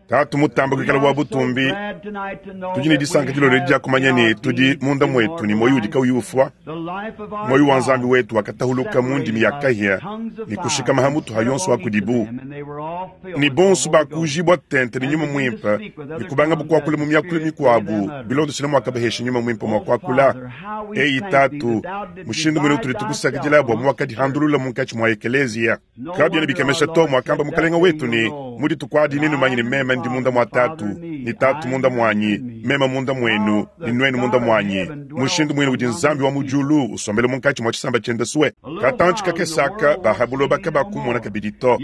Tatu mutambe kuikala wa butumbi, tudi ne disanka dilolo edi dia kumanya ne tudi munda muetu ne muoyo udi kauyi ufua, muoyo wa Nzambi wetu wakatahuluka mu ndimi ya kahia ne kushikama ha mutu ha yonso wa kudibu, ne bonso bakujibua tente ne Nyuma Muimpe ne kubangabu kuakula mu miakulu mikuabu bilondeshile muakabahesha Nyuma Muimpe mua kuakula. Eyi Tatu, mushindu munene utudi tukusakidila bua muwakadihandulula munkatshi mua ekeleziya. Kabiena bikemesha to muakamba Mukalenge wetu ne, Mu dituku adi nenumanye ne meme ndi munda mua Tatu, ne Tatu munda muanyi, meme munda muenu, ne nuenu munda muanyi. Mushindu muine udi Nzambi wa mu diulu usombela munkatshi mua tshisamba tshiende sue. Katantshi kakese aka ba ha buloba kabakumona kabidi to,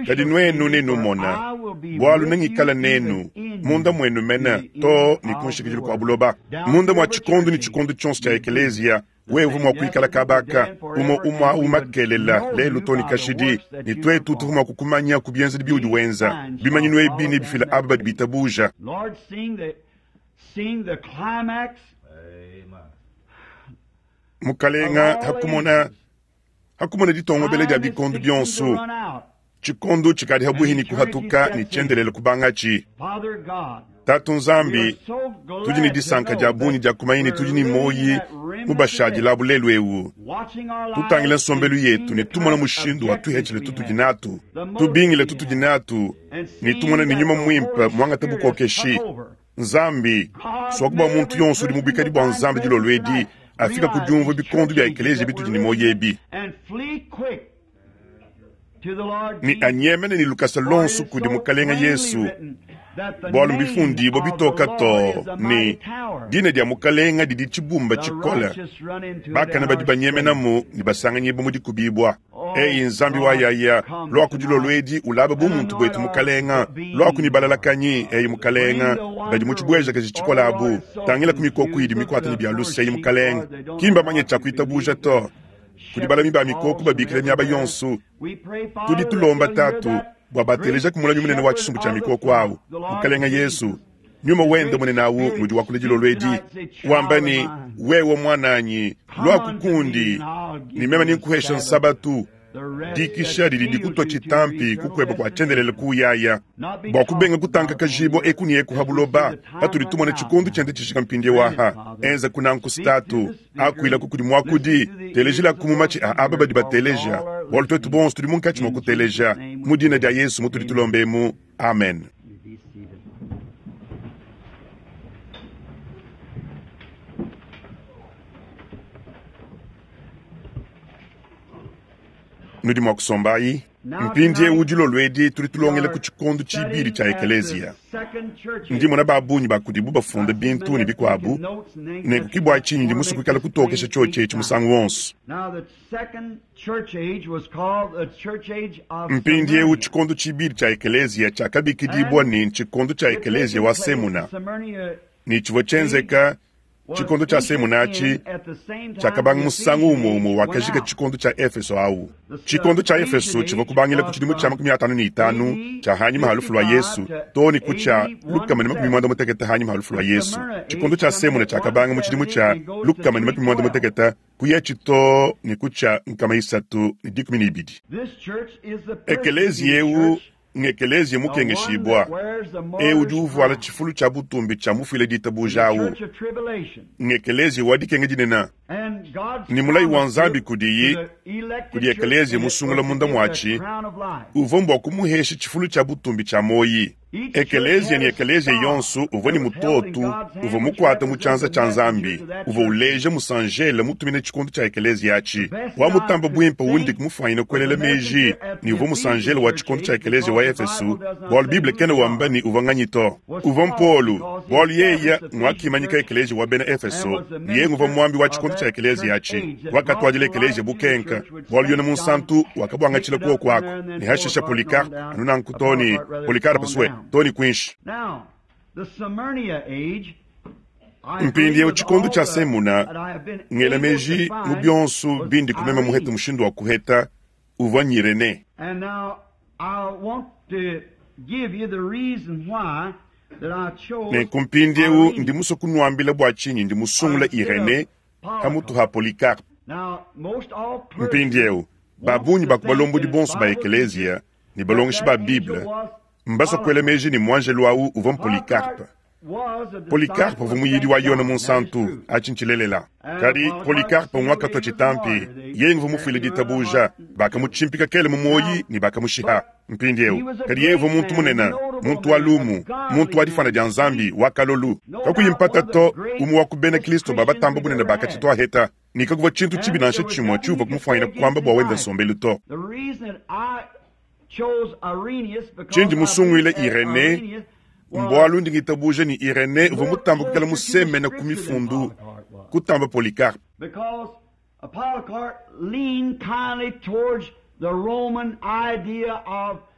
kadi nuenu nenumona, bualu nengikale nenu, munda muenu mene, too ne ku nshikidilu kua buloba. Munda mua tshikondo ne tshikondo tshionso tshia ekeleziya, Wewe uvua mua kuikala kaba aka umue umue au makelela lelu too ne kashidi, ne tuetu tuvua mua kukumanya ku bienzedi biudi wenza. Bimanyinu ebi nebifile aba badi bitabuja. Mukalenga, hakumona hakumona ditongobela dia bikondo bionso, tshikondo tshikadi habuihi ne kuhatuka ne tshiendelele kubangatshi. Tatu Nzambi, tudi ne disanka dia bungi dia kumanya ne tudi ne muoyi mubashadilabu lelu eu. Tutangila nsombelu yetu ne tumona mushindu wa tuhetshile tutudi natu, tubingile tutudi natu, ne tumona ne Nyuma Muimpe muangate bukokeshi. Nzambi, suaku bua muntu yonso udi mu buikadi bua Nzambi dilolo edi afika ku diumvua bikondo bia ekeleziya bitudi ne muoyo ebi, ne anyemene ne lukasa luonso kudi Mukalenge Yesu, bualu mbifundibue bitoka too ne, Dina dia Mukalenge didi tshibumba tshikole, bakane badi banyemenamu ne basanganyibua mu dikubibua. Eyi Nzambi wa yaya, luaku dilolo edi ulaba bumuntu buetu Mukalenga, luaku ne balalakanyi, eyi Mukalenga, badi mu tshibuejakaji tshikole abu, tangila ku mikoko idi mikuata ne bia luse, eyi Mukalenga, ki mbamanye tshia kuitabuja to. Kudi balami ba mikoko babikila miaba yonso. Tudi tulomba Tatu bua batelejaku mulami munene wa tshisumbu tshia mikoko au, Mukalenga Yesu. Nyuma wende munene au ngudi wakula dilolo edi, wamba ne, Wewe muananyi, luaku kundi, ne meme nenkuhesha nsabatu. Dikisha didi dikutua tshitampi kukueba kua tshiendelele kuyaya, bua kubenga kutankakajibua eku ne eku ha buloba, patudi tumona tshikondo tshiende tshijika mpindieu aha. Enza kunanku statu, akuilaku kudi muakudi, telejilaku mu matshi a aba badi bateleja, bualu tuetu bonso tudi munkatshi mua kuteleja. Mu dina dia Yesu mutudi tulomba emu, amen. Nudi mua kusombayi. Mpindiewu dilolo edi tudi tulongela ku tshikondo tshibidi tshia ekeleziya. Ndi mona ba bungi ba kudibu bafunda bintu ne bikuabu, nenku ki bua tshinyi ndi musue kuikala kutokesha tshiotshi etshi musangu wonso. Mpindiewu tshikondo tshibidi tshia ekeleziya tshiakabikidibua ne ntshikondo tshia ekeleziya wa Semuna, ne tshivua tshienzeka Tshikondo tshia Semuna atshi tshiakabanga musangu umue umue wakajika tshikondo tshia Efeso au. Tshikondo tshia Efeso tshivua kubangila ku tshidimu tshia 55 tshia hanyima ha lufu lua Yesu too ne ku tshia 160 hanyima ha lufu lua Yesu. Tshikondo tshia Semuna tshiakabanga mu tshidimu tshia 160 kuyatshi too ne ku tshia 312. Ekeleziya eu Ng'ekeleziya mukengeshibua, eu udi uvuala tshifulu tshia butumbi tshia mufuile ditabuja au. Ng'ekeleziya wa dikenga dinene, ne mulayi wa Nzambi kudiyi, kudi ekeleziya musungula munda muatshi, uvua mbua kumuhesha tshifulu tshia butumbi tshia muoyi. Ekeleziya ne ekeleziya yonso uvua ne mutoto uvua mukuate mu tshianza tshia Nzambi, uvua uleja musanjele mutumina tshikondo tshia ekeleziya atshi. Wa mutambe buimpe undi mufuanyine kuelela meji ne uvua musanjele wa tshikondo tshia ekeleziya wa Efeso, bualu Bible kena wamba ne uvua nganyi to. Uvua m'Polu, bualu yeye nguakimanyika ekeleziya wa bena Efeso, ne yeye nguvua muambi wa tshikondo tshia ekeleziya atshi. Wakatuadila ekeleziya bukenka, bualu Yone Munsantu wakabuangatshila kuoku aku, ne hashisha Polycarpe, anu nanku too ne Polycarpe sue too ne kuinshi. Mpindieu tshikondo tshia Semuna, ngela meji mu bionso bindi kumema muhete mushindu wa kuheta uvua n'Irene. Nenku mpindieu ndi musue kunuambila bua tshinyi ndi musungula Irene pamutu ha Polycarpe. Mpindieu ba bungi ba ku balombodi bonso ba ekeleziya. Ne balongeshi ba Bible mbasue kuela meji ne, muanjelu au uvua m'Polycarpe. Polycarpe uvua muyidi wa Yone Munsantu, atshi ntshilelela. Kadi Polycarpe ngwakatua tshitampi, yeye nguvua mufuile ditabuja, bakamutshimpika kele mu muoyi ne bakamushiha. Mpindieu, kadi yeye uvua muntu munene, muntu wa lumu, muntu wa difuana dia Nzambi, wa kalolu. Kakuyi mpata to, umue wa ku bena Kristo ba batamba bunene ba katshituaheta, ne kakuvua tshintu tshibi nansha tshimue tshiuvua kumufuanyina kuamba bua wende nsombelu to. Tshindi musunguile Irenee mbualu ndi ngitabuja ne, Irenee uvua mutambe kuikala musemene ku Mifundu kutamba Polycarpe.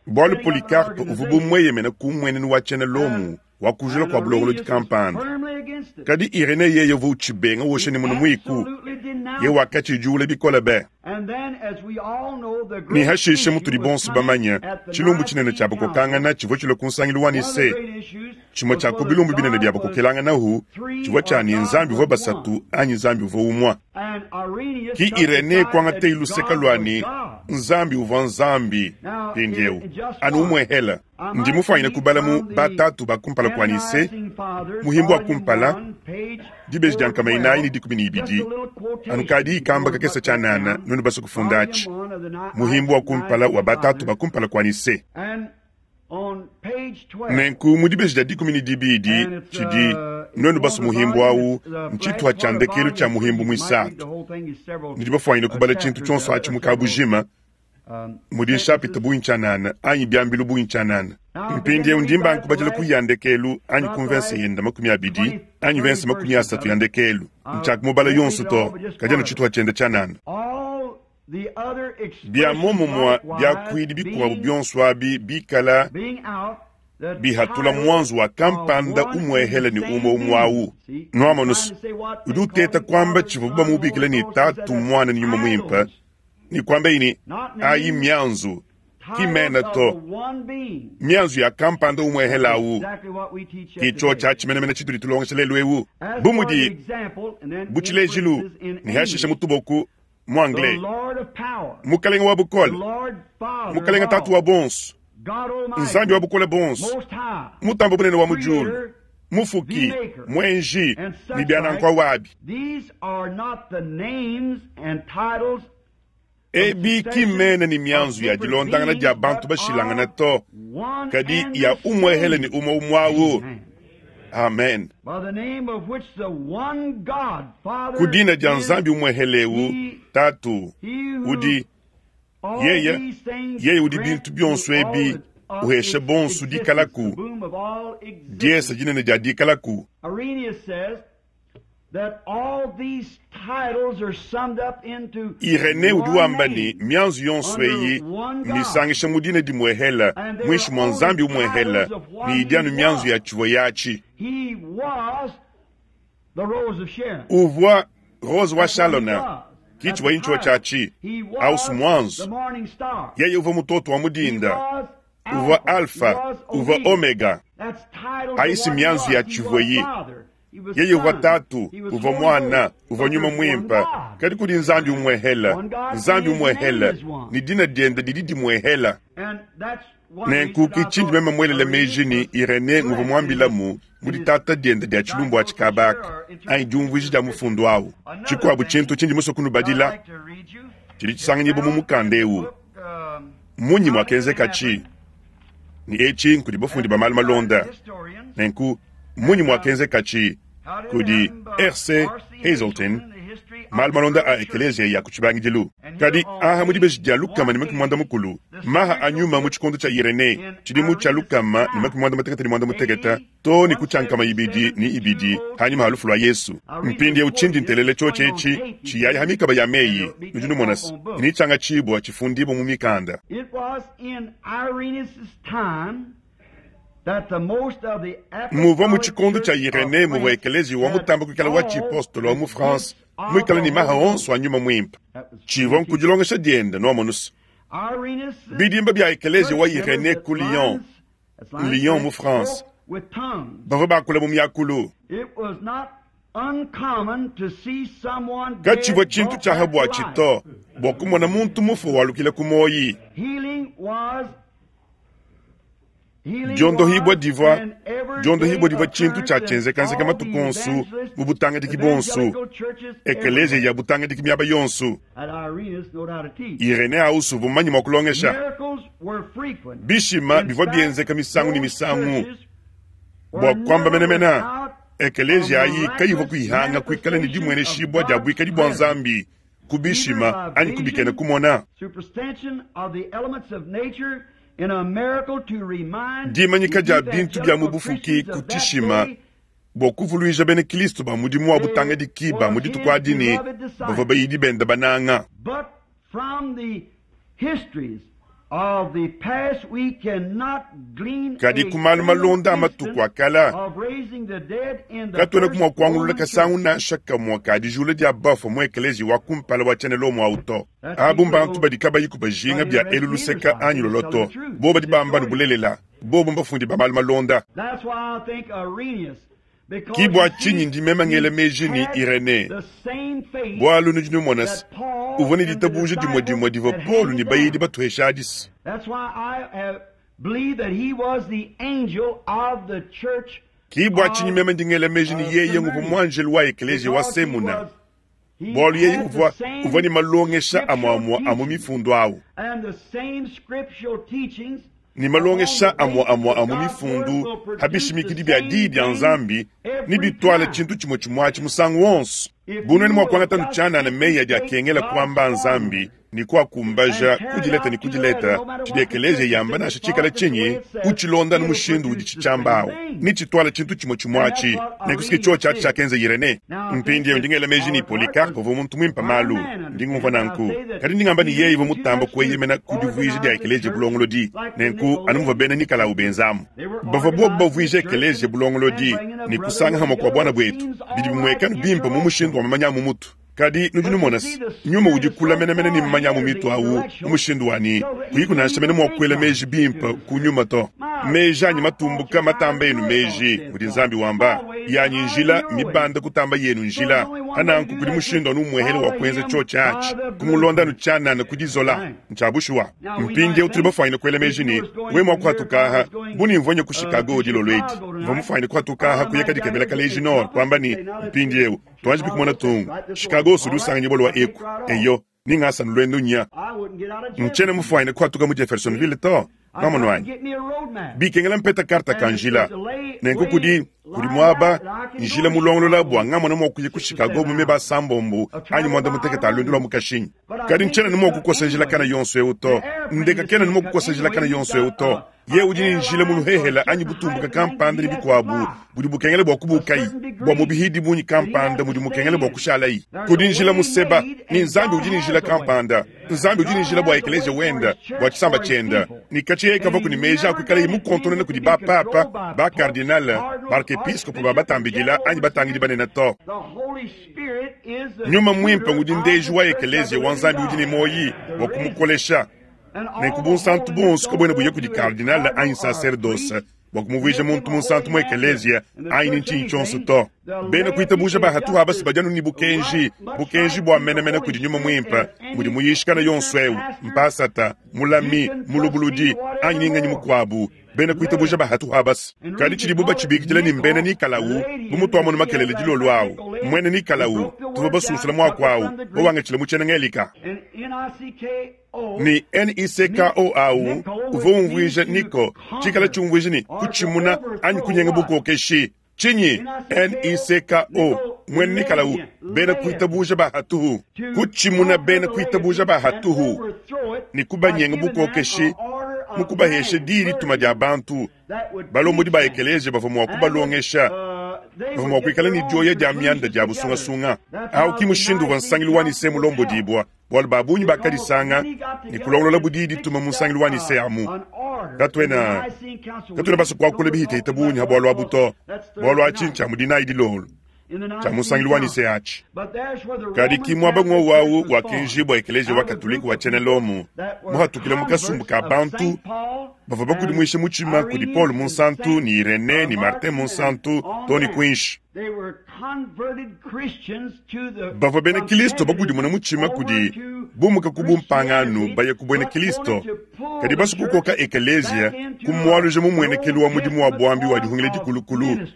Bualu Polycarpe uvua bu mueyemena ku mmuenenu wa tshiena Lomo wa kujula kua bulongolodi kampanda, kadi Irenee yeye uvua utshibenga wosha ne munu muiku, ye wakatshidiwula bikole be. Ne hashishe, mutudi bonso bamanye, tshilumbu tshinene tshia bakokangana tshivua tshilue ku nsangilu wa Nicee. Tshimue tshia ku bilumbu binene bia bakokelanganahu tshivua tshia ne Nzambi uvua basatu anyi Nzambi uvua umue. Ki Irenee kuangateye luseke lua ne Nzambi uvua Nzambi, mpindieu anu umuehela. Ndi mufuanyine kubala mu Batatu ba kumpala kua Nicee, muhimbu wa kumpala, dibeji dia nkama inayi ne dikumi ne ibidi, anu kadiyi kamba kakese tshianana, nuenu basue kufunda atshi, muhimbu wa kumpala wa Batatu ba kumpala kua Nicee. Nenku mu dibeji dia dikumi ne dibidi tshidi nuenu basue muhimbu au ntshituha tshia ndekelu tshia muhimbu muisatu. Nudi bafuanyine kubala tshintu tshionso atshi mu kabujima mudi nshapita bungi tshianana anyi biambilu bungi tshianana. Mpindieu ndi mbanga kubadila ku ya ndekelu anyi ku mvense yenda 20 anyi mvense 30 ya ndekelu. Ntshiakumubala yonso to, kadi anu tshituha tshienda tshianana. Bia muomumue biakuidi bikuabu bionso abi bikala bihatula muanzu wa kampanda umuehela ne umue umue au. Nuamonus, udi uteta kuamba tshivuabu bamubikila ne Tatu, Muana ne Nyuma Muimpe, ne kuambaye ne, ayi mianzu, ki mena to, mianzu ya kampanda umuehela au. Ki tshiotshi atshi menemene tshitudi tulongesha lelu eu, bu mudi bu tshilejilu ne hashishe mu tuboku mu anglais, Mukalenge wa bukole, Mukalenge Tatu wa bonso, Nzambi wa bukole bonso, Mutambe bunene wa mu diulu, Mufuki, Muenji, ne bia nanku awabi. Ebi ki mmena ne mianzu ya dilondangana dia bantu bashilangane to, kadi ya umuehele ne umue umue au. Amen. Ku dina dia Nzambi umuehele eu, Tatu, udi yeye, yeye udi bintu bionso ebi uhesha bonso dikalaku, diesa dinene dia dikalaku. Irenee udi wamba ne, mianzu yonso eyi mmisangisha mu dina dimuehela, muinshi mua Nzambi umuehela, ne idi anu mianzu ya tshivua yatshi. Uvua Rose wa Shalona, ki tshivua ntshivua tshiatshi, aus muanzu. Yeye uvua mutoto wa mu dinda, uvua Alfa, uvua Omega. Ayi si mianzu ya tshivua yi. Yeye uvua Tatu, uvua Muana, uvua Nyuma Muimpe, kadi kudi Nzambi umuehela, Nzambi umuehela, ne dina diende didi dimuehela. Nenku ki tshindi meme muelele meji ne Irenee nguvua muambilamu mu ditata diende dia tshilumbu atshi kaba aka, anyi diumvuija dia mufundu au. Tshikuabu tshintu tshindi musue kunubadila tshidi tshisanganyibua mu mukanda eu. Mmunyi muakenzekatshi? Ne etshi nkudi bafundi ba malu malonda. Nenku, mmunyi muakenzekatshi kudi R.C. Hazelton malu malonda a ekeleziya ya ku tshibangidilu? Kadi aha mu dibeji dia 140, maha a nyuma mu tshikondo tshia Irenee, tshidimu tshia 161 too ne ku tshia 202 hanyima ha lufu lua Yesu. Mpindieu tshindi ntelela tshiotshi etshi tshiyaya ha mikaba ya meyi, nudi numona se, ne tshiangatshibua tshifundibua mu mikanda. Muvua mu tshikondo tshia Irenee muvua ekeleziya wa mutamba kuikala wa tshipostolo wa mu France muikale ne maha onso a Nyuma Muimpe. Tshivua nku dilongesha diende, nuamonu se, bidimba bia ekeleziya wa Irenee ku Lyon, Lyon mu France, bavua bakula mu miakulu. Katshivua tshintu tshia ha buatshi to bua kumona muntu mufue walukila ku muoyi. Diondohibua divua diondohibua divua tshintu tshia tshienzekanzeka matuku onso mu butangadiki buonso, ekeleziya ya butangadiki miaba yonso. Irenaeus uvua mumanye mua kulongesha. Bishima bivua bienzeka misangu ne misangu. Bua kuamba menemene, ekeleziya ayi kayivua kuyihanga kuikala ne dimueneshibua dia buikadi bua Nzambi ku bishima anyi ku bikena kumona. Dimanyika dia bintu bia mu bufuki ku tshishima bua kuvuluija bena Kristo ba mudimu wa butangadiki ba mu dituku adi ne, bavua bayidi bende bananga. Kadi ku malu malonda a matuku a kale, katuenaku mua kuangulula kasangu nansha kamue ka dijula dia bafue mu ekeleziya wa kumpala wa tshiena Lomo au to. Abu mbantu badi kabayiku bajinga bia elu luseka anyi lolo to. Bobu badi bamba anu bulelela. Bobu mbafundi ba malu malonda. Ki bua tshinyi ndi meme ngela meji ne, Irenee, bualu nudi numona se, uvua ne ditabuja dimue dimue divua Paulo ne bayidi batuhesha adi se. Ki bua tshinyi meme ndi ngela meji ne, yeye nguvua muanjelu wa ekeleziya wa Semuna, bualu yeye uvua, uvua ne malongesha amue-amue a mu Mifundu au. Ne malongesha amue-amue a mu Mifundu pa bishimikidi bia Diyi dia Nzambi nebituale tshintu tshimue tshimue atshi musangu wonso. Bu nuenu mua kuangata anu tshianana meyi adi akengela kuamba a Nzambi ne kuakumbaja ku dileta ne ku dileta, tshidi ekeleziya yamba nansha tshikale tshinyi, utshilonda anu mushindu uditshi tshiamba awu, netshituale tshintu tshimue tshimue atshi. Nenku s'ke tshiotshi atshi tshiakenza Irenee. Mpindieu ndi ngela meji ne, Polycarpe uvua muntu muimpe malu. Ndi ngumvua nanku. Kadi ndi ngamba ne yeye uvua mutamba kueyemena ku divuija dia ekeleziya bulongolodi, nenku anu muvua bena Nikalao benzamu. Bavua buobu bavuija ekeleziya bulongolodi ne kusanga hamue kua buana buetu. Bidi bimueka anu bimpe mu mushindu wa mamanya a mu mutu. Kadi nudi numona se, nyuma udi kule menemene ne mamanya a mu mitu au mu mushindu wa ne, kuyiku nansha mene mua kuela meji bimpe ku nyuma to. Meji anyi matumbuka matamba enu meji, mudi Nzambi wamba. Yanyi njila mmibande kutamba yenu njila. Pa nanku kudi mushindu anu umuehele wa kuenza tshiotshi atshi, kumulonda anu tshianana ku dizola. Ntshia bushuwa. Mpindieu tudi bafuanyine kuela meji ne, wewe mua kuhatuka aha, bu ne mvua nya ku Chicago dilolo edi, mvua mufuanyine kuhatuka aha kuya kadikebela kaleji nord, kuamba ne, Mpindieu, tuanjibi kumona tung. Chicago sudi usanganyibua lua eku. Eyo, ni ngasa luendu nya. Ntshiena mufuanyine kuhatuka mu Jeffersonville to. Nwamonu anyi? Bikengela mpeta karta ka njila. Nenku kudi, kudi muaba, njila mulongolola bua ngamona mua kuya ku Chicago mu meba asambombo anyi muanda-mutekete a luendu lua mu kashinyi. Kadi ntshiena ne mua kukosa njila kana yonso eu to. Ndeka kena ne mua kukosa njila kana yonso eu to. Yeye udi ne njila mu luhehela anyi butumbuka kampanda ne bikuabu budi bukengela bua kubukayi, bua mubihidi bungi kampanda mudi mukengela bua kushalayi. Kudi njila museba, ne Nzambi udi ne njila kampanda. Nzambi udi ne njila bua ekeleziya wenda, bua tshisamba tshienda, ne katshia yeye kavuaku ne meji a kuikalaye mukontonona kudi ba-papa, ba-kardinale, ba-arkepiskopo ba batambidila anyi batangidi banene to. Nyuma Muimpe ngudi ndeji wa ekeleziya wa Nzambi udi ne muoyi bua kumukolesha. Nenku bunsantu buonso kabuena buya kudi kardinale anyi nsaserdose bua kumuvuija muntu munsantu mu ekeleziya anyi ne ntshinyi tshionso to. Bena kuitabuja ba hatuhu aba si badi anu ne bukenji, bukenji bua menemene kudi Nyuma Muimpe, mudi muyishikana yonso eu, mpasata, mulami, mulubuludi, anyi ne nganyi mukuabu. Bena kuitabuja ba hatuhu aba si. Kadi tshidibu batshibikidila ne mbena Nikalao, bu mutuamonu makelele dilolo au, muena Nikalao, tuvua basunsula muaku au, bawangatshila mu tshiena-Ngelika. Ne N-I-C-K-O au uvua umvuija Niko, tshikala tshiumvuija ne, kutshimuna anyi kunyenga bukokeshi. Tshinyi? N-I-C-K-O, muena Nikalao, bena kuitabuja ba hatuhu. Kutshimuna bena kuitabuja ba hatuhu ne kubanyenga bukokeshi mu kubahesha diyi-dituma dia bantu. Balombodi ba ekeleziya bavua mua kubalongesha, bavua mua kuikala ne dioya dia mianda dia busungasunga. Au ki mushindu uvua nsangilu wa Nicee mulombodibua. Bualu ba bungi bakadisanga ne kulongololabu diyi dituma mu nsangilu wa Nicee amu. Katuena, katuena basue kuakula bihitehite bungi ha bualu abu to, bualu atshi ntshia mu dinayi dilolo, tshia mu nsangilu wa Nicee atshi. Kadi ki muaba ngwowu au wakenjibua Ekeleziya wa Katolike wa tshiena Lomo muhatukila mu kasumbu ka bantu bavua bakudimuishe mutshima kudi Paulo Munsantu ne Irenee ne Martin Munsantu too ne kuinshi. Bavua bena Kilisto bakudimuna mutshima kudi bumuka ku bumpangano baya ku buena Kilisto, kadi basue kukoka ekeleziya kumualuja mu mmuenekelu wa mudimu wa buambi wa dihungila dikulukulu,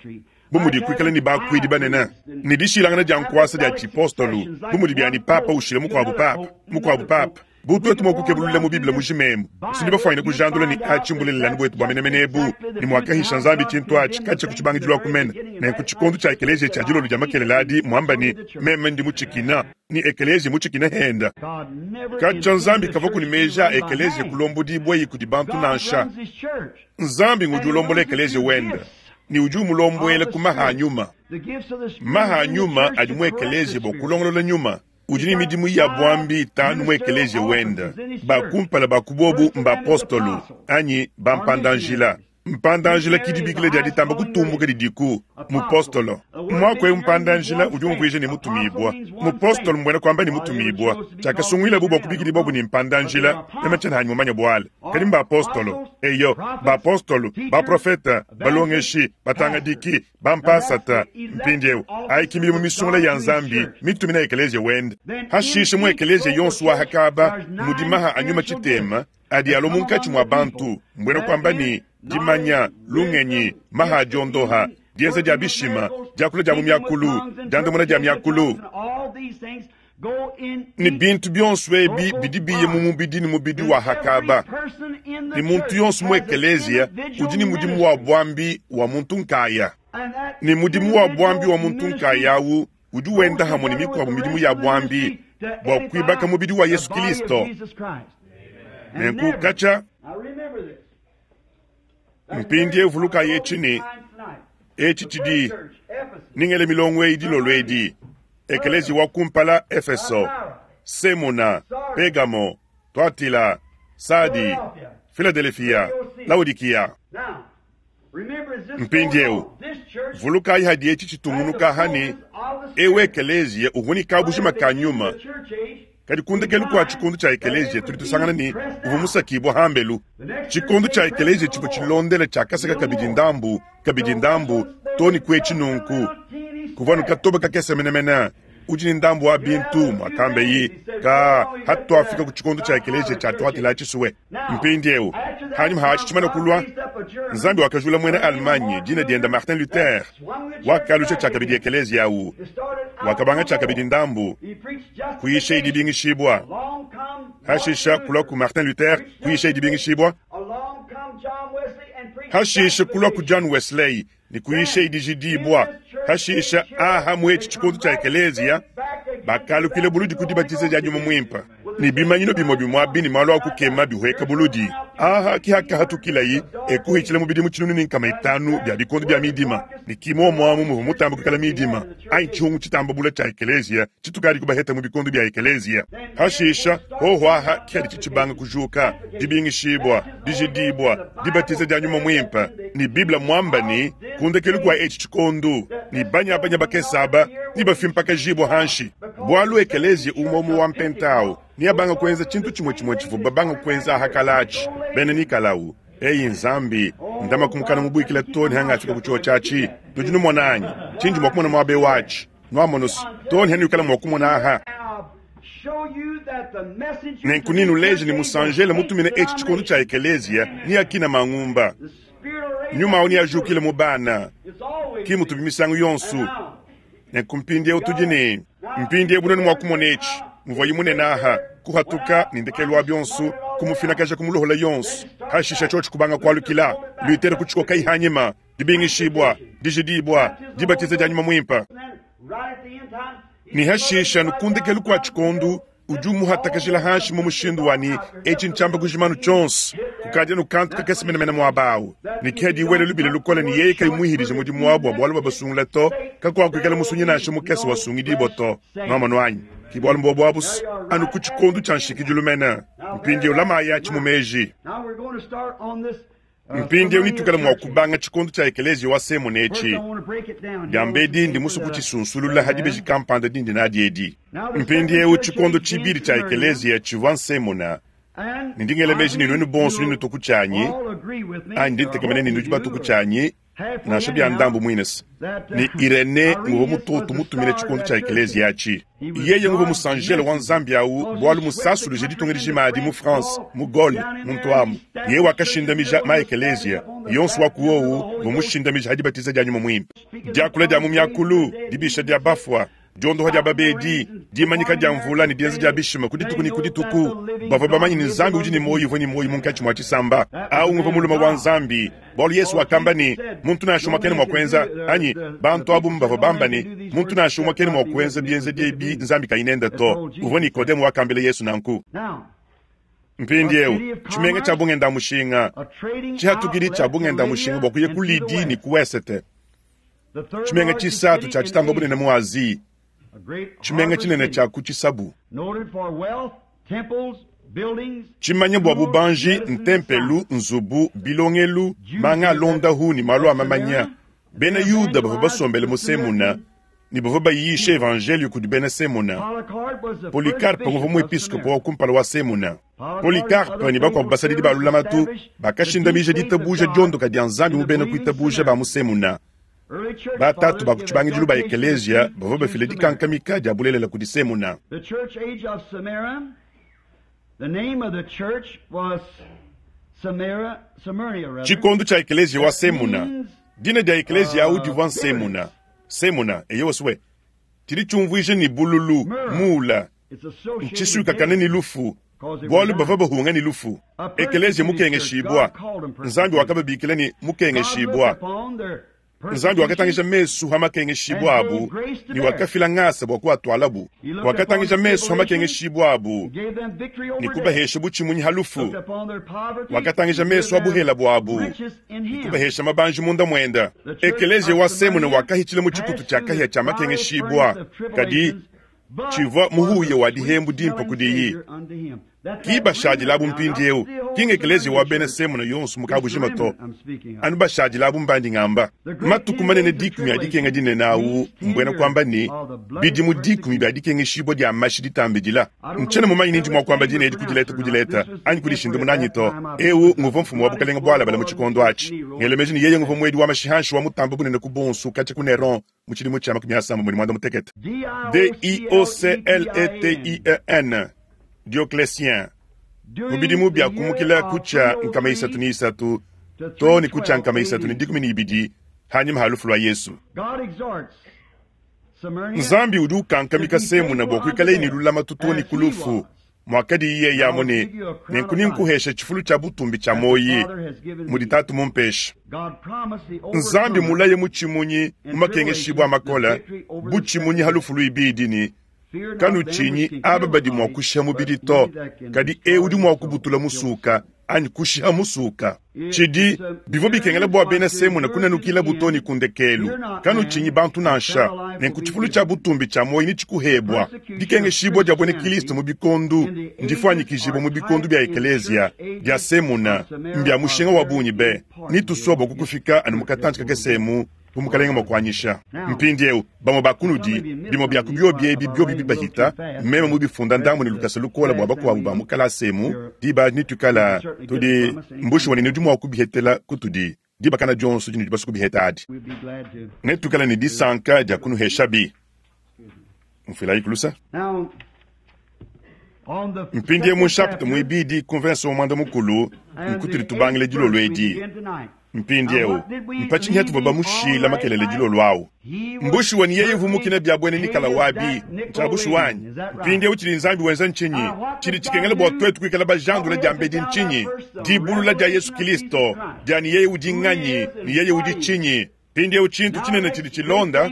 bu mudi kuikala ne bakuidi banene ne dishilangana dia nkuasa dia tshipostolu, bu mudi bia ne papa ushila mukuabu papa, mukuabu papa. Bu tuetu mua kukebulula mu Bible mujima emu, tudi bafuanyine kujandula ne atshi mbulelelanu buetu bua menemene ebu, ne muakahisha Nzambi tshintu atshi katshia ku tshibangidilu aku mene. Nenku tshikondo tshia ekeleziya tshia dilolo dia makelela adi muamba ne, Meme ndi mutshikina, ne ekeleziya mutshikina henda. Katshia Nzambi kavua ne meji a ekeleziya kulombodibuayi kudi bantu nansha. Nzambi ngudi ulombola ekeleziya wende, ne udi umulombuela ku maha a nyuma. Maha a nyuma adi mu ekeleziya bua kulongolola nyuma. Udi ne midimu ya buambi itanu mu ekeleziya wende. Ba kumpala ba ku buobu mbapostolo anyi bampanda-njila. Mpanda-njila ke dibikila dia ditamba kutumbuka didiku. Mupostolo. Muaku eu mpanda-njila udi umvuija ne mutumibua. Mupostolo mbuena kuamba ne mutumibua. Tshiakasunguilabu bua kubikidibuabu ne mpanda-njila, meme tshiena hanyi mumanye bualu. Kadi mbapostolo. Eyo, bapostolo, baprofete, balongeshi, batangadiki, bampasata. Mpindieu, ayi ki midimu misungula ya Nzambi mitumina ekeleziya wende. Hashishe mu ekeleziya yonso wa hakaba mudi maha a nyuma tshitema adi alua munkatshi mua bantu, mbuena kuamba ne, dimanya, lungenyi, maha a diondoha, dienza dia bishima, diakula dia mu miakulu, diandamuna dia miakulu. Ne bintu bionso ebi bidi biya mu mubidi ne mubidi wa hakaba. Ne muntu yonso mu ekeleziya udi ne mudimu wa buambi wa muntu nkaya. Ne mudimu wa buambi wa muntu nkaya au udi wenda hamue ne mikuabu midimu ya buambi bua kuibaka mubidi wa Yesu Kilisto. Nenku katshia mpindieu vulukayi etshi ne etshi tshidi ningele milongo eyi dilolo edi. Ekeleziya wa kumpala Efeso, Semuna, Pegamo, Tuatila, Sadi, Filadelefia, Laodikiya. Mpindieu vulukayi hadi etshi tshitungunuka aha ne eu ekeleziya uvua ne kabujima ka nyuma, kadi ku ndekelu kua tshikondo tshia ekeleziya tudi tusangana ne uvua musakibua hambelu. Tshikondo tshia ekeleziya tshivua tshilondela tshiakasaka kabidi ndambu kabidi ndambu too ne ku etshi nunku kuvua anu katoba kakese menemene udi ne ndambu wa bintu muakambeyi ka hatuafika ku tshikondo tshia ekeleziya tshia tuatila tshisue. Mpindieu hanyima ha atshi tshimane kulua, Nzambi wakajula muena Allemagne dina diende Martin Luther, wakalusha tshiakabidi ekeleziya au, wakabanga tshiakabidi ndambu kuyisha dibingishibua, hashisha kulua ku Martin Luther kuyisha dibingishibua, hashisha kulua ku John Wesley ne kuyisha dijidibua, hashisha aha mu etshi tshikondo tshia ekeleziya bakalukila buludi ku dibatiza dia Nyuma Muimpe ne bimanyinu bimue bimue abi ne malu a kukema bihueka buludi. Aha ki hakahatukilayi ekuhitshila mu bidimu 500 bia bikondo bia midima, ne ki muomuamu muvua mutamba kuikala midima anyi tshihungu tshitamba bula tshia ekeleziya tshitukadi kubaheta mu bikondo bia ekeleziya. Hashisha hoho aha ki hadi tshibanga kujuka dibingishibua, dijidibua, dibatiza dia Nyuma Muimpe, ne Bible muamba ne ku ndekelu kua etshi tshikondo ne banyabanya bakese aba nebafimpakajibua hanshi, bualu ekeleziya umue umue wa mpenta au neabanga kuenza tshintu tshimue tshimue tshivua babanga kuenza aha kala atshi bena Nikalau. Eyi Nzambi, ndama kumukana mubuikila too ne hangafika ku tshio tshiatshi. Nudi numona anyi tshindi mua kumona muaba eu atshi? Nuamonusu too ne hanuikala mua kumona aha. Nenku ninuleje ne musanjele mutumina etshi tshikondo tshia ekeleziya ne akina mangumba. Nyuma au neajukile mu bana, ki mutubi misangu yonso. Nenku mpindieu tudi ne mpindieu bunene mua kumona etshi muvuayi munene aha kuhatuka ne ndekelu wa bionso kumufinakaja kumulohola yonso, hashisha tshiotshi kubanga kualukila Luther kutshikokayi hanyima, dibingishibua, dijidibua, dibatiza dia Nyuma Muimpe. Ne hashisha ku ndekelu kua tshikondo udi umuhatakajila hanshi mu mushindu wa ne etshi ntshiamba kujimanu tshionso kukadi anu kantu kakese menemene muaba awu, ne ke hadi wela lubila lukole ne yeye kayi muihidije mudimu wabu wa bualu babasungula to, kakuakuikala musunyi nansha mukese wasungidibua to. Nuamonu anyi? Ki bualu mbuobu abusu anu ku tshikondo tshia nshikidilu mene. Mpindieu lamayi atshi mu meji. Mpindieu netuikale mua kubanga tshikondo tshia ekeleziya wa Semuna etshi. Diambedi ndi musue kutshisunsulula ha dibeji kampanda dindi nadi edi. Mpindieu tshikondo tshibidi tshia ekeleziya tshivua Nsemuna, ne ndi ngela meji ne nuenu bonso nenutuku tshianyi, anyi ndi ntekemena ne nudi batuku tshianyi. Nansha bia ndambu muines ne Irene nguvua mutoto mutumina tshikondo tshia ekeleziya atshi. Yeye nguvua musanjelo wa Nzambi au bualu musasuluje ditunga dijima adi mu France, mu Gaule, muntu amu. Yeye wakashindamija ma ekeleziya yonso wa ku wowu uvua mushindamija ha dibatiza dia Nyuma Muimpe. Diakula dia mu miakulu, dibisha dia bafua, diondoha dia babedi, dimanyika dia mvula ne dienza dia bishima ku dituku ne ku dituku. Bavua bamanye ne Nzambi udi ne muoyo uvua ne muoyo munkatshi mua tshisamba. Au nguvua mulume wa Nzambi, bualu Yesu wakamba ne, muntu nansha umue kena mua kuenza, anyi bantu abu bavua bamba ne, muntu nansha umue kena mua kuenza bienzedi ebi Nzambi kayi nende to. Uvua Nikodemo wakambila Yesu nanku. Mpindieu, tshimenga tshia bungenda-mushinga, tshihatukidi tshia bungenda-mushinga bua kuya ku Lydie ne ku wesete, tshimenga tshisatu tshia tshitamba bunene mu Asie, tshimenga tshinene tshia ku tshisabu, tshimanya bua bubanji, ntempelu, nzubu, bilongelu, manga a londahu ne malu a mamanya. Bena Yuda bavua basombele mu Semuna ne bavua bayisha evanjeliyo kudi bena Semuna. Polycarpe uvua muepiskopo wa kumpala wa Semuna. Polycarpe ne bakuabu basadidi ba lulamatu bakashindamija ditabuja diondoka dia Nzambi mu bena kuitabuja ba mu Semuna. Batatu ba ku tshibangidilu ba ekeleziya bavua bafila dikankamika dia bulelela kudi Semuna. Tshikondo tshia ekeleziya wa Semuna, dina dia ekeleziya au divua Nsemuna. Semuna, eyowa sue, tshidi tshiumvuija ne bululu, muula, ntshisuikakane ne lufu, bualu bavua bahunga ne lufu. Ekeleziya mukengeshibua, Nzambi wakababikila ne mukengeshibua. Nzambi wakatangija mesu ha makengeshibua abu ne wakafila ngasa bua kuatualabu. Wakatangija mesu ha makengeshibua abu ne kubahesha butshimunyi ha lufu. Wakatangija mesu ha buhela buabu ne kubahesha mabanji munda muenda. Ekeleziya wa Semuna wakahitshila mu tshikutu tshia kahia tshia makengeshibua, kadi tshivua muhuya wa dihembu dimpe kudiyi. Ki bashadilabu mpindieu, ki ngekeleziya wa bena Semuna yonso mu kabujima to, anu bashadilabu mbandi ngamba. Matuku manene dikumi a dikenga dinene au, mbuena kuamba ne, bidimu dikumi bia dikengeshibua dia mashi ditambidila. Ntshiena mumanye ni ndi mua kuamba dina edi ku dileta ku dileta anyi kudishindamuna anyi to. Eu nguvua mfumu wa bukalenge bualabale mu tshikondo atshi. Ngela meji ne, yeye nguvua muedi wa mashi hanshi wa mutambe bunene ku bonso katshia ku Neron mu tshidimu tshia 356. D-I-O-C-L-E-T-I-E-N, Diocletien, mu bidimu bia kumukila ku tshia 303 too ne ku tshia 312 hanyima ha lufu lua Yesu. Nzambi udi ukankamika Semuna bua kuikaleye ne lulamatu too ne ku lufu, muakadi yeye amu ne, nenku ninkuhesha tshifulu tshia butumbi tshia muoyi mudi Tatu mumpesha. Nzambi mulaye mutshimunyi mu makengeshibua a makole butshimunyi ha lufu luibidi ne, Kanutshinyi aba badi mua kushiha mubidi to, kadi eu udi mua kubutula musuka anyi kushiha musuka. Tshidi bivua bikengela bua bena Semuna kunanukilabu too ne ku ndekelu. Kanutshinyi bantu nansha, nenku tshifulu tshia butumbi tshia muoyo netshikuhebua. Dikengeshibua dia buena Kilisto mu bikondu ndifuanyikijibua mu bikondu bia ekeleziya bia Semuna mbia mushinga wa bungi be. Netusua bua kukufika anu mu katantshi kakese emu bu Mukalenge mua kuanyisha. Mpindieu, bamue ba kunudi, bimue bia ku biobi ebi biobi bibahita, meme mubifunda ndambu ne lukasa lukola bua bakuabu ba mu kalasa emu, diba adi netuikala tudi mbushuwa ne nudi mua kubihetela kutudi diba kana dionso dinudi basue kubiheta adi. Netuikale ne disanka dia kunuheshabi. Mfuilayi kulusa. Mpindieu mu nshapita muibidi ku mvese wa muanda mukulu nkutudi tubangile dilolo edi. Mpindieu, mpa tshinyi hatuvua bamushila makelele dilolo au? Mbushuwa ne yeye uvua mukine bia buena Nikala wabi, ntshia bushuwa anyi? Mpindieu tshidi Nzambi wenza ntshinyi? Tshidi tshikengela bua tuetu kuikala bajandula diambedi ntshinyi? Dibulula dia Yesu Kilisto, dia ne yeye udi nganyi ne yeye udi tshinyi. Mpindieu tshintu tshinene tshidi tshilonda,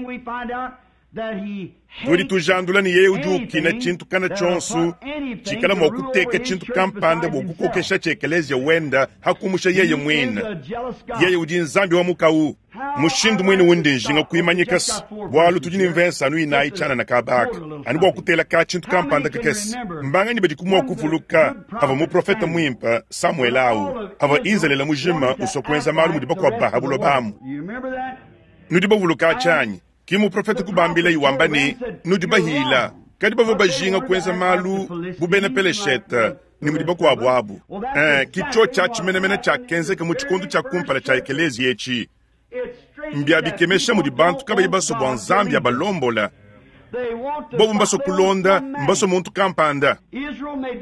tudi tujandula ne yeye udi ukina tshintu kana tshionso tshikala mua kuteka tshintu kampanda bua kukokesha tshia ekeleziya wenda ha kumusha yeye muine. Yeye udi Nzambi wa mukawu. Mushindu muine undi njinga kuimanyika se bualu tudi ne mvese anu inayi tshianana kabaka anu bua kutela ka tshintu kampanda kakese. Mbanganyi badiku mua kuvuluka havua muprofete muimpe Samuele au havua Izalele mujima usua kuenza malu mudi bakuabu ba ha buloba amu? Nudi bavuluka atshi anyi? Ki muprofete kubambilayi wamba ne, Nudi bahila. Kadi bavua bajinga kuenza malu bu bena Peleshete ne mudi bakuabu abu. Ki tshiotshi atshi menemene tshiakenzeka mu tshikondo tshia kumpala tshia ekeleziya etshi. Mbia bikemesha mudi bantu kabayi basue bua Nzambi abalombola. Bobu mbasue kulonda, mbasue muntu kampanda.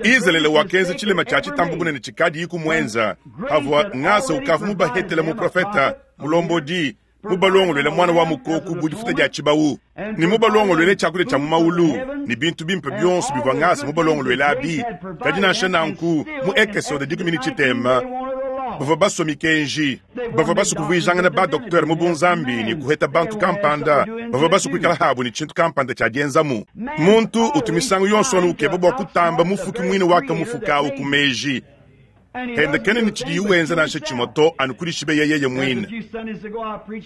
Izalele wakenza tshilema tshia tshitamba bunene tshikadiyiku muenza, pavua ngasa ukavua mubahetele muprofete, mulombodi, mubalongoluele muana wa mukoku bu difuta dia tshibawu, ne mubalongoluele tshiakudia tshia mu mawulu, ne bintu bimpe bionso bivua ngasa mubalongoluele abi. Kadi nansha nanku, mu Ekesode 13, bavua basue mikenji. Bavua basue kuvuijangana ba-doktere mu bunzambi ne kuheta bantu kampanda. Bavua basue kuikala habu ne tshintu kampanda tshia dienzamu. Muntu utu misangu yonso anu ukeba bua kutamba Mufuki muine wakamufuka au ku meji ende. Kena ne tshidiye wenza nansha tshimue to, anu kudishibeya yeye muine.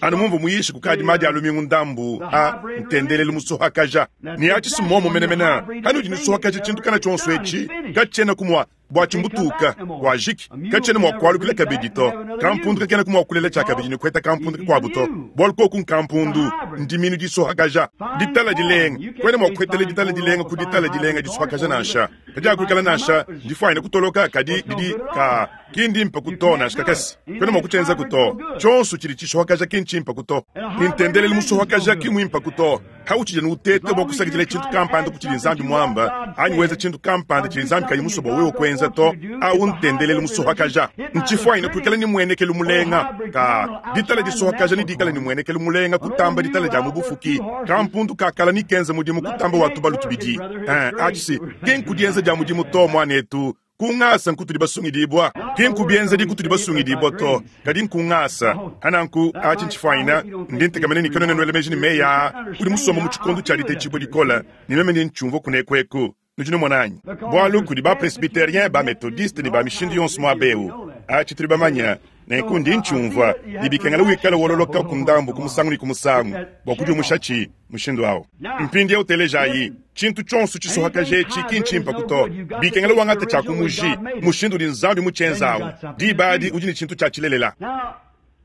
Anu mumvua muyishe kukadi madi a lumingu ndambu a ntendelelu musohakaja ne atshi si muomu menemene. Kanudi nusohakaja tshintu kana tshionso etshi, katshienaku mua Bua tshimbutuka, kuajiki, katshiena mua kualukila kabidi to. Kampundu kakenaku mua kulela tshiakabidi ne kuheta kampundu kakuabu to, bualu koku nkampundu, ndiminu disohakaja. Ditala dilenga, kuena mua kuhetela ditala dilenga ku ditala dilenga disohakaja nansha. Kadiakuikala nansha, ndifuanyine kutoloka, kadi didi ka ki ndimpe to nansha kakese. Kuena mua kutshienzaku to. Tshionso tshidi tshisohakaja ki ntshimpe to. Ne ntendelelu musohakaja ki muimpe to. Hautshidi anu uteta bua kusakidila tshintu kampanda ku tshidi Nzambi muamba, anyi wenza tshintu kampanda tshidi Nzambi kayi musue bua wewe kuenza to, au ntendelelu musohakaja. Ntshifuanyine kuikala ne muenekelu mulenga. Ka ditala disohakaja ne dikala ne muenekelu mulenga kutamba ditala dia mu bufuki. Kampundu ka kala ne kenza mudimu kutamba wa tubalu tubidi. Eh, atshi si ki nku dienza dia mudimu to, muanetu. Ku ngasa nkutudi basungidibua, ki nku bienzedi kutudi basungidibua to, kadi nku ngasa. Hananku, atshi ntshifuanyina, ndi ntekemena ne kanuena nuela meji ne meyi aa, udi musomba mu tshikondo tshia ditetshibua dikole, ne meme ndi ntshiumvua kuneku eku. Nudi numona anyi? Bualu kudi ba-presbyterien, ba-methodiste ne ba mishindu yonso muaba eu. Atshi tudi bamanye. Nenku ndi ntshiumvua ne bikengela wikale wololoka ku ndambu ku musangu ne ku musangu bua kudiumushatshi mushindu au. Mpindieu telejayi, tshintu tshionso tshisohakaja etshi ki ntshimpaku to. Bikengela wangate tshia ku muji, mushindu udi Nzambi mutshienza au. Diba adi udi ne tshintu tshia tshilelela.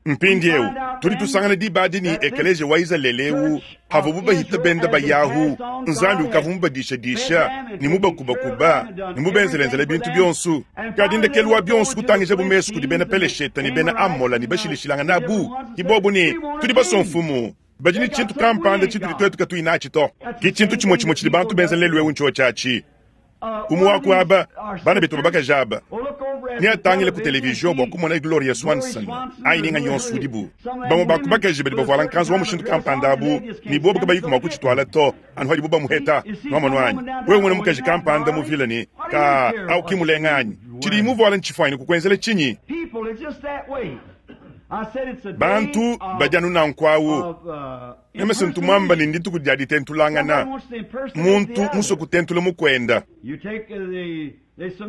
Mpindieu tudi tusangana diba adi ne ekeleziya wa Izalele eu Pavuabu bahita benda bayahu, Nzambi ukavua mubadishadisha ne mubakubakuba ne mubenzelenzele bintu bionso. Kadi ndekelu wa bionso kutangijabu mesu kudi bena Peleshete ne bena Amola ne bashilashilangana abu, ke bobu ne, Tudi basue mfumu. Badi ne tshintu kampanda tshitudi tuetu katuyi natshi to. Ke tshintu tshimue tshimue tshidi bantu benza lelu eu ntshiotshi atshi. Umue wa ku aba bana betu ba bakaji aba neatangile ku televizion bua kumona Gloria Swanson anyi ninga yonso udibu. Bamue ba ku bakaji badi bavuala nkanzu wa mushindu kampanda abu ne bobu kabayiku mua kutshituala to anu padibu bamuheta. Nwamonu anyi? Wewe umona mukaji kampanda muvile ne, Kaa, au ki mulenga anyi? Tshidiyi muvuale ntshifuanyine kukuenzela tshinyi? Bantu badi anu nanku awu. Meme se ntu muamba ne ndituku dia ditentulangana, muntu musue kutentula mukuenda.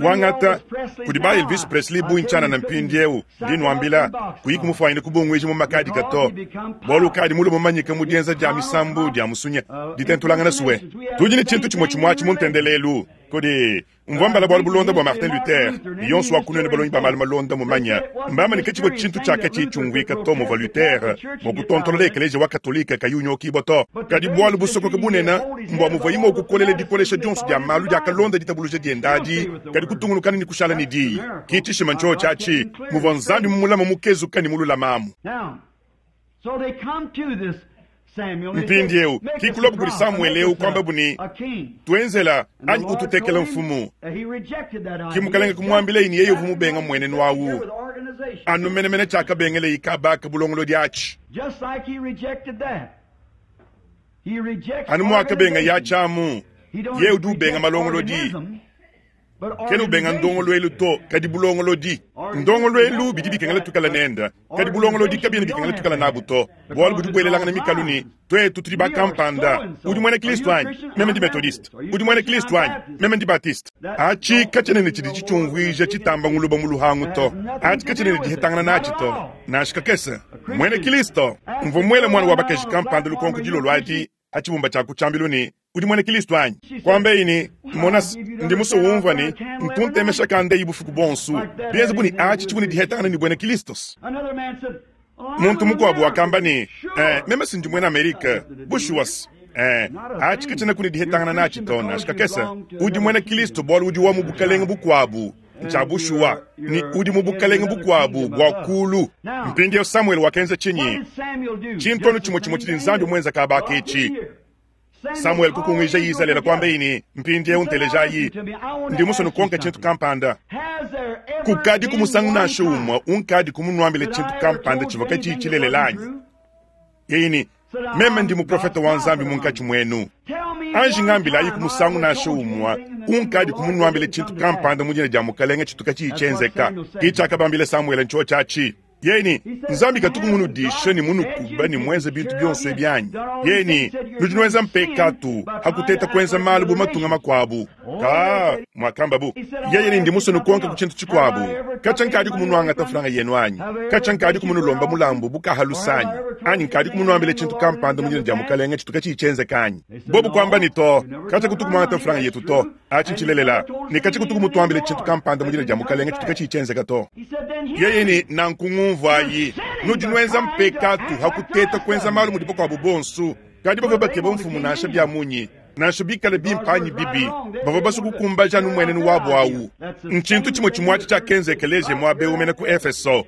Wangata kudi ba Elvis Presley bungi tshianana mpindieu, ndi nuambila, kuyi kumufuanyine kubunguija mu makadika to, bualu ukadi mulue mumanyike mu dienza dia misambu dia musunya, ditentulangana sue. Tudi ne tshintu tshimue tshimue atshi mu ntendelelu. Kudi Mvua mbala bualu bulonda bua Martin Luther, ne yonso wa kunuenu balongi ba malu malonda mumanya. Mbamba ne katshivua tshintu tshia katshiyi tshiumvuika to muvua Luther mua kutontolola Ekeleziya wa Katolike kayi unyokibua to. Kadi bualu busokoka bunene mbua muvuaye mua kukolela dikolesha dionso dia malu diakalonda ditabuluja diende adi, kadi kutungunukana ne kushala ne diyi. Ki tshishima ntshiotshi atshi, muvua Nzambi mumulame mukezuka ne mululame amu. Mpindieu ki kuluabu kudi Samuele eu kuambabu ne, Tuenzela anyi ututekela mfumu. Ki mukalenge kumuambilaye ne yeye uvua mubenga mmuenenu au anu menemene tshiakabengelaye kaba ka bulongolodi atshi. Anu muakabengaye atshi amu, yeye udi ubenga malongolodi. Kena ubenga ndongoluelu to, kadi bulongolodi. Ndongoluelu bidi bikengela tuikale nende, kadi bulongolodi kabiena bikengela tuikale nabu to, bualu budi buelelangana mikalu ne tuetu tudi ba kampanda. Udi muena Kristo anyi? Meme ndi Methodiste. Udi muena Kristo anyi? Meme ndi Baptiste. Atshi katshiena ne tshidi tshitshiumvuija tshitamba nguluba mu luhangu to. Atshi katshiena ne dihetangana natshi to, nansha kakese. Muena Kristo. Mvua muele muana wa bakaji kampanda lukonko dilolo adi ha tshibumba tshia ku tshiambilu ne, Udi muena Kilisto anyi? Kuambeyi ne, Mona, ndi musue umvua ne, ntu ntemesha kandeyi bufuku buonso, bienze bu ne atshi tshivua ne dihetangana ne buena Kilisto. Muntu mukuabu wakamba ne, Eh, meme si ndi muena Amerika. Bushuwa eh, atshi katshienaku ne dihetangana natshi to, nansha kakese. Udi muena Kilisto bualu udi wa mu bukalenge bukuabu. Ntshia bushuwa ne, udi mu bukalenge bukuabu bua kuulu. Mpindieu Samuele wakenza tshinyi? Tshintu anu tshimue tshimue tshidi Nzambi muenza kaba aka etshi. Samuele kukunguija Izalele, kuambaye ne, Mpindieu ntelejayi, ndi musue nukonke tshintu kampanda. Kukadiku musangu nansha umue unkadiku munuambile tshintu kampanda tshivua katshiyi tshilelela anyi? Yeye ne, Meme ndi muprofete wa Nzambi munkatshi muenu. Anji ngambilayiku musangu nansha umue unkadiku munuambile tshintu kampanda mu dina dia Mukalenge tshitu katshiyi tshienzeka. Ke tshiakabambila Samuele ntshiotshi atshi. Yeye ne, Nzambi katuku munudishe ne munukuba ne muenze bintu bionso ebi anyi? Yeye ne, Nudi nuenza mpekatu ha kuteta kuenza malu bu matunga makuabu. Ka, muakambabu. Yeye ne, Ndi musue nukonke ku tshintu tshikuabu. Katshia nkadiku munuangata mfranga yenu anyi? Katshia nkadiku munulomba mulambu bu kahalusa anyi? Anyi nkadiku munuambile tshintu kampanda mu dina dia Mukalenge tshitu katshiyi tshienzeka anyi? Bobu kuamba ne, To, katshia kutuku muangata mfranga yetu to. Atshi ntshilelela. Ne katshia kutuku mutuambile tshintu kampanda mu dina dia Mukalenge tshitu katshiyi tshienzeka to. Yeye ne, Nanku ngumvuayi, nudi nuenza mpekatu ha kuteta kuenza malu mudi bakuabu bonso, kadi bavua bakeba mfumu nansha bia munyi, nansha bikale bimpe anyi bibi, bavua basue kukumbaja anu mmuenenu wabu au. Ntshintu tshimue tshimue atshi tshiakenza ekeleziya muaba eu mene ku Efeso.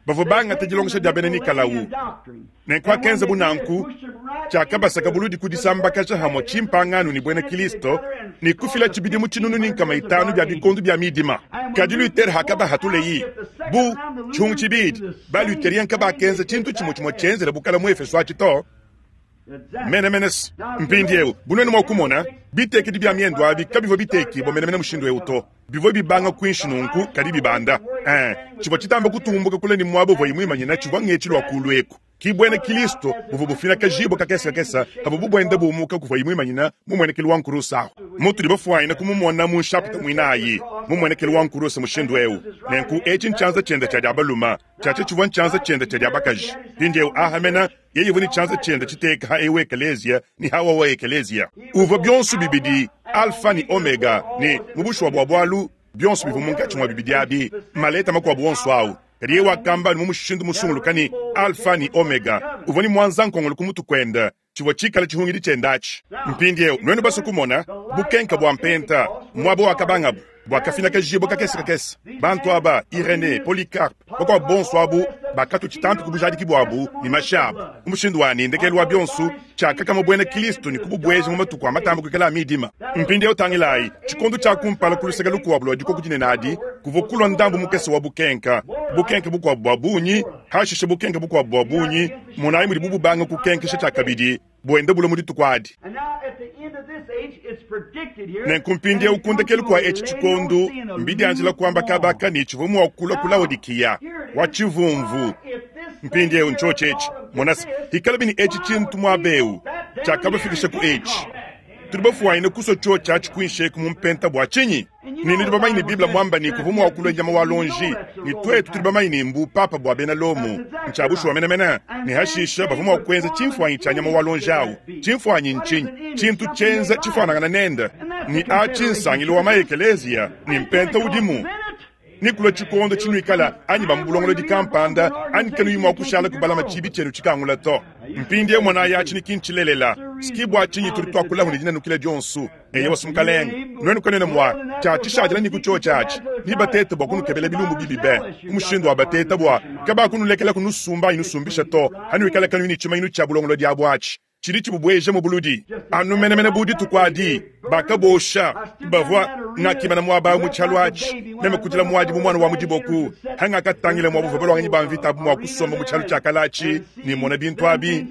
Bavua bangata dilongesha dia bena Nikalao. Nenku akenzabu nanku, tshiakabasaka buludi ku disambakaja hamue tshimpangano ne buena Kilisto ne kufila tshibidimu 500 bia bikondo bia midima. Kadi Luther hakabahatuleye bu tshihungu tshibidi, ba-Lutherien kabakenza tshintu tshimue tshimue tshienzela bukala mu Efeso atshi to. Menemene. Mpindieu, bu nuenu mua kumona, bitekedi bia miendu abi kabivua bitekibua menemene mushindu eu to. Bivua bibanga kuinshi nunku, kadi bibanda. Ee, tshivua tshitamba kutumbuka kule ne muaba uvuaye muimanyine tshivua ngetshi lua kuulu eku. Ki buena Kristo buvua bufinakajibua kakese kakese pavua buenda bumuka kuvuaye muimanyine mu muenekelu wa nkuruse ahu. Mutudi bafuanyine kumumona mu nshapita muinayi mu muenekelu wa nkuruse mushindu eu. Nenku etshi ntshianza tshiende tshia dia balume, tshiatshia tshivua ntshianza tshiende tshia dia bakaji. Mpindieu aha mene yeye uvua ne tshianza tshiende tshiteka ha eu ekeleziya ne ha wawa ekeleziya. Uvua bionso bibidi Alfa ne Omega, ne mu bushuwa bua bualu, bionso bivua munkatshi mua bibidi abi, maleta makuabu onso au. Kadi yeye wakamba anu mu mushindu musunguluke ne, Alfa ne Omega. Uvua ne muanza-nkongolo ku mutu kuende, tshivua tshikale tshihungidi tshiende atshi. Mpindieu, nuenu basue kumona bukenka bua mpenta, muaba wakabangabu, buakafinakajibua kakese kakese. Bantu aba, Irenee, Polycarpe, bakuabu bonso abu, bakatua tshitampi ku bujadiki buabu ne mashi abu, mu mushindu wa ne, ndekelu wa bionso, tshiakakama buena Kristo ne kububueja mu matuku a matamba kuikala a midima. Mpindieu tangilayi, tshikondo tshia kumpala ku luseke lukuabu lua dikoku dinene adi, kuvua kulua ndambu mukese wa bukenka, bukenke bukuabu bua bungi, hashishe bukenke bukuabu bua bungi. Monayi mudibu bubanga kukenkesha tshiakabidi, buenda bulua mu dituku adi. Nenku mpindieu ku ndekelu kua etshi tshikondo, mbidianjila kuamba kaba aka ne tshivua mua kulua ku Laodikiya wa tshivumvu. Mpindieu ntshiotshi etshi. Mona se, hikalabi ne etshi tshintu muaba eu tshiakabafikisha ku etshi, tudi bafuanyine kusua tshiotshi atshi kuinshi eku mu mpenta bua tshinyi? Ne nudi bamanye ne Bible muamba ne kuvua mua kulua nyama wa luonji, ne tuetu tudi bamanye ne mbu papa bua bena Lomo. Ntshia bushuwa menemene. Ne hashishe bavua mua kuenza tshimfuanyi tshia nyama wa luonji au. Tshimfuanyi ntshinyi? Tshintu tshienza tshifuanangana nende. Ne atshi nsangilu wa ma-ekeleziya ne mpenta udimu. Ne kulua tshikondo tshinuikala anyi ba mu bulongolodi kampanda anyi kanuyi mua kushala kubalama tshiibi tshienu tshikangula to. Mpindieu monayi atshi ne ki ntshilelela. Ski bua tshinyi tudi tuakulahu ne dinanukila dionso. Eyowa, Mukalenge, nuenu kanuena mua tshia tshishadila ne ku tshiotshi atshi, nebatete bua kunukebela bilumbu bibi be, ku mushindu wa bateta bua kabakunulekela kunusumba anyi nusumbisha to, hanuikala kanuyi ne tshimanyinu tshia bulongolodi abu atshi tshidi tshibubueja mu buludi. Anu menemene bu dituku adi, bakabosha bavua ngakimana muaba au mu tshialu atshi, meme kudila muadi bu muana wa mu diboku, hangakatangila mua buvua baluanganyi ba mvita abu mua kusomba mu tshialu tshia kale atshi ne mona bintu abi.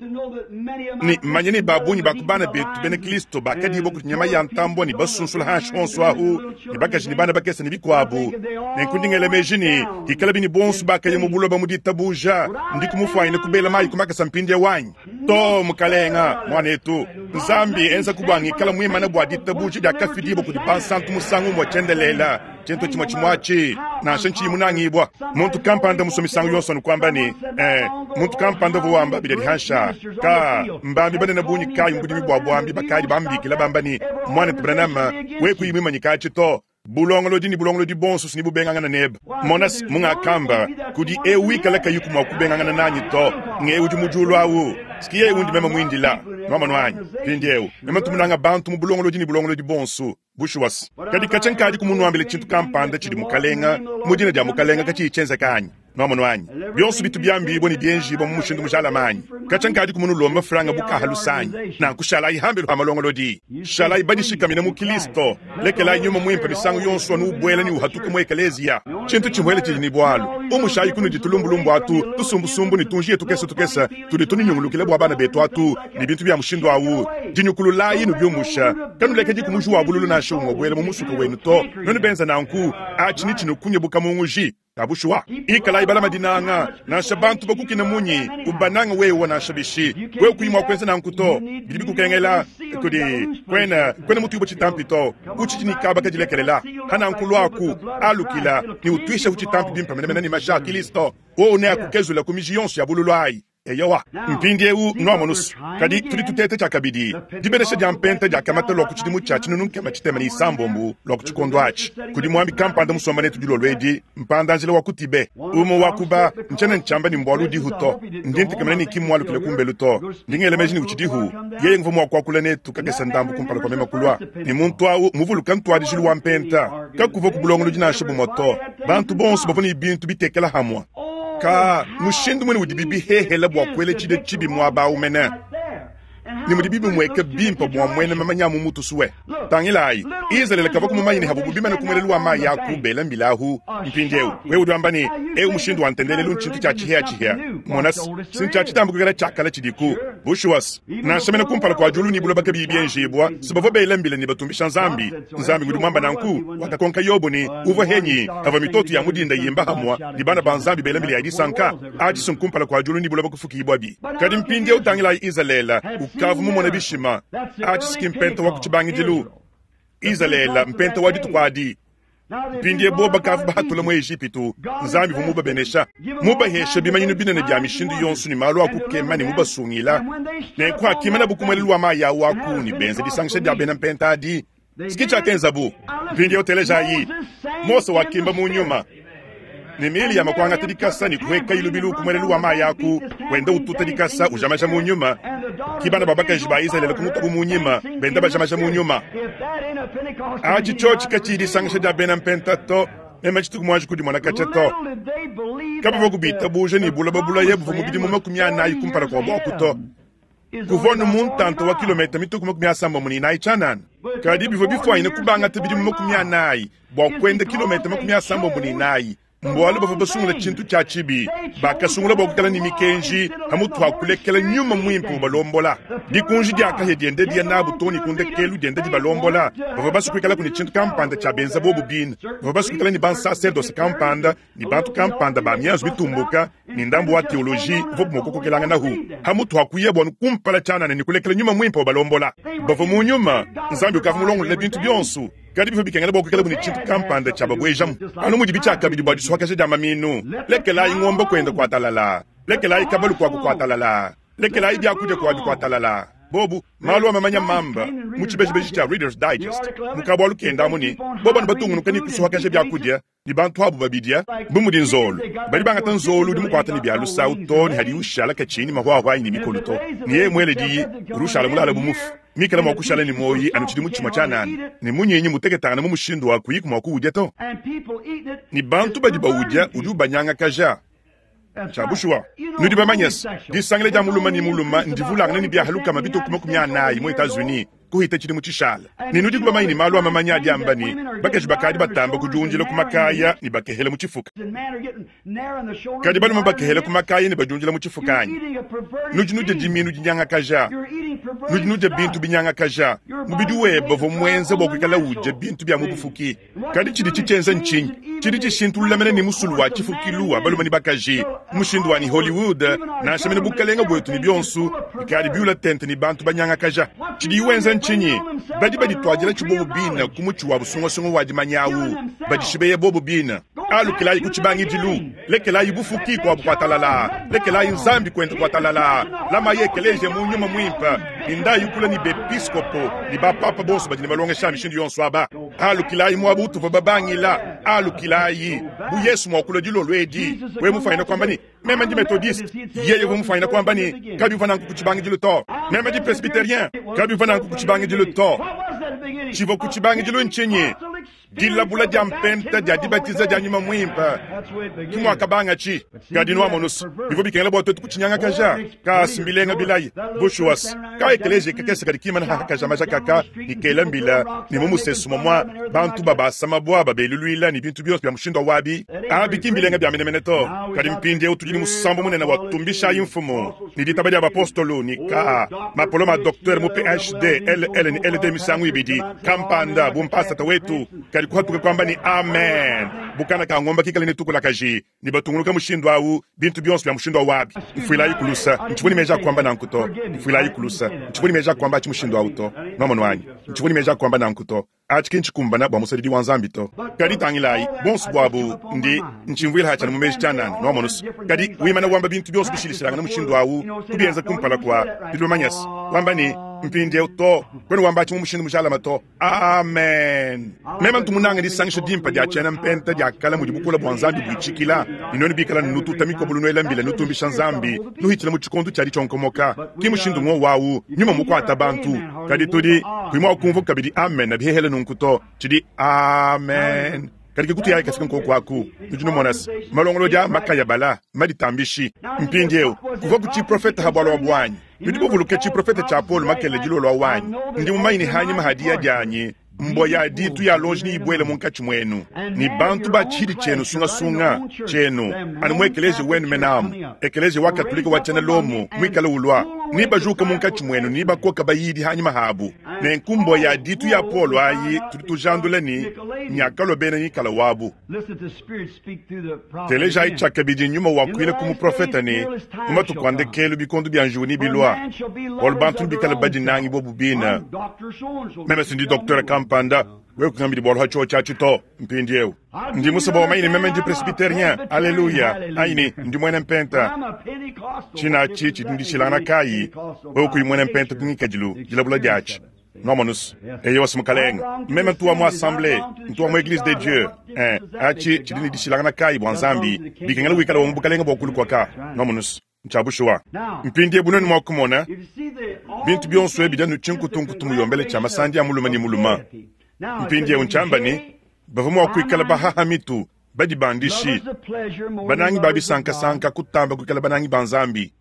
Ne manya ne ba bungi ba ku bana betu bena Kristo bakadibua kudi nyama ya ntambua ne basunsula hanshi honso ahu, ne bakaji ne bana bakese ne bikuabu. Nenku ndi ngela meji ne, hikalabi ne bonso bakaya mu buloba mu ditabuja, ndiku mufuanyine kubela mayi ku makasa mpindieu anyi? To, mukalenga, muanetu, Nzambi enzaku bua ngikala muimane bua ditabuja diakafidibua kudi bansantu musangu umue tshiendelele. Tshintu tshimue tshimue atshi, nansha ntshiyi munangibua. Muntu kampanda musue misangu yonso anu kuamba ne, Eh, muntu kampanda uvua wamba bidia dihansha. Ka, mbambi banene bungi kayi mu budimi bua buambi bakadi bambikila bamba ne, Muanetu Branham, wewe kuyi muimanyike atshi to. Bulongolodi ne bulongolodi buonso si nebubengangane nebe. Mona se, mungakamba, kudi eu wikala kayiku mua kubengangana nanyi to, ng'eu udi mu diulu au. Si yeye undi meme muindila. Nwamonu anyi? Mpindyewu, meme ntu munanga bantu mu bulongolodi ne bulongolodi bonso, bushuwa's. Kadi katshia nkaadiku munwambile cintu kampanda cidi Mukalenga, mu Dina dya Mukalenga kaciyi cyenzeka anyi? Nwamonu anyi? Byonso bitu byambiibwa ne byenjiibwa mu mushindu mujalame anyi? Katshia nkadiku munulombe mfranga bu kaha luse anyi? Nanku shalayi hambelu ha malongolodi. Shalayi badishikamine mu Kilisto. Lekelayi Nyuma Muimpe misangu yonso anu ubuela ne uhatuka mu ekeleziya. Tshintu tshimuele tshidi ne bualu. Umushayi kunudi tulumbulumbu atu, tusumbusumbu ne tunjiya tukese tukese tudi tununyungulukila bua bana betu atu ne bintu bia mushindu au. Dinyukululayi nubiumusha. Kanulekediku muji wa bululu nansha umue ubuela mu musuka wenu to. Nuenu benza nanku, atshi netshinukunye bu kamunguji. Ka bushuwa, ikalayi balama dinanga, nansha bantu bakukina munyi, ubanange wewe nansha bishi. Wewe kuyi mua kuenza nanku to, bidi bikukengela kudi kuena kuena mutuibue tshitampi to, utshidi ne kaba kadilekelela. Pananku luaku, alukila ne utuisheku tshitampi bimpe menemene ne mashi a Kristo, wowu neakukezule ku miji yonso ya bululu ayi. Eyowa, mpindiewu nwamonu's. Kadi tudi tuteta tshiakabidi dibenesha dia mpenta diakamata lua ku tshidimu tshia 1606 lua ku tshikondo atshi kudi muambi kampanda musomba netu dilolo edi, mpanda-njila wa ku Tibet. Umue wa ku ba, ntshiena ntshiamba ne mbualu udihu to, ndi ntekemena ne ki mmualukile kumbelu to. Ndi ngela meji ne utshidihu. Yeye nguvua mua kuakula netu kakese ndambu kumpala kua meme kulua. Ne muntu au muvuluka ntuadijilu wa mpenta, kakuvua ku bulongolodi nansha bumue to. Bantu bonso bavua ne bintu bitekela hamue. Ka mushindu muine udibi bihehela bua kuela tshidia tshibi muaba au mene, ne mudibi bimueka bimpe bua muena mamanya a mu mutu sue. Tangilayi, Izalele kavua mumanye ne havubu bimane ku muelelu wa mayi aku bela mbila ahu. Mpindieu wewe udi wamba ne, eu mushindu wa ntendelelu ntshintu tshia tshihiatshihia. Mona, si ntshia tshitamba kuikala tshia kale tshidiku. Bushuwa, nansha mene kumpala kua diulu ne buloba kabiyi bienjibua, si bavua bela mbila ne batumbisha Nzambi. Nzambi ngudi muamba nanku. Wakakonka Yobo ne, Uvua henyi pavua mitoto ya mu dinda yimba hamua ne bana ba Nzambi bela mbila ya disanka? Atshi si nkumpala kua diulu ne buloba kufukibuabi. Kadi mpindieu tangilayi Izalele, ukavua mumone bishima. Atshi si ki mpenta wa ku tshibangidilu. Izalele, mpenta wa dituku adi. Mpindieu bobu bakavua bahatula mu Ejipitu, Nzambi uvua mubabenesha, mubahesha bimanyinu binene bia mishindu yonso ne malu a kukema ne mubasungila. Nenku hakimanabu ku muelelu wa mayi au aku ne benza disangisha dia bena mpenta adi, ke tshiakenzabu. Mpindieu telejayi, Mose wakimba mu nyuma ne Miliyama kuangata dikasa ne kuhuekayi lubilu ku muelelu wa mayi aku, wenda ututa dikasa ujamaja mu nyuma. Ki bana ba bakaji ba Izalele kumutuabu mu nyima, benda bajamaja mu nyuma. Atshi tshiotshi katshiyi disangisha dia bena mpenta to, meme tshituku muanji kudimona katshia to. Kabavua kubitabuja ne buloba bulaya buvua mu bidimu 40 kumpala kua buaku to. Kuvua anu mu ntanta wa kilometa mitue ku 94 tshianana. Kadi bivua bifuanyine kubangata bidimu 40 bua kuenda kilometa 94. Mbualu bavua basungula tshintu tshia tshibi. Bakasungula bua kuikala ne mikenji pamutu pa kulekela nyuma muimpe ubalombola. Dikunji dia kahia dienda diya nabu too ne ku ndekelu dienda dibalombola. Bavua basue kuikalaku ne tshintu kampanda tshia benza bobu bine. Bavua basue kuikala ne bansaserdose kampanda ne bantu kampanda ba mianzu mitumbuka ne ndambu wa teoloji uvuabu mua kukokelanganahu pamutu pa kuyabu anu kumpala tshianana ne kulekela nyuma muimpe ubalombola. Bavua mu nyuma, Nzambi ukavua mulongolole bintu bionso, kadi bivua bikengela bua kuikalabu ne tshintu kampanda tshiababuejamu, anu mudibi tshiakabidi bua disuakaja dia maminu. Lekelayi ngombe kuenda kua talalaa, lekelayi kabalu kuaku kua talalaa, lekelayi biakudia kuabi kua talalaa. Bobu malu a mamanya mamba mu tshibejibeji tshia Reader's Digest mu kabualu kenda amu ne, bobu anu batungunuka ne kusuakaja biakudia ne bantu abu babidia, bu mudi nzolu. Badi bangata nzolu udi mukuata ne bia lusawu too ne hadiye ushala katshiyi ne mahuahua anyi ne mikolu to, ne yeye muele diyi, udi ushala mulale bu mufu, mikale mua kushala ne muoyi anu tshidimu tshimue tshianana, ne munyinyi muteketangane mu mushindu wa kuyiku mua kuwudia to. Ne bantu badi bawudia udi ubanyangakaja. Tshia bushuwa, nudi bamanye se, disangila dia mulume ne mulume ndivulangane ne biaha lukama bitue ku 40 mu Etats-Unis kuhita tshidimu tshishala. Ne nudiku bamanye ne malu a mamanya adi amba ne, bakaji bakadi batamba kudiundila ku makaya ne bakehela mu tshifuka. Kadi balume bakehela ku makaya ne badiundila mu tshifuka anyi? Nudi nudia diminu dinyangakaja. Nudi nudia bintu binyangakaja. Mubidi webe uvua muenza bua kuikala udia bintu bia mu bufuki. Kadi tshidi tshitshienza ntshinyi? Tshidi tshishintulula mene ne musulu wa tshifukilu wa balume ne bakaji, mushindu wa ne Hollywood, nansha mene bukalenge buetu ne bionso bikadi biula tente ne bantu banyangakaja. Tshidiyi wenza ntshinyi? Badi badituadila tshibobo bine ku mutshi wa busungasunga wa dimanya au, badishibeya bobo bine. Alukilayi ku tshibangidilu, lekelayi bufuki kuabu kua talalaa, lekelayi Nzambi kuenda kua talalaa, lamayi ekeleziya mu nyuma muimpe, ne ndayi kule ne bepiskopo ne bapapa bonso badi ne malongesha a mishindu yonso aba. Alukilayi muaba utuvua babangila. Alukilayi, bu Yesu mua kulua dilolo edi, wewe mufwanyine kuamba ne, Meme ndi Methodiste. Yeye uvua mufwanyine kuamba ne, Kabivua nanku ku tshibangidilu to. Meme ndi Presbyterien. Kabivua nanku ku tshibangidilu to. Tshivua ku tshibangidilu ntshinyi? Dilabula dia mpenta dia dibatiza dia Nyuma Muimpe. Ke muakabangatshi. Kadi nuamonus, bivua bikengela bua tuetu kutshinyangakaja. Kaas mbilenga bilayi. Bushuwa's, ka ekeleziya kakese kadi kimana hahakaja maja kaka ne kela mbila ne mu musesu momua bantu babasa mabua babeluluila ne bintu bionso bia mushindu wa abi. Abi ki mbilenga bia menemene to. Kadi mpindieu tudi ne musambu munene wa Tumbishayi Mfumu ne ditaba dia bapostolo ne ka mapolome a docteur mu PhD, LL ne LD misangu ibidi kampanda bu mpasata wetu kadi kuhatuka kuamba ne amen bu kana ka ngomba kikale ne tukulakaji ne batungunuka mushindu au bintu bionso bia mushindu au abi. Mfuilayi ku lusa, ntshivua ne meji a kuamba nanku to. Mfuilayi ku lusa, ntshivua ne meji a kuamba atshi mushindu au to. Nwamonu anyi? Ntshivua ne meji a kuamba nanku to. Atshi ki ntshikumbana bua musadidi wa Nzambi to. Kadi tangilayi, buonso buabu, ndi ntshimvuila hatshi anu mu meji tshianana, nwamonu's. Kadi wimana wamba bintu bionso bishilashilangane mushindu au, kubienza kumpala kua, nudi bamanya's, wamba ne, Mpindieu, to, kuena wamba atshi mu mushindu mujalame to. Amen. Meme ntu munange disangisha dimpe dia tshiena mpenta dia kale mudi bukole bua Nzambi buitshikila, ne nuenu bikala nututa mikobolo nuela mbila nutumbisha Nzambi, nuhitshila mu tshikondo tshia ditshionkomoka. Ki mushindu ngowu au, nyuma mukuata bantu. Kadi tudi kuyi mua kumvua kabidi amen bihehele nunku to. Tshidi amen. Kadi ke kutuyayi kafika nkoku aku. Nudi numona se, malongolodi a makayabala, maditambishi. Mpindieu, kuvua ku tshiprofete ha bualu abu anyi? Nudi buvuluke tshiprofete tshia Paulo makelela dilolo awu anyi? Ndi mumanye ne hanyima ha diya dianyi, mbua ya ditu ya lonji neyibuele munkatshi muenu, ne bantu ba tshihidi tshienu sungasunga tshienu, anu mu ekeleziya wenu menamu, ekeleziya wa Katolike wa tshiena Lomo muikale ulua, nebajuke munkatshi muenu ne nebakoke bayidi hanyima habu. Nenku mbua ya ditu ya Paulo ayi tudi tujandula ne nyakalua bena Nikala wabu. Telejayi tshiakabidi Nyuma wakuila ku muprofete ne, mu matuku a ndekelu bikondo bia njiwu nebilua, bualu bantu nebikale badinangi bobu bine. Meme si ndi doktere kampanda, wewe kungambidi bualu ha tshiotshi atshi to. Mpindieu ndi musue bua wamanye ne meme ndi presbyterien, aleluya, anyi ne ndi muena mpenta. Tshina atshi tshidi ne dishilangana kayi wewe kuyi muena mpenta ku ngikadilu, dilabula diatshi? Nwamonus? Eyowa, Mukalenge. Meme ntu wa mu assemblee, ntu wa mu Eglise de Dieu. Eh, aci cidi ne dishilangana kaayi bwa Nzambi? Bikengela wikale wa mu Bukalenge bwa kulu kwaka. Nwamonus? Ncya bushuwa. Mpindyewu nwenu mwa kumona, bintu byonso ebi bidi anu cinkutunkutu muyombele cya masandi a mulume ne mulume. Mpindyewu ncyamba ne bavwa mwa kwikala bahaha mitu, badibandishi, banangi ba bisankasanka kutamba kuikala banangi ba Nzambi.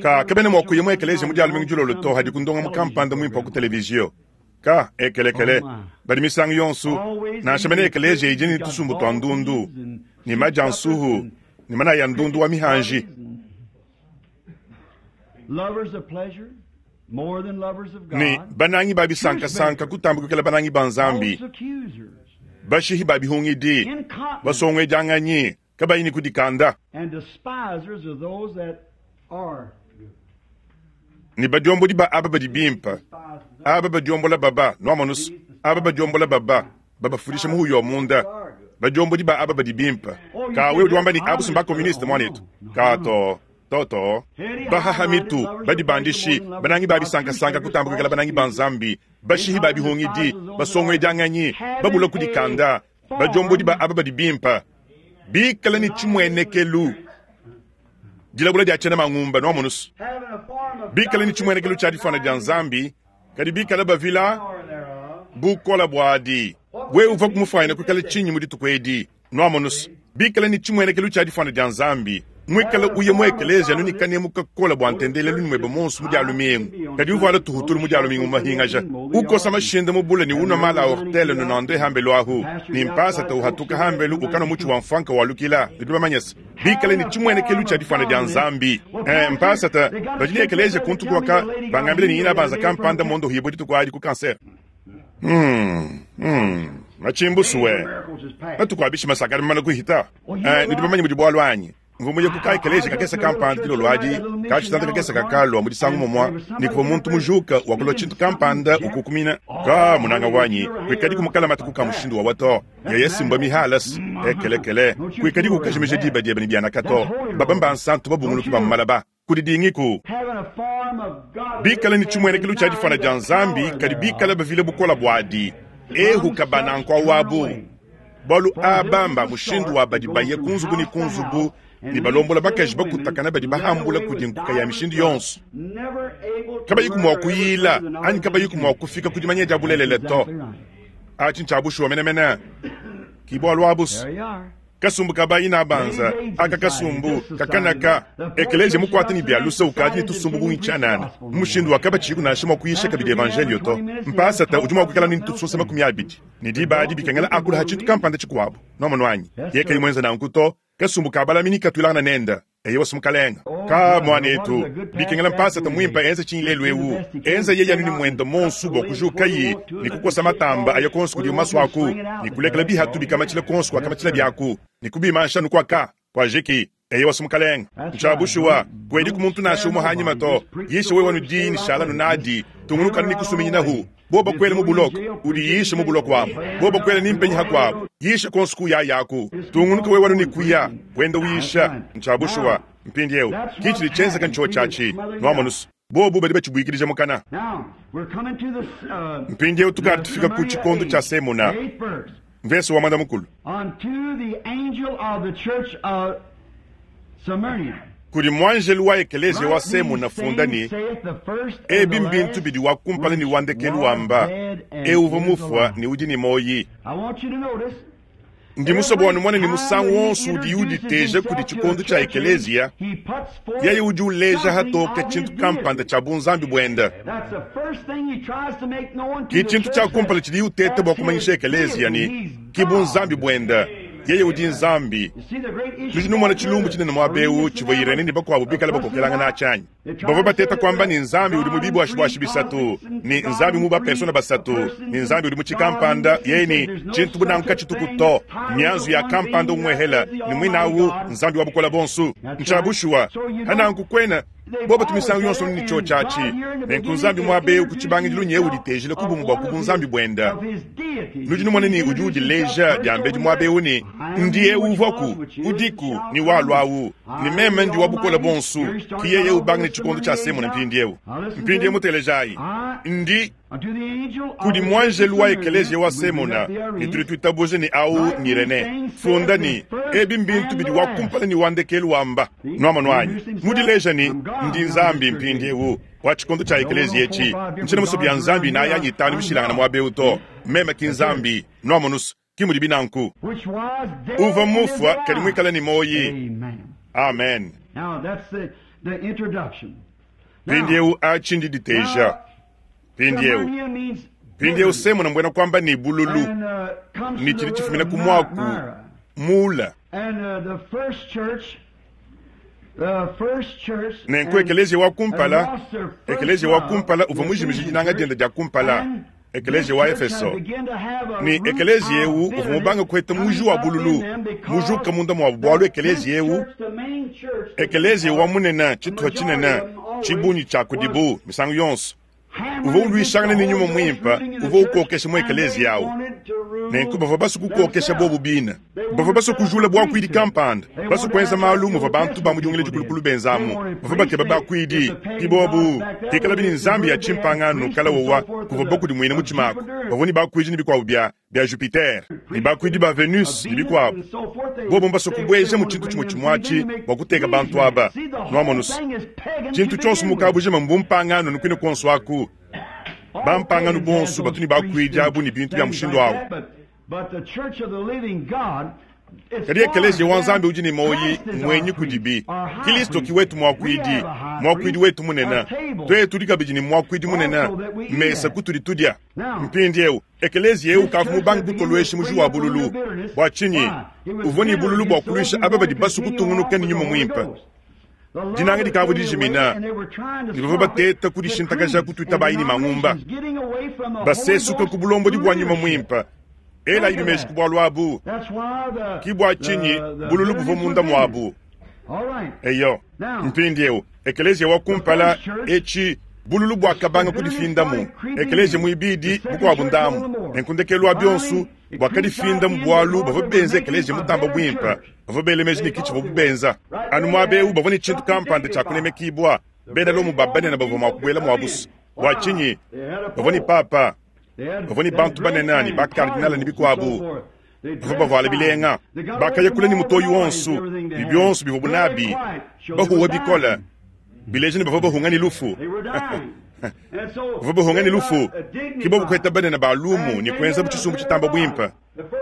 Ka kabena mua kuya mu ekeleziya mu Dia lumingu dilolo to hadiku ndongamu kampanda muimpe wa ku televiziyo. Ka ekelekele badi misangu yonso, nansha mene ekeleziya idi ne tusumbu tua ndundu ne maja a nsuhu ne manaya a ndundu wa mihanji. Ne banangi ba bisankasanka kutamba kuikala banangi ba Nzambi, bashihi ba bihungidi, basonguedianganyi, kabayi ne kudikanda, ne badiombodi ba aba badi bimpe, aba badiombola baba, nuamonus, aba badiombola baba, babafudisha muhuya wa munda, badiombodi ba aba badi bimpe. Ka wewe udi wamba ne abu ba communiste muanetu. Ka to. Toto, bahaha mitu, badibandishi, banangi ba bisankasanka kutamba kuikala banangi ba Nzambi, bashihi ba bihungidi, basonguedianganyi, babula kudikanda, badiombodi ba aba badi bimpe, bikale ne tshimuenekelu, dilabula dia tshiena mangumba, nuamonus, bikale ne tshimuenekelu tshia difuana dia Nzambi, kadi bikale bavila bukole buadi. Wewe uvua kumufuanyina kuikala tshinyi mu dituku edi? Nuamonus, bikale ne tshimuenekelu tshia difuana dia Nzambi, muikale uya mu ekeleziya anu ne kanemu kakole bua ntendelelu ne muebe muonso mu Dia lumingu, kadi uvuala tuhutulu mu Dia lumingu mu mahingaja, ukosa mashinde mu bule ne unua mala a ortele nonande hambelu ahu, ne mpasata uhatuka hambelu ukanua mutshi wa mfuanka walukila. Nudi bamanye se, bikale ne tshimuenekelu tshia difuana dia Nzambi. Eh, mpasata, badi ne ekeleziya kuntu kuaka, bangambile ne inabanza kampanda mondohibue dituku adi ku cancer. Hmm, hmm, matshimbusu we matuku a bishima sakadi mamana kuhita. Eh, nudi bamanye mudi bualu anyi? Mvua muye ku kaekeleji kakese kampanda dilolo adi, kashitanda kakese kakalua mu disangu mumua, ne kuvua muntu mujuka wakulua tshintu kampanda ukukumina. Ka munanga wanyi, kuikadiku mukalamate ku ka mushindu wawa to. Yeye simbua mihalas, ekelekele, kuikadiku ukajimija diba diebe ne bianaka to. Baba mbansantu babunguluki ba mu malaba. Kudidingiku. Bikale ne tshimuenekelu tshia difuana dia Nzambi, kadi bikale bavile bukole buadi. Ehuka bananku awabu. Bualu aba mba mushindu wa badi baya ku nzubu ne ku nzubu ne balombola bakaji bakutakana badi bahambula kudi nkuka ya mishindu yonso, kabayiku mua kuyila anyi kabayiku mua kufika ku dimanya dia bulelela to. Atshi ntshia bushuwa menemene. Ki bualu abu's. Kasumbu ka bayi nabanza aka kasumbu kakanaka ekeleziya mukuate ne bia luse ukadi ne tusumbu bungi tshianana mu mushindu wa kabatshiyiku nansha mua kuyisha kabidi evanjeliyo to. Mpasata udi mua kuikala ne tusunsa 20 ne diba adi bikengela akula ha tshintu kampanda tshikuabu. Nwamonu anyi? Yeye kayi muenza nanku to, kasumbu ka balami nekatuilangana nende. Eyowa, mukalenga. Ka, muanetu, bikengela mpasata muimpe enze tshinyi lelu ewu? Enza yeye anu ne muende monsu bua kujukaye ne kukosa matamba aya konsu kudiwu masuaku, ne kulekela bihatu bikamatshila konsu kuakamatshila biaku, ne kubimansha anu kuaka kuajiki. Eyowa, mukalenga. Ntshia bushuwa, kuediku muntu nansha umue hanyima to. Yisha wewe anu diyi ne shala anu nadi. Tungunuka anu ne kusuminyinahu. Bobo bakuela mu buloko, udiyishe mu buloko amu. Bobo bakuela ni mpenyi hakuabu, yisha kuonso kuyaya aku. Tungunuka wewe anu ne kuya, wenda uyisha. Ntshia bushuwa. Mpindieu, ki tshidi tshienzeka ntshiowa tshiatshi. Nuamonu's, bobu badi batshibuikidija mukana. Mpindieu tukadi tufika ku tshikondo tshia Semuna, mvese wa muanda mukulu. Kudi muanjelu wa ekeleziya wa Semuna funda ne, Ebi mbintu bidi wa kumpala ne wa ndekelu wamba, eu uvua mufua ne udi ne muoyi. Ndi musue bua numone ne musangu wonso udiye uditeja kudi tshikondo tshia ekeleziya, yeye udi uleja hatoke tshintu kampanda tshia bunzambi buende. Ke tshintu tshia kumpala tshidiye uteta bua kumanyisha ekeleziya ne, ki bunzambi buende. Yeye udi Nzambi. Nudi numona tshilumbu tshinene muaba eu tshivua Irene ne bakuabu bikale bakokelangana atshi anyi? Bavua bateta kuamba ne, Nzambi udi mu bibuashibuashi bisatu, ne Nzambi mu bapersona basatu, ne Nzambi udi mu tshikampanda, yeye ne tshintu bu nanku katshituku to, mianzu ya kampanda umuehela, ne muine au Nzambi wa bukole buonso. Ntshia bushuwa. Pa nanku kuena bobo tu misangu yonso ne tshiotshi atshi. Nenku Nzambi muaba eu ku tshibangidilu nyewu uditejila ku bumue bua ku bunzambi buende. Nudi numona ne udi udileja diambedi muaba eu ne, Ndi eu uvuaku, udiku, ne walua au, ne meme ndi wa bukole buonso. Ki yeye ubanga ne tshikondo tshia Semuna mpindieu. Mpindieu mutelejayi, ndi kudi muanjelu wa ekeleziya wa Semuna, ne tudi tuitabuja ne au ng'Irene. Funda ne, ebi mbintu bidi wa kumpala ne wa ndekelu wamba. Nuamonu anyi? Mudileja ne, ndi Nzambi mpindieu wa tshikondo tshia ekeleziya etshi. Ntshiena musue bia Nzambi inayi anyi itanu mishilangane muaba eu to. Meme ki Nzambi. Nuamonu's, ki mudibi nanku. Uvua mufua kadi muikale ne muoyi. Amen. Mpindieu atshi ndiditeja. Mpindieu, mpindieu Semuna mbuena kuamba ne bululu, ne tshidi tshifumina ku muaku mula. Nenku ekeleziya wa kumpala, ekeleziya wa kumpala uvua mujimije dinanga diende dia kumpala, ekeleziya wa Efeso. Ne ekeleziya eu uvua mubange kuheta muji wa bululu mujuka munda muabu, bualu ekeleziya eu, ekeleziya wa munene, tshituha tshinene, tshibungi tshia kudibu misangu yonso uvua uluishangana ne nyuma muimpe uvua ukokesha mu ekeleziya au. Nenku bavua basue kukokesha bobu bine. Bavua basue kujula buakuidi kampanda, basue kuenza malu muvua bantu ba mu Dingila Dikulukulu benzamu. Bavua bakeba bakuidi, ki bobu pikalabi ne nzambi ya tshimpangano kala wowa kuvua bakudimuina mutshima aku. Bavua ne bakuidi ne bikuabu bia bia Jupiter ne bakuidi ba Venus ne bikuabu. Bobu mbasue kubuejamu tshintu tshimue tshimue atshi bua kuteka bantu aba. Nuamonu's, tshintu tshionso mu kabujima mbumpangano ne kuine kuonso aku. Bampangano bonso batu ne bakuidi abu ne bintu bia mushindu au. Kadi Ekeleziya wa Nzambi udi ne muoyi muenyi kudibi. Kilisto ki wetu muakuidi, muakuidi wetu munene. Tuetu tudi kabidi ne muakuidi munene, mesa kutudi tudia. Mpindieu, ekeleziya eu ukavua mubange kutoluesha muji wa bululu. Bua tshinyi? Uvua ne bululu bua kuluisha aba badi basue kutungunuka ne nyuma muimpe. Dinanga dikavua dijimina, ne bavua bateta kudishintakaja ku tuitabayi ne mangumba, basesuka ku bulombodi bua nyuma muimpe. Elayibi meji ku bualu abu. Ki bua tshinyi bululu buvua munda muabu. Eyo, mpindieu, ekeleziya wa kumpala, etshi, bululu buakabanga kudifindamu, ekeleziya muibidi, bukuabu ndambu, nenku ndekelu wa bionso, buakadifindamu bualu bavua benza ekeleziya mutamba buimpe. Bavua bela meji ne ki tshivuabu benza. Anu muaba eu bavua ne tshintu kampanda tshia kunemekibua, bena Lomo ba banene bavua mua kubuela muabu. Bua tshinyi? Bavua ne papa, bavua ne bantu banene ne ba-kardinale ne bikuabu. Bavua bavuala bilenga. Bakaya kule ne mutoyi wonso ne bionso bivuabu nabi, bahuwa bikole, bileja ne bavua bahunga ne lufu. Bavua bahunga ne lufu, ke bobu kuheta banene ba lumu ne kuenzabu tshisumbu tshitamba buimpe.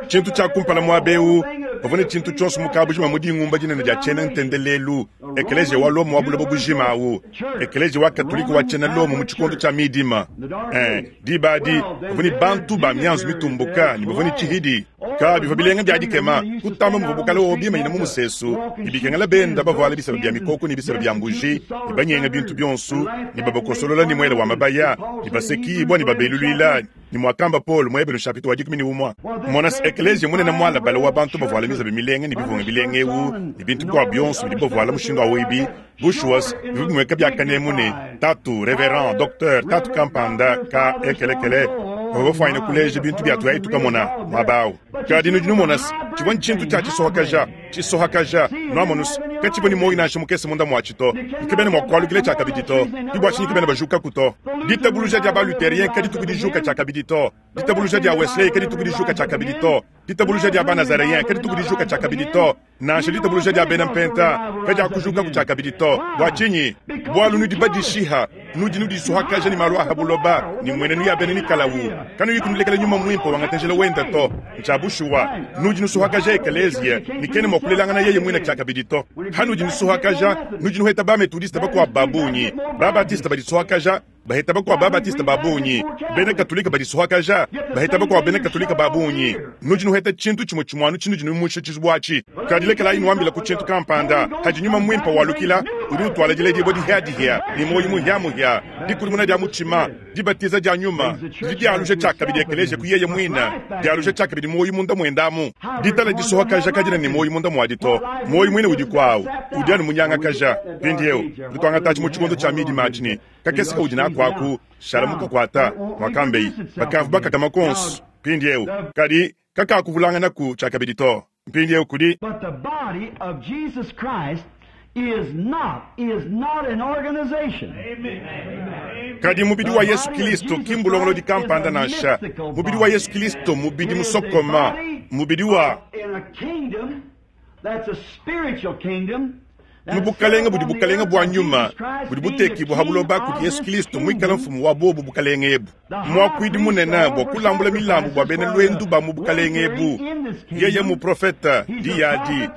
Tshintu tshia kumpala muaba eu, bavua ne tshintu tshionso mu kabujima mu dingumba dinene dia tshiena ntendelelu, ekeleziya wa Lomo wa buloba bujima au, ekeleziya wa Katolike wa tshiena Lomo mu tshikondo tshia midima. Eh, diba adi bavua ne bantu ba mianzu mitumbuka ne bavua ne tshihidi. Ka bivua bilenga bia dikema kutamba muvua bukale wowo bimanyina mu musesu ne bikengela benda bavuala biseba bia mikoko ne biseba bia mbuji ne banyenga bintu bionso ne babakosolola ne muele wa mabaya ne basekibua ne babeluluila ne muakamba Paulo mu Ebelu nshapita wa 11. Mona se, ekeleziya munene mualabale wa bantu bavuala mizabi milenga ne bivunga bilenga eu ne bintu bikuabu bionso bidibu bavuala mushindu au ebi, bushuwa bivua bimueka bia kanemu ne, Tatu, Reverend, Docteur, Tatu kampanda ka ekelekele bavua bafuanyine kuleja bintu bia tuyayi tukamona muaba au. Kadi nudi numona se, tshivua ntshintu tshia tshisohakaja, tshisohakaja, nuamonu se, katshivua ne muoyo nansha mukese munda muatshi to, ne kabena mua kualukila tshiakabidi to. Ke bua tshinyi kabena bajukaku to. Ditabuluja dia ba-Lutherien kadituku dijuka tshiakabidi to. Ditabuluja dia Wesley kadituku dijuka tshiakabidi to. Ditabuluja dia ba-Nazareyen kadituku dijuka tshiakabidi to. Nansha ditabuluja dia bena Mpenta kadiakujukaku tshiakabidi to. Bua tshinyi? Bualu nudi badishiha, nudi nudisuhakaja ne malu a ha buloba ne mmuenenu ya bena Nikalawu, kanuyi kunulekela Nyuma Muimpe wangata njila wende to. Ntshia bushuwa, nudi nusuhakaja ekeleziya ne kena mua kulelangana yeye muine tshiakabidi to. Hanudi nusuhakaja, nudi nuheta ba-Methodiste bakuabo ba bungi, ba-Baptiste badisuhakaja, baheta bakuabo ba-Baptiste ba bungi, bena Katolike badisuhakaja, baheta bakuabo bena Katolike ba bungi. Nudi nuheta tshintu tshimue tshimue anu tshinudi numusha tshizubu atshi. Kadi lekelayi nuambila ku tshintu kampanda, hadi Nyuma Muimpe walukila, udi utuala diledibua dihia-dihia ne muoyo muhia-muhia, dikudimuna dia mutshima, dibatiza dia Nyuma, didi dialuja tshiakabidi ekeleziya ku yeye muine, dialuja tshiakabidi muoyo munda muende amu. Ditala disuhakaja kadiena ne muoyo munda muadi to, muoyo muine udiku awu udi anu munyangakaja. Mpindieu tudi tuangatatshi mu tshikondo tshia midima atshi ne kakese kaudi naku aku, shala mukakuata, muakambeyi. Bakavua bakakama kuonso mpindieu, kadi kakakuvulanganaku tshiakabidi to. Mpindieu kudi. But the body of Jesus Christ is not, is not an organization. Kadi mubidi wa Yesu Kilisto ki mbulongolodi kampanda nansha. Mubidi wa Yesu Kilisto mmubidi musokoma, mubidi wa. In a kingdom that's a spiritual kingdom. Mu bukalenge budi bukalenge bua nyuma budi butekibua ha buloba kudi Yesu Kilisto muikale mfumu wa buobu bukalenge ebu, muakuidi munene bua kulambula milambu bua bena luendu ba mu bukalenge ebu. Yeye muprofete, diyi adi,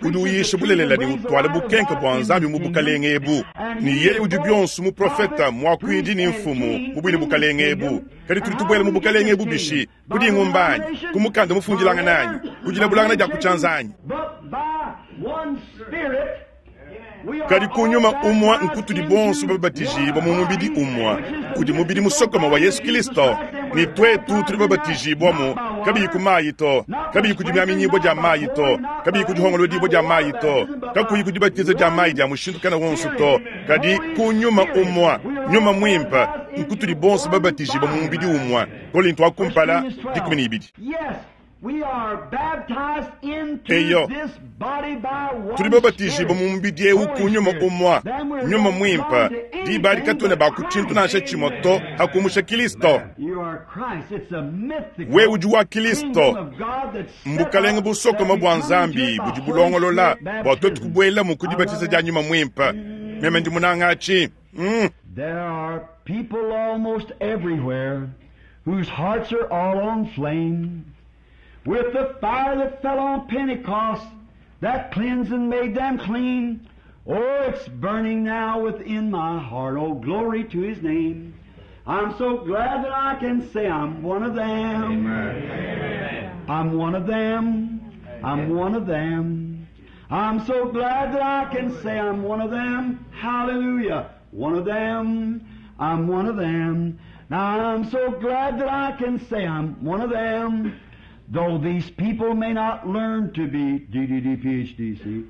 udi uyisha bulelela ne utuala bukenke bua Nzambi mu bukalenge ebu. Ne yeye udi bionso muprofete, muakuidi ne mfumu mu buine bukalenge ebu. Kadi tudi tubuela mu bukalenge ebu bishi? Ku dingumba anyi? Ku mukanda mufundilangana anyi? Ku dilabulangana dia ku tshianza anyi? Kadi ku nyuma umue nkutudi bonso babatijibua mu mubidi umue, udi mubidi musokome wa Yesu Kristo, ne tuetu tudi babatijibuamu, kabiyi ku mayi to, kabiyi ku dimiaminyibua dia mayi to, kabiyi ku dihongolodibua dia mayi to, kakuyi ku dibatiza dia mayi dia mushindu kana wonso to, kadi ku nyuma umue, Nyuma Muimpe, nkutudi bonso babatijibua mu mubidi umue. Kolinto wa kumpala, 12. Eyo, tudi babatijibue mu mubidi eu ku nyuma umue, Nyuma Muimpe. Diba adi katuena ba ku tshintu nansha tshimue to, ha kumusha Kilisto. Wewe udi wa Kilisto. Mbukalenge busokome bua Nzambi budi bulongolola bua tuetu kubuelamu ku dibatiza dia Nyuma Muimpe. Meme ndi munanga atshi. There are people almost everywhere whose hearts are all on flame with the fire that fell on Pentecost that cleansed and made them clean. Oh, it's burning now within my heart. Oh, glory to His name. I'm so glad that I can say I'm one of them. Amen. I'm one of them. I'm one of them. I'm so glad that I can say I'm one of them. Hallelujah. One of them. I'm one of them. Now I'm so glad that I can say I'm one of them. Though these people may not learn to be DDD PhDC,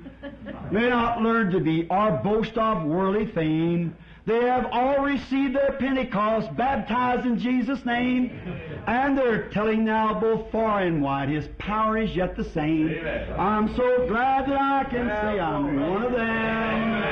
may not learn to be or boast of worldly fame, they have all received their Pentecost, baptized in Jesus' name, and they're telling now both far and wide, His power is yet the same. Amen. I'm so glad that I can say I'm one of them.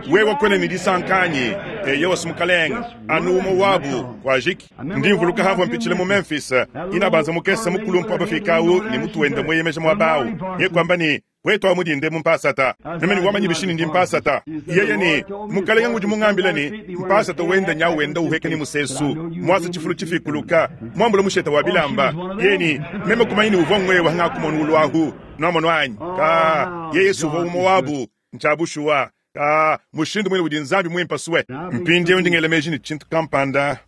Wewe kwena ne disanka anyi? Eyowa, Mukalenge, anu umue wabu kuajiki. Ndi mvuluka hamvua mpitshila mu Memphis, inabanza mukese mukulumpa bafika awu ne mutu wenda mueyemeja muaba awu. Ye kuamba ne, wetu amu dinde mu mpasata. Meme ne wamanyi bishi ne ndi mpasata. Yeye ne, Mukalenge ngudi mungambila ne, mpasata wenda nyawu wenda uheka ne musesu, muasa tshifulu tshifikuluka, muambula musheta wa bilamba. Yeye ne, meme kumanya ne uvua ngwewa ngakumona uluahu. Nwamonu anyi? Ka, yeye uvua umue wabu. Ntshia bushuwa. Ka, mushindu muine udi Nzambi muimpe sue. Mpindieu ndi ngela meji ne tshintu kampanda.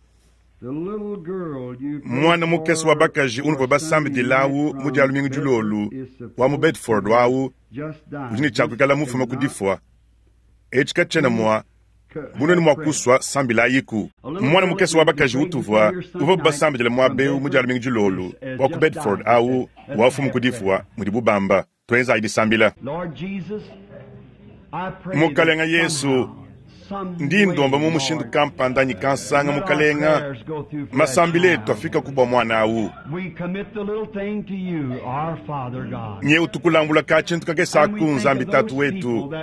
Mwana mukese wa bakaji unuvua basambidilawu mu dia lumingu dilolu wa mu Bedford wawu udi ne tshia kuikala mufuma ku difua. Etshi katshiena mua bunene mua kusua sambilayiku. Mwana mukese wa bakaji utuvua uvua basambidila muaba eu mu dia lumingu dilolu wa ku Bedford awu wafumu ku difua mudibu bamba. Tuenzayi disambila. Mukalenga Yesu, ndi ndomba mu mushindu kampanda anyi kansanga, Mukalenga, masambila etu afika ku bua muana awu. Nye utukulambula ka tshintu kakese aku, Nzambi Tatu wetu,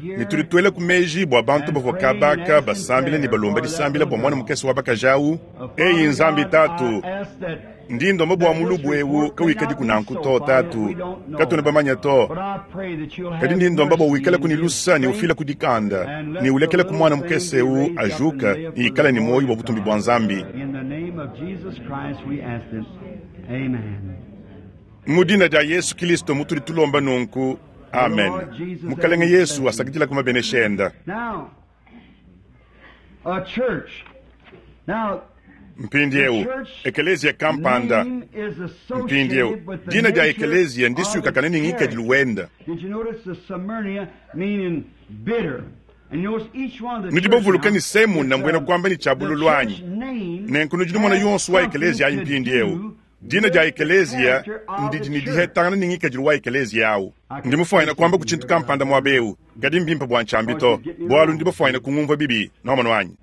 ne tudi tuela ku meji bua bantu bavua kabaka basambila ne balomba disambila bua muana mukese wa bakaji awu. Eyi Nzambi Tatu, ndi ndomba bua mulubu ewu kawikadiku nanku to, Tatu, katuena bamanya to. Kadi ndi ndomba bua wikalaku ne lusa ne ufila ku dikanda ne ulekela ku muana mukese ewu ajuka ne ikala ne muoyo bua butumbi bua Nzambi. Mu dina dia Yesu Kilisto mutudi tulomba nunku, amen. Mukalenge Yesu asakidila ku mabenesha enda. Mpindieu, ekeleziya kampanda. Mpindieu, dina dia ekeleziya ndisuikakane ne ngikadilu wenda. Nudi bavuluke ne Semuna mbuena kuamba ne tshia bululu anyi? Nenku nudi numona yonso wa ekeleziya ayi mpindieu. Dina dia ekeleziya ndidi ne dihetangana ne ngikadilu wa ekeleziya awu. Ndi mufuanyine kuamba ku tshintu kampanda muaba eu, kadi mbimpe bua ntshiambi to, bualu ndi bafuanyine kungumvua bibi. Nwamonu anyi?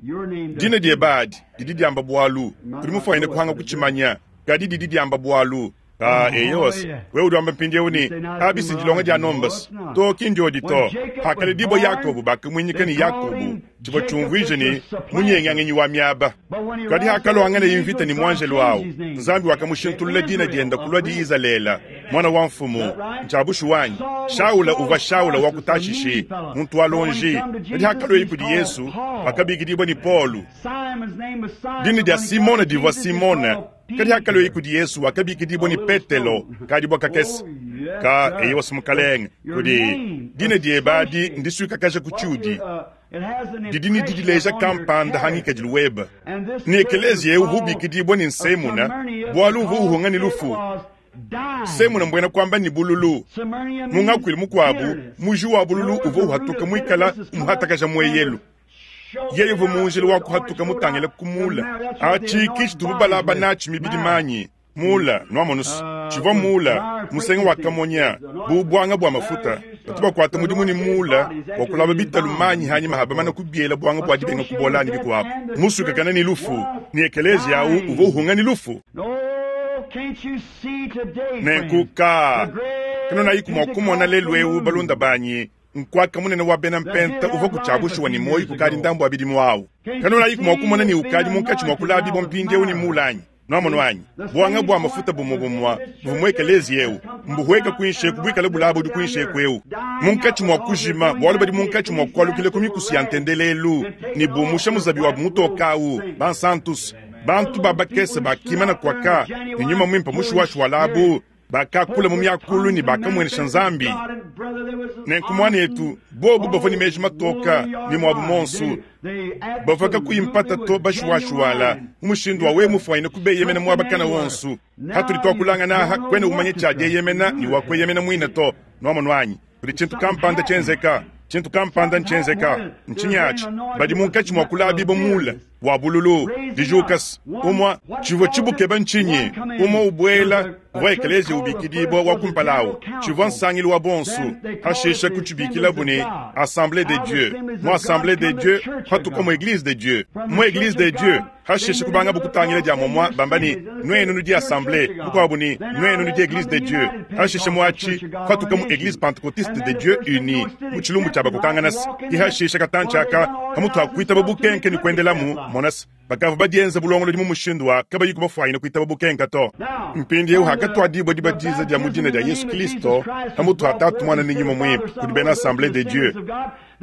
Dina diebe adi didi diamba bualu. Udi mufuanyine kuhanga kutshimanya, kadi didi diamba bualu. Ah, eyos, wewe udi wamba mpindieu ne, abi si dilonga dia nombas to, ki ndiodi to. Pakaledibua Yakobo, bakamuinyika ne Yakobo, tshivua tshiumvuija ne, munyengianganyi wa miaba. Kadi hakaluanganaye mvita ne muanjelu awu, Nzambi wakamushintulula dina dienda kulua di Izalele, muana wa mfumu. Ntshia bushuwa anyi? Shaula uvua Shaula wa ku Tashishi, muntu wa lonji. Kadi hakalueye kudi Yesu, wakabikidibua ne Paulo. Dina dia Simona divua Simona. Kadi hakalueye kudi Yesu, wakabikidibua ne Petelo, kadibua kakese ka eyowa Mukalenge. Kudi dina diebe adi ndisuikakaja ku tshiudi didi ne didileja kampanda ha ngikadilu webe. Ne ekeleziya eu uvua ubikidibua ne Nsemuna, bualu uvua uhunga ne lufu. Semuna mbuena kuamba ne bululu. Mu ngakuilu mukuabu, muji wa bululu uvua uhatuka muikala umuhatakaja mueyelu. Yeye uvua mu njila wa kuhatuka mutangile ku mula. Atshi ki tshitubu balaba natshi mibidi manyi. Mula, nuamonusu, tshivua mula, musenga wa kamonya, bu buanga bua mafuta. Batu bakuata mudimu ne mula bua kulaba bitalu manyi hanyima ha bamana kubiela buanga bua dibenga kubola ne bikuabu. Musukakana ne lufu, ne ekeleziya awu uvua uhunga ne lufu. Nenku ka, kanunayiku mua kumona lelu eu, balunda banyi, nkuaka munene wa bena mpenta uvua ku tshia bushuwa ne muoyo kukadi ndambu wa bidimu awu. Kanunayiku mua kumona ne ukadi munkatshi mua kulabibua mpindieu ne mula anyi? Nwamonu anyi? Buanga bua mafuta bumue bumue buvua mu ekeleziya eu mbuhueka kuinshi eku buikale bulaba udi kuinshi eku eu munkatshi mua kujima, bualu badi munkatshi mua kualukila ku mikusu ya ntendelelu ne bumusha muzabi wabu mutoka awu. Bansantus, bantu ba bakese bakimana kuaka ne nyuma muimpe mushuwashuwalabu, bakakula mu miakulu ne bakamuenesha Nzambi. Nenku muanetu, bobu bavua ne meji matoka ne muabu monsu, bavua kakuyi mpata to bashuwashuwala mu mushindu wa wewe mufuanyine kubeyemena muaba kana wonsu. Hatudi tuakulangana aha, kuena umanya tshia dieyemena ne wa kueyemena muine to. Nwamonu anyi? Kudi tshintu kampanda tshienzeka. Tshintu kampanda ntshienzeka. Ntshinyi atshi? Badi munkatshi mua kulabibua mula. Wa bululu, dijukas, umua, tshivua tshibukeba ntshinyi? Umua ubuela, uvua ekeleziya ubikidibua wa kumpala awu, tshivua nsangilu wa bonsu, hashisha kutshibikilabu ne Assemblee de Dieu, mu Assemblee de Dieu patuka mu Eglise de Dieu, mu Eglise de Dieu hashisha kubangabu kutangila dia momua bamba ne, Nuenu nudi Assemblee, mukuabu ne, Nuenu nudi Eglise de Dieu, hashisha mu atshi patuka mu Eglise Pentecotiste de Dieu Unie, mu tshilumbu tshia bakokanganas, ke hashisha katantshi aka pamutu ha kuitaba bukenke ne kuendelamu, monas, bakavua badienza bulongolodi mu mushindu wa kabayiku bafuanyine kuitaba bukenka to. Mpindieu hakatuadibua dibatiza dia mu dina dia Yesu Kilisto pamutu ha Tatu, Muana ne Nyuma Muimpe kudi bena Assemblee de Dieu,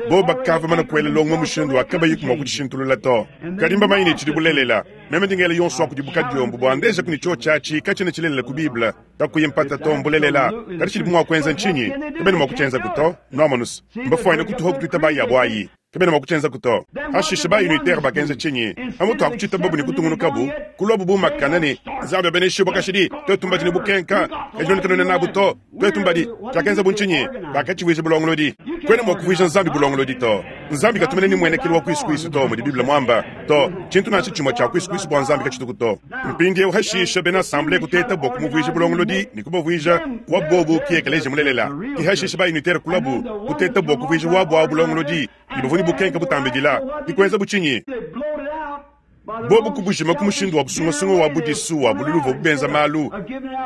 bobo bakavua bamane kuela longo mu mushindu wa kabayiku mua kudishintulula to. Kadi mbamanye ne tshidi bulelela. Meme ndi ngela yonso wa kudibu kadiombo bua ndejaku ne tshiotshi atshi katshiena tshilelela ku Bible. Kakuyi mpata to, mbulelela. Kadi tshidibu mua kuenza ntshinyi? Kabena mua kutshienzaku to. Nuamonus, mbafuanyine kutuha kutuita yabu ayi. Kabena mua kutshienzaku to. Hashishe ba-unitaire bakenza tshinyi? Pamutu ha kutshitababu ne kutungunukabu, kuluabu bu makana ne, Nzambi abeneshibua kashidi, tuetu mbadi ne bukenka, kadi nuenu kanuena nabu to. Tuetu mbadi. Tshiakenzabu ntshinyi? Bakatshivuija bulongolodi. Kuena mua kuvuija Nzambi bulongolodi to. Nzambi katu mene ne muenekelu wa kuisu-kuisu to, mudi Bible muamba. To, tshintu nansha tshimue tshia kuisu-kuisu bua Nzambi katshituku to. Mpindieu hashisha bena assemblee kuteta bua kumuvuija bulongolodi ne kubavuija wa bobu ki ekeleziya mulelela. Ke hashisha ba-unitaire kuluabu kuteta bua kuvuija wabu awu bulongolodi ne bavua ne bukenke butambidila. Ke kuenzabu tshinyi? Bobu kubujima ku mushindu wa busungasunga wa budisu wa bululu uvuabu benza malu.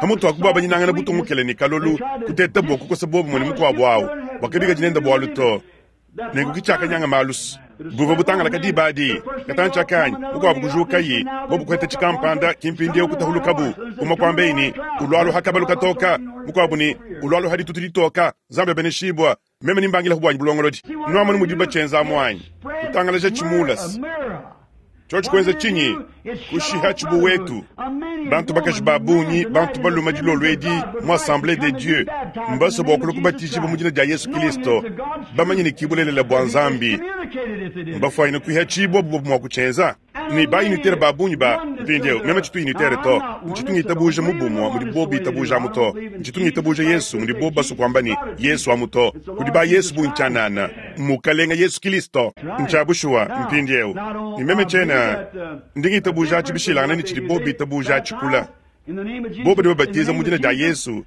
Pamutu pa kubuabanyinangana butungukele ne kalolu, kuteta bua kukosa buobumue ne mukuabu awu bua kabikadi nende bualu to. Nenku ke tshiakanyanga malu. Buvua butangalaka diba adi. Katantshi akanyi, mukuabu kujukaye, bobu kuheta tshikampanda, ki mpindieu kutahulukabu. Umue kuambaye ne, Ulualua ha kabalu katoka, mukuabu ne, Ulualua ha ditutu ditoka. Nzambi abeneshibua, meme ne mbangilahu buanyi bulongolodi. Nuamonu mudibu batshienza amu anyi? Kutangalaja tshimulas. Tshiotshi kuenza tshinyi? Kushiha tshibuwetu. Bantu bakaji ba bungi, bantu balume dilolo edi mu Assemblee de Dieu mbasue bua kulua kubatijibua mu dina dia Yesu Kilisto, bamanye ne ki bulelela bua Nzambi. Mbafuanyine kuihatshibua bu bobu mua kutshienza. Ne ba unitaire ba bungi ba mpindieu, meme tshitu unitaire to, ntshitu ngitabuja mu bumue mudi bobu bitabuja amu to, ntshitu ngitabuja Yesu mudi bobu basue kuamba ne Yesu amu to. Kudi ba Yesu bungi tshianana. Mukalenga Yesu Kilisto. Ntshia bushuwa mpindieu ne meme tshiena ndi ngitabuja atshi bishilangane ne tshidi bobu bitabuja atshi kula. Bobu badi babatiza mu dina dia Yesu,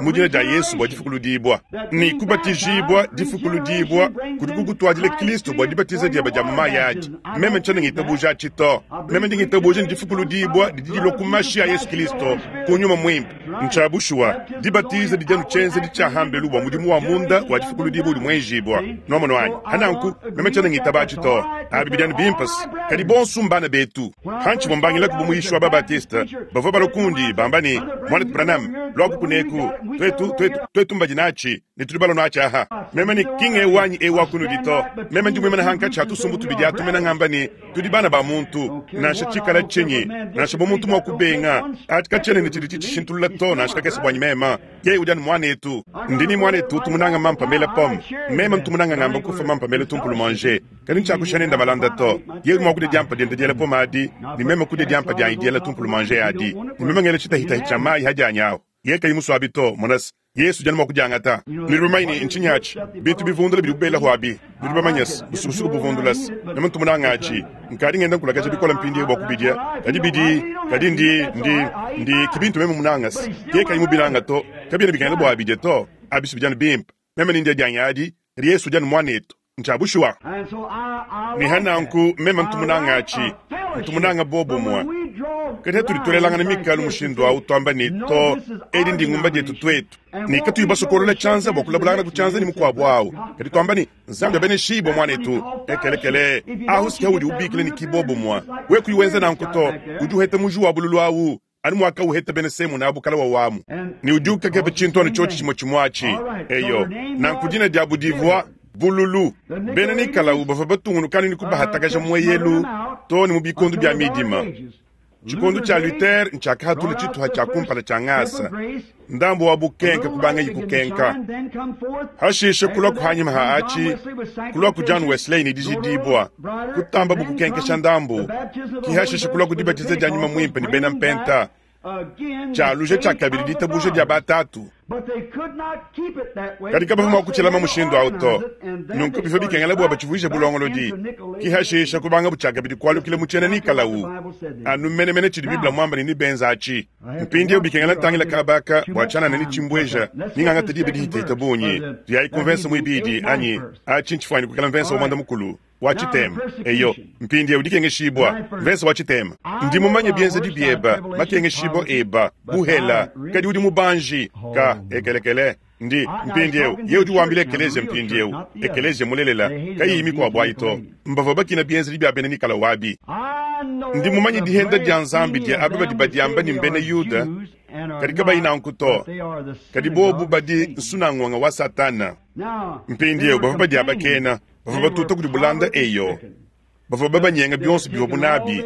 mu dina dia Yesu bua difukuludibua. Ne kubatijibua, difukuludibua, kudi kukutuadila Kilisto bua dibatiza dieba dia mu mayi adi. Meme tshiena ngitabuja atshi to. Meme ndi ngitabuja ne difukuludibua didi dilua ku mashi a Yesu Kilisto, ku Nyuma Muimpe. Ntshia bushuwa, dibatiza didi anu tshienzedi tshia hambelu bua mudimu wa munda wa difukuludibua udi muenjibua. Nuamonu anyi? Hananku, meme tshiena ngitaba atshi to. Abi bidi anu bimpe-s. Kadi bonsu mbana betu. Hantshivua mbangilaku bu muyishi wa ba-Baptiste, bavua balua kundi, bamba ne, Muanetu Branham, luaku kuneku. Tuetu, tuetu, tuetu mbadi natshi, ne tudi balua natshi aha. Meme ne, Ki ng'eu anyi eu wa kunudi to. Meme ndi muimane hankatshi ha tusumbu tubidi atu mena ngamba ne, Tudi bana ba muntu, nansha tshikala tshinyi, nansha bu muntu mua kubenga, atshi katshiena ne tshidi tshitshishintulula to, nansha kakese buanyi meme. Yeye udi anu muanetu. Ndi ne muanetu utu munanga mampa mela pomme, meme ntu munanga ngamba kufa mampa mela tumpulumanje, kadi ntshiakusha nende malanda to. Yeye udi mua kudia diampa diende diela pomme adi, ne meme kudia diampa dianyi diela tumpulumanje adi, ne meme ngela tshitahitahi tshia mayi ha dianyi ahu. Yeye kayi musue abi to, monas, Yesu udi anu mua kudiangata. Nudi bamanye ne, ntshinyi atshi? Bintu bivundula bidibu belahu abi. Nudi bamanye-se, busukusuku buvundula-se. Meme ntu munange atshi. Nkadi ngenda nkulakaja bikole mpindieu bua kubidia. Kadi bidi, kadi ndi, ndi, ndi, ki bintu meme munange-se. Yeye kayi mubinange to. Kabiena bikengela bua abidie to. Abi si bidi anu bimpe. Meme ne ndia dianyi adi, kadi Yesu udi anu muanetu. Ntshia bushuwa. Ne ha nanku meme ntu munange atshi, ntu munange bobumue. Kadi hatudi tuelelangana mikalu mushindu au tuamba ne, to, edi ndingumba dietu tuetu, ne katuyi basokolola tshianza bua kulabulangana ku tshianza ne mukuabu au, kadi tuamba ne, Nzambi abeneshibue muanetu, ekelekele, ahu si udi ubikila ne ki bobumue. We kuyi wenza nanku to, udi uheta muji wa bululu au anu muakawuheta bena Semuna abu kala wawamu, ne udi ukakeba tshintu anu tshiotshi tshimue tshimue atshi. Eyo, nanku dina diabu divua Bululu. Bena Nikalau bavua batungunuka anu ne kubahatakaja mueyelu too ne mu bikondo bia midima. Tshikondo tshia Luther ntshiakahatula tshituha tshia kumpala tshia ngasa, ndambu wa bukenka kubangayi kukenka. Hashishe kuluaku hanyima ha atshi, kuluaku John Wesley ne dijidibua, kutambabu kukenkesha ndambu, ki hashishe kuluaku dibatiza dia Nyuma Muimpe ne bena Mpenta. Tshialuja tshiakabidi ditabuja dia batatu. Kadi kabavua mua kutshilama mushindu au to. Nunku bivua bikengela bua batshivuije bulongolodi. Ki hashisha kubangabu tshiakabidi kualukila mu tshiena Nikalawu. Anu menemene tshidi Bible muambe ne nebenza atshi. Mpindieu bikengela ntangila kaba aka bua tshianana ne tshimbueja ni ngangata diba dihitahita bungi. Tuyayi ku mvensa muibidi anyi atshi ntshifuanyine kuikala mvensa wa muanda mukulu. Wa tshitema. Eyo, mpindieu dikengeshibua, mvese wa tshitema. Ndi mumanye bienzedi bieba, makengeshibua eba, buhela, kadi udi mubanji. Ka, ekelekele. Ndi, mpindieu, ye udi wambila ekeleziya mpindieu, ekeleziya mulelela, kayiyi mikuabu ayi to. Mbavua bakina bienzedi bia bena Nikalawu abi. Ndi mumanye dihenda dia Nzambi dia aba badi badiamba ne mbena Yuda, kadi kabayi nanku to, kadi bobu badi nsunangonga wa Satana. Mpindieu bavua badiabakena. Bavua batuta kudi bulanda, eyo, bavua babanyenga bionso bivuabu nabi.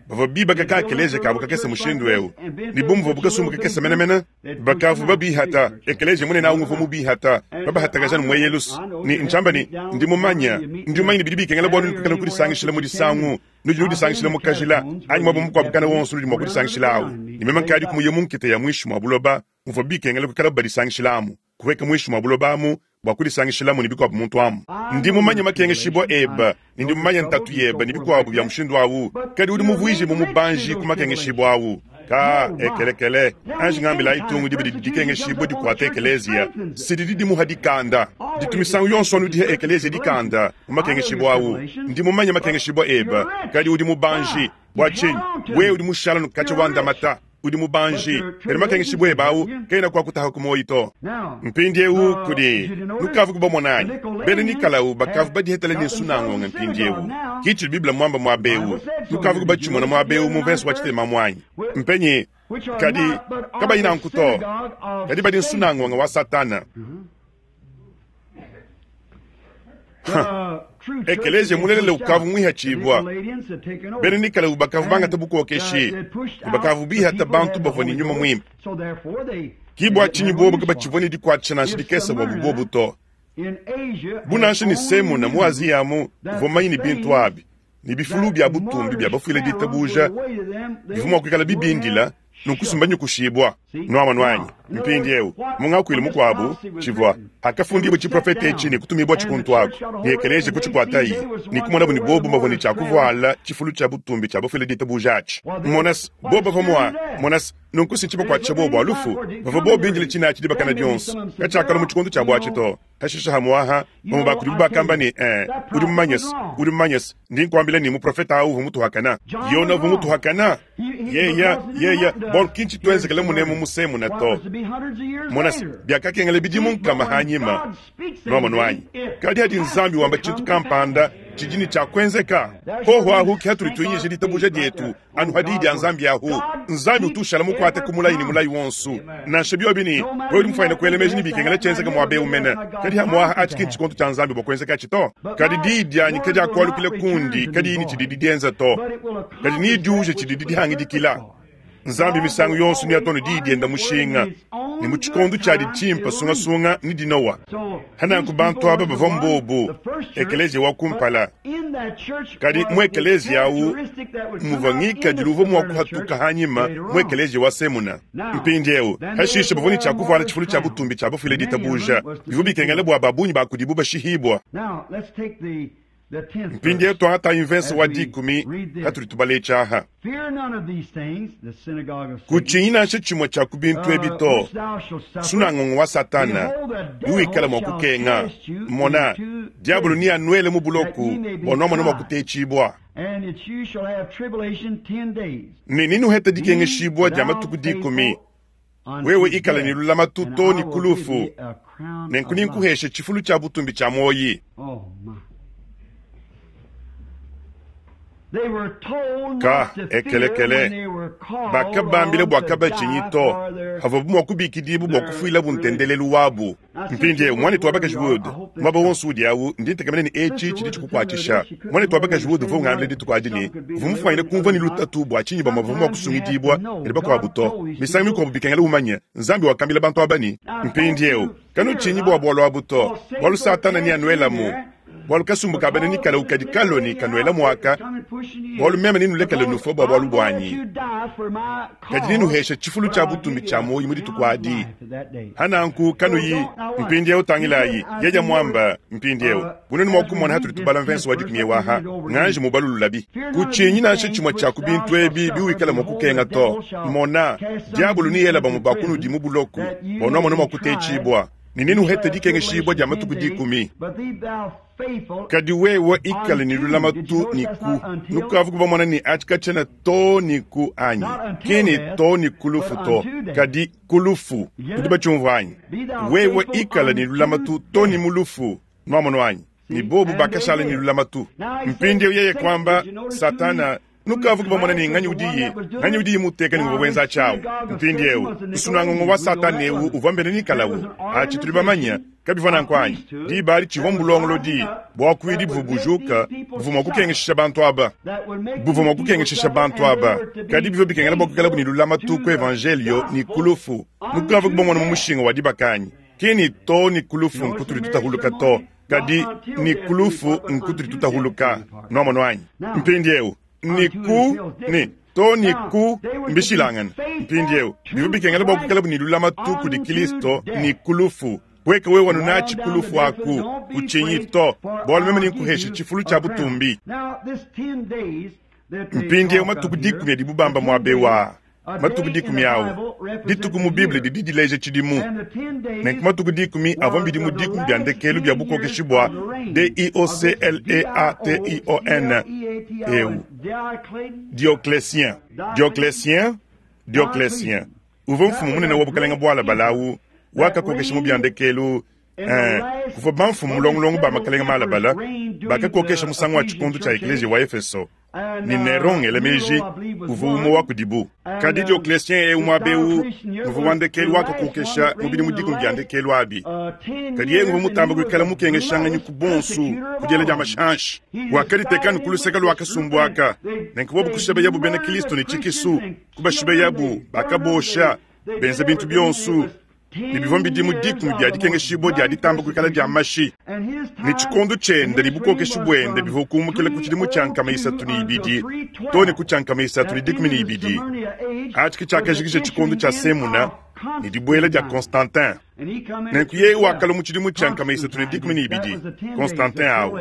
Bavua bibaka ka ekeleziya kabu kakese mushindu eu, ne bu muvuabu kasumbu kakese menemene, bakavua babihata. Ekeleziya munene au nguvua mubihata, babahatakaja ne mueyelus. Ne ntshiamba ne, ndi mumanya, ndi mumanya ne bidi bikengela bua nudi kuikala kudisangishila mu disangu, nudi nudisangishila mu kajila, anyi muaba mukuabu kana wonso nudi mua kudisangishila au. Ne meme nkadi kumuye mu nkita ya muinshi mua buloba, muvua bikengela kuikalabu badisangishilamu, kuhueka muinshi mua buloba amu bua kudisangishilamu ne bikuabu muntu amu. Ndi mumanye makengeshibua ebe, ne ndi mumanye ntatu yebe ne bikuabu bia mushindu au, kadi udi muvuijibue mubanji ku makengeshibua au. Ka ekelekele, anji ngambilayi tungu diba didi dikengeshibua dikuata ekeleziya, si didi dimuha dikanda. Ditu misangu yonso anu diha ekeleziya dikanda mu makengeshibua au. Ndi mumanye makengeshibua ebe, kadi udi mubanji. Bua tshinyi wewe udi mushala nukatshia wa ndamata? Udi mubanji, kadi makengeshibua ebe au kaena kuakutaha ku muoyo to. Mpindieu kudi nukavu kubamona anyi? Bena Nikalau bakavu badihetele ne nsunangonga mpindieu. Ki tshidi Bible muamba muaba eu. Nukavu kubatshimona muaba eu mu mvese wa tshitema amu anyi? Mpenyi? Kadi kabayi nanku to, kadi badi nsunangonga wa Satana. Ekeleziya mulelela ukavua muihatshibua. Bena Nikalawu bakavua bangata bukokeshi ne bakavua bihata bantu bavua ne nyuma muimpe. Ki bua tshinyi buobu kabatshivua ne dikuatshisha nansha dikese buabu buobu to. Bu nansha ne Semuna mu Aziya amu uvua mumanye ne bintu abi ne bifulu bia butumbi bia bafuile ditabuja bivua mua kuikala bibindila nunku simbanyukushibua. Nuamonu anyi? Mpindiewu, mu ngakuilu mukuabu, tshivua, Hakafundibua tshiprofete etshi ne kutumibua tshikuntu aku, ne ekeleziya kutshikuatayi, ne kumonabu ne bobu bavua ne tshia kuvuala tshifulu tshia butumbi tshia bafuile ditabuja atshi. Mona's, bobu bavua mua, mona's, nunku si ntshibakuatshisha bobu bua lufu. Bavua bobu bindile tshina atshi dibakana dionso. Katshiakalua mu tshikondo tshiabu atshi to. Hashisha hamuaha, bamue ba kudibu bakamba ne, Eh, udi mumanye-se, udi mumanye-se, ndi nkuambila ne, muprofete au uvua mutuhakana. Yona uvua mutuhakana. Yeya, yeya, bualu ki ntshituenzekele munemu musemuna to. Mona-se, biakakengela bidimu nkama hanyima. Nuamonu anyi? Kadi hadi Nzambi wamba tshintu kampanda, tshidi ne tshia kuenzeka. Hoho ahu ke hatudi tuinyisha ditabuja dietu, anu ha Diyi dia Nzambi ahu. Nzambi utu ushala mukuate ku mulayi ne mulayi wonso, nansha biobi ne, wewe udi mufuanyine kuela meji ne bikengela tshienzeke muaba eu mene. Kadi hamuaha atshi ki ntshikondo tshia Nzambi bua kuenzekatshi to. Kadi diyi dianyi kadiakualukila kundi kadiyi ne tshididi dienza to, kadi nediuje tshididi dihangidikila. Nzambi misangu yonso neatone diyi dienda mushinga, ne mu tshikondo tshiadi tshimpe sungasunga ne dinowa. Hananku bantu aba bavua mbobu ekeleziya wa kumpala, kadi mu ekeleziya au muvua ngikadilu uvua mua kuhatuka hanyima mu ekeleziya wa Semuna. Mpindieu hashishe bavua ne tshia kuvuala tshifulu tshia butumbi tshia bafuile ditabuja, bivua bikengela bua ba bungi ba kudibu bashihibua. Mpindieu tuangatayi mvese wa dikumi patudi tubala etshi aha. Kutshinyi nansha tshimue tshia ku bintu ebi to, sunangongo wa Satana, biwikala mua kukenga. Mona, diabolo neanuele mu buloko bua nuamona mua kutetshibua. Ne nenuhete dikengeshibua dia matuku dikumi. Wewe ikala ne lulamatu to ne ku lufu, nenku nenkuheshe tshifulu tshia butumbi tshia muoyi. Ka ekelekele, bakabambila bua kabatshinyi to, pavuabu mua kubikidibua bua kufuilabu ntendelelu wabu. Mpindieu, muanetu wa bakaji Wood, muaba wonso udi awu, ndi ntekemena ne etshi tshidi tshikukuatshisha. Muanetu wa bakaji Wood uvua ungambila dituku adi ne, uvua mufuanyine kumvua ne lutatu bua tshinyi bamue bavua mua kusungidibua kadi bakuabu to. Misangu mikuabu bikengela umanye, Nzambi wakambila bantu aba ne, Mpindieu, kanutshinyi bua bualu abu to, bualu Satana neanuelamu. Bualu kasumbu ka bena Nikalawu kadi kalua ne kanuela muaka, bualu meme nenulekele nufua bua bualu buanyi, kadi nenuheshe tshifulu tshia butumbi tshia muoyo mu dituku adi. Hananku kanuyi mpindieu tangilayi, yeye muamba mpindieu bunenu mua kumona hatudi tubala mvense wa dikumi eu aha, nganji mubalululabi. Kutshinyi nansha tshimue tshia ku bintu ebi biwikala mua kukenga to. Mona, diabolo neyela bamue ba kunudi mu buloko, bua nuamona mua kutetshibua, ne nenuhete dikengeshibua dia matuku dikumi. Kadi wewe ikale ne lulamatu ne ku nukavu kubamona ne atshi katshiena to ne ku anyi ki ne to ne ku lufu to, kadi ku lufu. Nudi batshiumvua anyi? Wewe ikale ne lulamatu to ne mu lufu. Nuamonu anyi? Ne bobu bakashala ne lulamatu. Mpindieu yeye kuamba, Satana, nukavu kubamona ne nganyi udiye, nganyi udiye muteka ne uvua wenza tshiawu. Mpindieu nsunangongo wa Satana eu uvua mbena Nikalawu. Atshi tudi bamanya, kabivua nanku anyi? Diba adi tshivua mbulongolodi buakuidi buvua bujuka buvua mua kukengeshisha bantu aba, buvua mua kukengeshisha bantu aba, kadi bivua bikengela bua kuikalabu ne lulamatu ku evanjelio ne ku lufu. Nukavu kubamona mu mushinga wa dibaka anyi? Ki ni to ni ku lufu nkutudi tutahuluka to, kadi ni ku lufu nkutudi tutahuluka. Nuamonu anyi? Mpindieu ni ku ni to ni ku mbishilangane. Mpindieu bivua bikengela bua kuikalabu ne lulamatu kudi Kristo ni ku lufu. Pueka wewe wanunatshi ku lufu aku, kutshinyi to, bualu meme nenkuheshe tshifulu tshia butumbi. Mpindieu matuku dikumi adibu bamba muaba eu aa, matuku dikumi au, dituku mu Bible didi dileja tshidimu. Nenku matuku dikumi avua mbidimu dikumi bia ndekelu bia bukokeshi bua D-I-O-C-L-E-A-T-I-O-N eu, Diocletien. Diocletien, Diocletien uvua mfumu munene wa bukalenge bualabale au wakakokesha mu bia ndekelu. Ee, kuvua bamfumu mulongolongo ba makalenge malabala bakakokesha musangu wa tshikondo tshia ekleziya wa Efeso, ne Neron ngela meji uvua umue wa kudibu. Kadi Diocletien eu muaba eu uvua wa ndekelu wakakokesha mu bidimu dikumi bia ndekelu abi. Kadi yeye nguvua mutambe kuikala mukengeshanganyi ku bonso ku diela dia mashi anshi. Wakaditeka anu ku luseke lua kasumbu aka, nenku bobu kushibeyabu bena Kristo ne tshikisu, kubashibeyabu, bakabosha, benza bintu bionso ne bivua bidimu dikumi bia dikengeshibua dia ditamba kuikala dia mashi, ne tshikondo tshiende ne bukokeshi buende bivua kumukila ku tshidimu tshia 302 too ne ku tshia 312. Atshi ke tshiakajikija tshikondo tshia Semuna ne dibuela dia Constantin. Nenku yeye wakalua mu tshidimu tshia 312, Constantin au.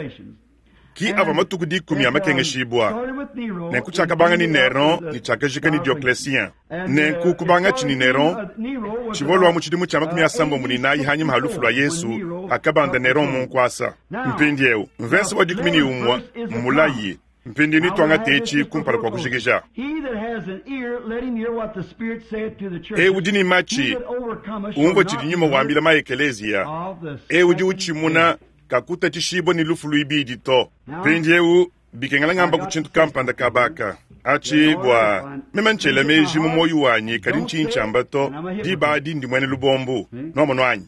Ki avua matuku dikumi a makengeshibua. Nenku tshiakabanga ne Neron ne tshiakajika ne Diocletien. Nenku kubangatshi ne Neron, tshivua lua mu tshidimu tshia 54 hanyima ha lufu lua Yesu, hakabanda Neron mu nkuasa. Mpindieu mvese wa 11 mmulayi. Mpindieu netuangate etshi kumpala kua kujikija. Eu udi ne matshi, umvua tshidi Nyuma wambila maekeleziya. Eu udi utshimuna kakutatshishibua ne lufu luibidi to. Mpindieu bikengela ngamba ku tshintu kampanda kabaka atshi bua meme ntshiela meji mu muoyo wanyi, kadi ntshinyi ntshiamba to. Diba adi ndi muena lubombu. Nuamonu anyi?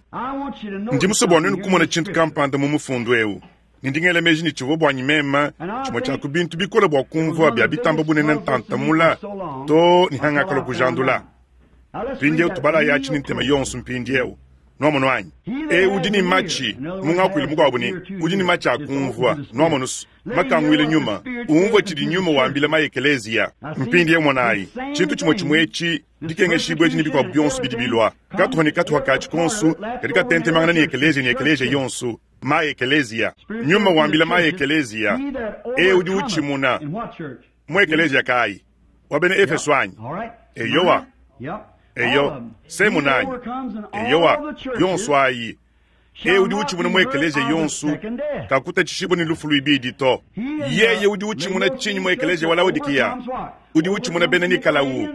Ndi musue bua nuenu kumona tshintu kampanda mu mufundu eu, ne ndi ngela meji ne tshivua buanyi meme tshimue tshia ku bintu bikole bua kumvua bia bitamba bunene ntanta mula to ne hangakalua kujandula. Mpindieu tubalayi atshi ne ntema yonso mpindieu. Nuamonu anyi? Eu udi ne matshi, mu ngakuilu mukuabu ne, udi ne matshi a kumvua. Nuamonu, makanguile nyuma, umvua tshidi nyuma wambila maekeleziya. Mpindieu monayi, tshintu tshimue tshimue etshi, dikengeshibua edi ne bikuabu bionso bidi bilua, katuha ne katuha katshi konso kadi katentemangana ne ekeleziya ne ekeleziya yonso, maekeleziya. Nyuma wambila maekeleziya, Eu udi utshimuna. Mu ekeleziya kayi? Wa bena Efeso anyi? Eyowa. Eyo, Semuna anyi? Eyowa, yonso ayi. Eu udi utshimuna mu ekeleziya yonso kakutatshishibua ne lufu luibidi to. Yeye udi utshimuna tshinyi mu ekeleziya wa Laodikiya? Udi utshimuna bena Nikalawu,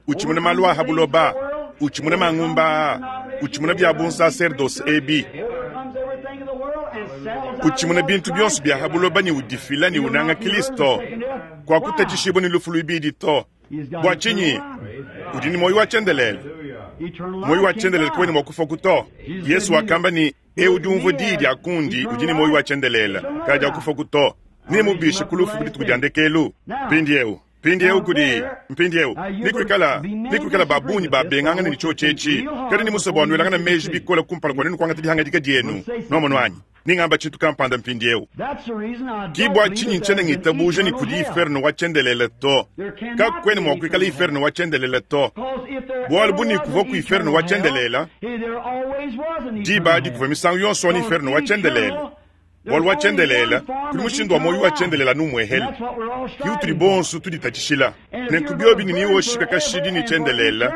utshimuna malu a ha buloba, utshimuna mangumba aa, utshimuna bia bunsaserdose ebi, utshimuna bintu bionso bia ha buloba ne udifila ne unanga Kristo, kuakutatshishibua ne lufu luibidi to. Bua tshinyi? Udi ne muoyo wa tshiendelele. Muoyo wa tshiendelele kawena mua kufua to. Yesu wakamba ne, Eu udi umvua diyi dia kundi udi ne muoyo wa tshiendelele, kadiakufua to. Nemubishe ku lufu ku dituku dia ndekelu. Mpindieu, mpindieu kudi mpindieu nikuikala nikuikala ba bungi babengangane ne tshiotshi etshi, kadi ndi musue bua nuelangane meji bikole kumpala kua nuenu kuangata dihangadika dienu. Nuamonu anyi? Nengamba tshintu kampanda mpindieu. Ki bua tshinyi ntshiena ngitabuja ne kudi iferno wa tshiendelele to. Kakuena mua kuikala iferno wa tshiendelele to. Bualu bu ne kuvua ku iferno wa tshiendelele, diba adi kuvua misangu yonso anu iferno wa tshiendelele. Bualu wa tshiendelele, kudi mushindu wa muoyo wa tshiendelele anu umuehele. Ke utudi bonso tuditatshishila. Nenku biobi ne newoshika kashidi ne tshiendelele,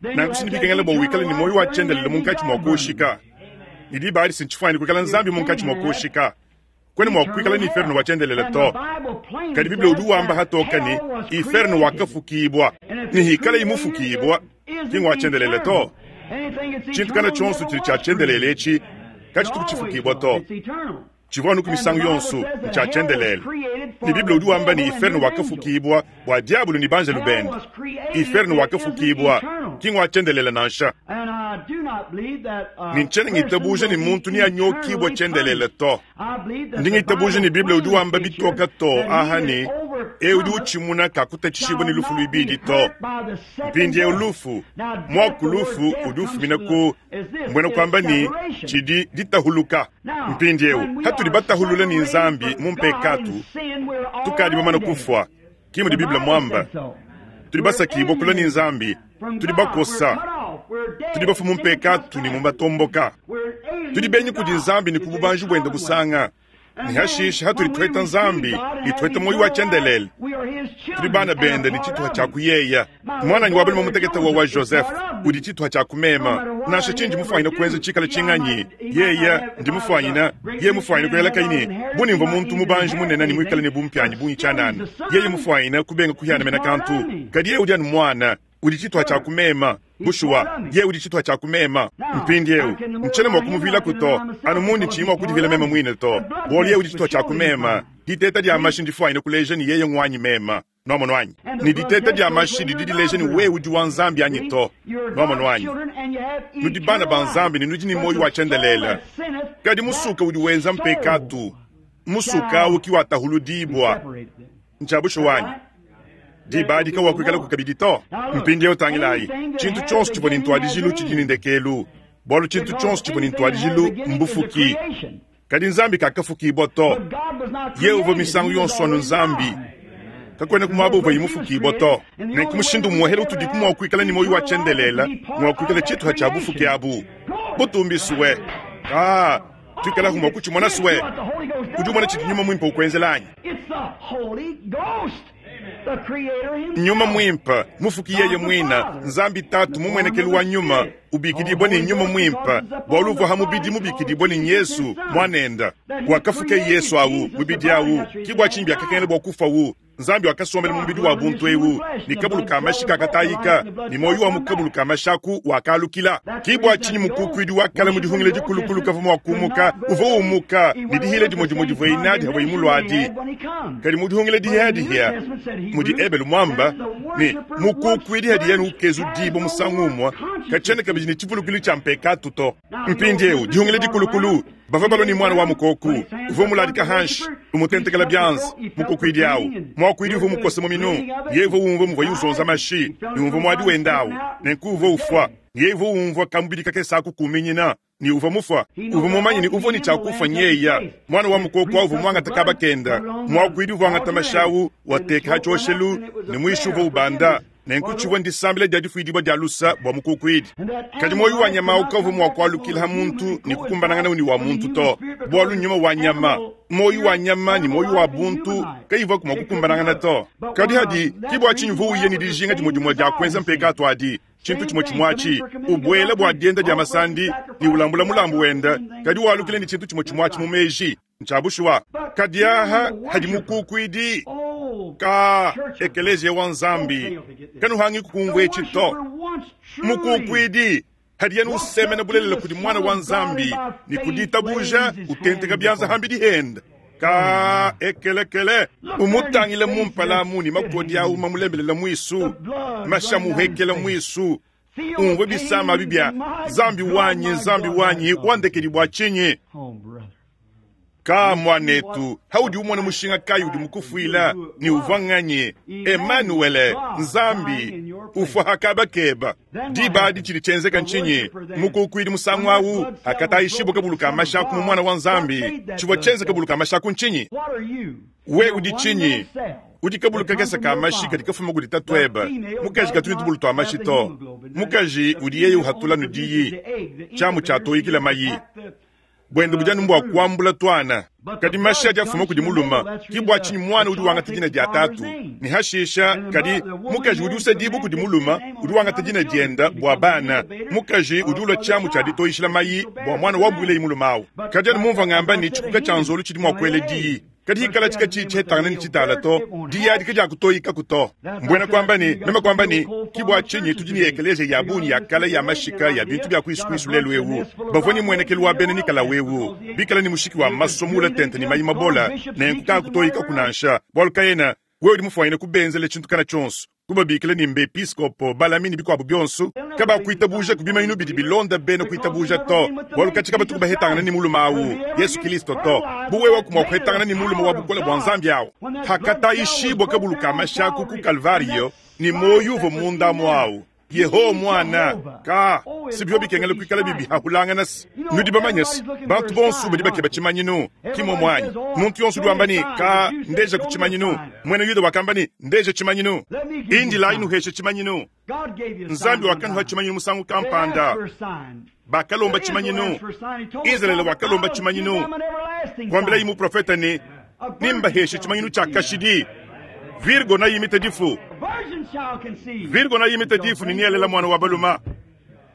nanku si bikengela bua wikale ne muoyo wa tshiendelele munkatshi mua kuoshika. Ne diba adi si ntshifuanyine kuikala Nzambi munkatshi mua kuoshika. Kuena mua kuikala ne inferno wa tshiendelele to. Kadi Bible udi wamba hatoka ne, inferno wakafukibua, ne hikalayi mufukibua, ki ngua tshiendelele to. Tshintu kana tshionso tshidi tshia tshiendelele etshi katshituku tshifukibua to. Tshivua anuku misangu yonso, ntshia tshiendelele. Ne Bible udi wamba ne, inferno wakafukibua bua diabolo ne banjelu bende. Inferno wakafukibua, ki ngua tshiendelele nansha. Ne ntshiena ngitabuja ne muntu neanyokibue tshiendelele to. Ndi ngitabuja ne Bible udi wamba bitoka to aha ne, eu udi utshimuna kakutatshishibua ne lufu luibidi to. Mpindieu lufu, muaku lufu udi ufumina ku mbuena kuamba ne tshidi ditahuluka. Mpindieu hatudi batahulula ne Nzambi mu mpekatu, tukadi bamane kufua, ki mudi Bible muamba. Tudi basakibua kula ne Nzambi, tudi bakosa, tudi bafue mu mpekatu ne mu matomboka. Tudi benyi kudi Nzambi ne ku bubanji buende busanga. Ne hashishe hatudi tuheta Nzambi ne tuheta muoyo wa tshiendelele, tudi bana bende ne tshituha tshia kuyeya. Muananyi wa balume mutekete wa wa Joseph udi tshituha tshia kumema. Nansha tshindi mufuanyine kuenza tshikale tshinganyi, yeya ndi mufuanyine, yeye mufuanyine kuela kayi ne bu ne mvua muntu mubanji munene ne muikale ne bumpianyi bungi tshianana, yeye mufuanyine kubenga kuhiana mena kantu. Kadi yeye udi anu muana, udi tshituha tshia kumema. Bushuwa, yeye udi tshituha tshia kumema. Mpindieu, ntshiena mua kumuvilaku to, anu mundi tshiyi mua kudivila meme muine to, bualu yeye udi tshituha tshia kumema. Diteta dia mashi ndifuanyine kuleja ne yeye nguanyi mema. Nuamonu anyi? Ne diteta dia mashi didi dileja ne wewe udi wa Nzambi anyi to. Nuamonu anyi? Nudi bana ba Nzambi ne nudi ne muoyo wa tshiendelele. Kadi musuka udi wenza mpekatu, musuka au ki watahuludibua. Ntshia bushuwa anyi? Diba adi kawakuikalaku kabidi to. Mpindieu tangilayi, tshintu tshionso tshivua ne ntuadijilu tshidi ne ndekelu, bualu tshintu tshionso tshivua ne ntuadijilu mbufuki. Kadi Nzambi kakafukibua to. Yeye uvua misangu yonso anu Nzambi. Kakuenaku muaba uvuaye mufukibua to. Nenku mushindu umuehele utudiku mua kuikala ne muoyo wa tshiendelele ngua kuikala tshituha tshia bufuki abu. Butumbi sue. Ah, tuikalaku mua kutshimona sue. Udi umona tshidi Nyuma Muimpe ukuenzela anyi? Nyuma Muimpe, Mufuki yeye muine, Nzambi Tatu mumuenekelu wa Nyuma, ubikidibua ne Nyuma Muimpe, bualu uvua ha mubidi mubikidibua ne Yesu, Muanende. Wakafuka Yesu au, mubidi au, ki bua tshinyi biakakengela bua kufawu. Nzambi wakasombela mu mubidi wa buntu eu, ne kabulu ka mashi kakatayika, ne muoyo wa mu kabulu ka mashi aku wakalukila. Ki bua tshinyi mukukuidi wa kale mu dihungila dikulukulu kavua mua kumuka, uvua umuka ne dihila dimue dimue divuaye nadi havuaye muluadi. Kadi mu dihungila dihiadihia mudi Ebelu muamba ne, mukukuidi hadiye ukezudibua musangu umue, katshiena kabidi ne tshivulukilu tshia mpekatu to. Mpindieu dihungila dikulukulu bavua balua ne muana wa mukoku uvua muladika hanshi umutentekela bianza. Mukukuidi au muakuidi uvua mukose muminu, yeye uvua umvua muvuaye uzonza mashi ne umvua muadi wenda au, nenku uvua ufua. Yeye uvua umvua kamubidi kakese aku kuminyina ne uvua mufua. Uvua mumanye ne uvua ne tshia kufua nyeya. Muana wa mukoko au uvua muangata kaba kenda, muakuidi uvua angata mashi au wateka ha tshioshelu ne muishi uvua ubanda. Nenku tshivua ndisambila dia difuidibua dia lusa bua mukukuidi. Kadi muoyo wa nyama au kavua mua kualukila ha muntu ne kukumbanangana ne wa muntu to, bualu nyuma wa nyama, muoyo wa nyama ne muoyo wa buntu kayivuaku mua kukumbanangana to. Kadi hadi ki bua tshinyi uvua uya ne dijinga dimue dimue dia kuenza mpekatu adi, tshintu tshimue tshimue atshi, ubuela bua dienda dia masandi ne ulambula mulambu wende, kadi walukila ne tshintu tshimue tshimue atshi mu meji. Ntshia bushuwa. Kadi aha hadi mukukuidi ka ekeleziya wa Nzambi, kanuhangi kukumvua etshi to. Mukukuidi hadiye usemena bulelela kudi Muana wa Nzambi ne ku ditabuja utenteka bianza hambidi hende ka ekelekele, umutangile mu mpala mu ne makodi au mamulembelela muisu, mashi amuhekela muisu, umvue bisama abi bia Nzambi wanyi, Nzambi wanyi, wandekedi bua tshinyi? Ka muanetu, haudi umona mushinga kayi udi mukufuila ne uvua nganyi? Emanuele, Nzambi ufua hakabakeba. Diba adi tshidi tshienzeka ntshinyi? Mukukuidi musangu au hakatayishibua kabulu ka mashi aku mu Muana wa Nzambi, tshivua tshienza kabulu ka mashi aku ntshinyi? We udi tshinyi? Udi kabulu kakese ka mashi kadi kafuma kudi tatuebe. Mukaji katu ne tubulu tua mashi to. Mukaji udi yeye uhatula nu diyi, tshiamu tshia toyikila mayi. Buende budi anu mbua kuambula tuana. Kadi mashi adi afuma kudi mulume, ki bua tshinyi muana udi wangata dina dia tatu. Ne hashisha, kadi mukaji udi usedibua kudi mulume udi wangata dina diende bua bana. Mukaji udi ulua tshiamu tshia ditoyishila mayi bua muana wabuilayi mulume au. Kadi anu mumvua ngamba ne, tshikuka tshia nzolu tshidi mua kuela diyi. Kadi hikala tshika tshiyi tshihetangana ne tshitala to, diyi adi kadiakutoyikaku to. Mbuena kuamba ne, meme kuamba ne, ki bua tshinyi tudi ne ekeleziya ya bungi ya kale ya mashika ya bintu bia kuisukuisu lelu ewu, bavua ne muenekelu wa bena Nikalawu ewu, bikale ne mushiki wa masua muule tente ne mayi mabola, nenku kaakutoyikaku nansha, bualu kaena wewe udi mufuanyine kubenzela tshintu kana tshionso, kubabikila ne mbepiskopo, balami ne bikuabu bionso, kabakuitabuja ku bimanyinu bidi bilonda bena kuitabuja to, bualu katshi kabatuku bahetangana ne mulume au, Yesu Kilisto to. Bu wewe mua kuhetangana ne mulume wa bukole bua Nzambi au, hakatayishibua kabulu ka mashi aku ku Kalvariyo, ne muoyo uvua munda muawu, Yehowa Muana, ka si bivua bikengela kuikala bibihahulangana se. Nudi bamanye se, bantu bonso badi bakeba tshimanyinu, ki muomu anyi? Muntu yonso udi wamba ne, Ka, ndeja ku tshimanyinu. Muena Yuda wakamba ne, Ndeja tshimanyinu. Indilayi nuheshe tshimanyinu. Nzambi wakanuha tshimanyinu musangu kampanda. Bakalomba tshimanyinu. Izalele wakalomba tshimanyinu. Kuambilayi muprofete ne, Nimbaheshe tshimanyinu tshia kashidi. Virgo nayimite difu. Virgo nayimite difu ne nialela muana wa baluma.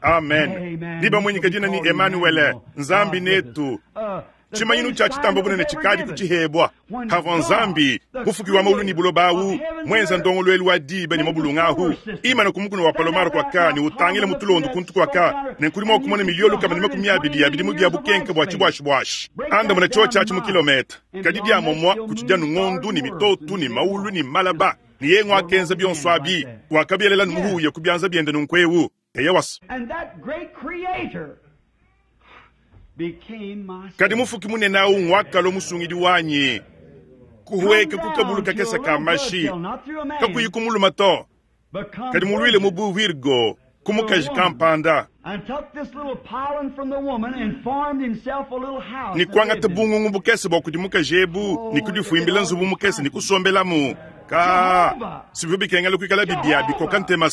Amen. Nibamuinyika dina ni Emanuele, Nzambi netu. Tshimanyinu tshia tshitamba bunene tshikadi kutshihebua. Havua Nzambi, mufuki wa maulu ne buloba awu, muenza ndongoluelu wa diba ne mabulunga ahu, imana ku mukuna wa Palomar kuaka ne utangila mu tulondo kuntu kuaka, ne nkudi mua kumona miliyo 120 ya bidimu bia bukenke bua tshibuashibuashi. Andamuna tshiotshi atshi mu kilometa. Kadi dia momua kutshidi anu ngondu ne mitotu ne maulu ne malaba, ne yeye nguakenza bionso abi, wakabielela anu muhuya ku bianza biende nunku'eu. Eyowa. Kadi Mufuki munene au nguakalua Musungidi wanyi, kuhueka ku kabulu kakese ka mashi, kakuyi ku mulume to, kadi muluile mu bu Virgo ku mukaji kampanda, ne kuangata bungungu bukese bua kudi mukaji ebu ne kudifuimbila nzubu mukese ne kusombelamu. Ka sivua bikengela kuikala bibia bikoka ntema.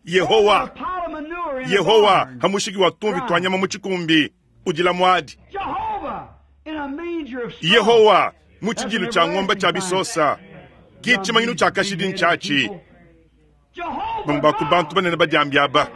Yehowa, Yehowa, ha mushiki wa tumvi tua nyama mu tshikumbi, udila muadi. Yehowa, mu tshidilu tshia ngomba tshia bisosa, ki tshimanyinu tshia kashidi ntshiatshi. Bamue ba ku bantu banene badiambi aba,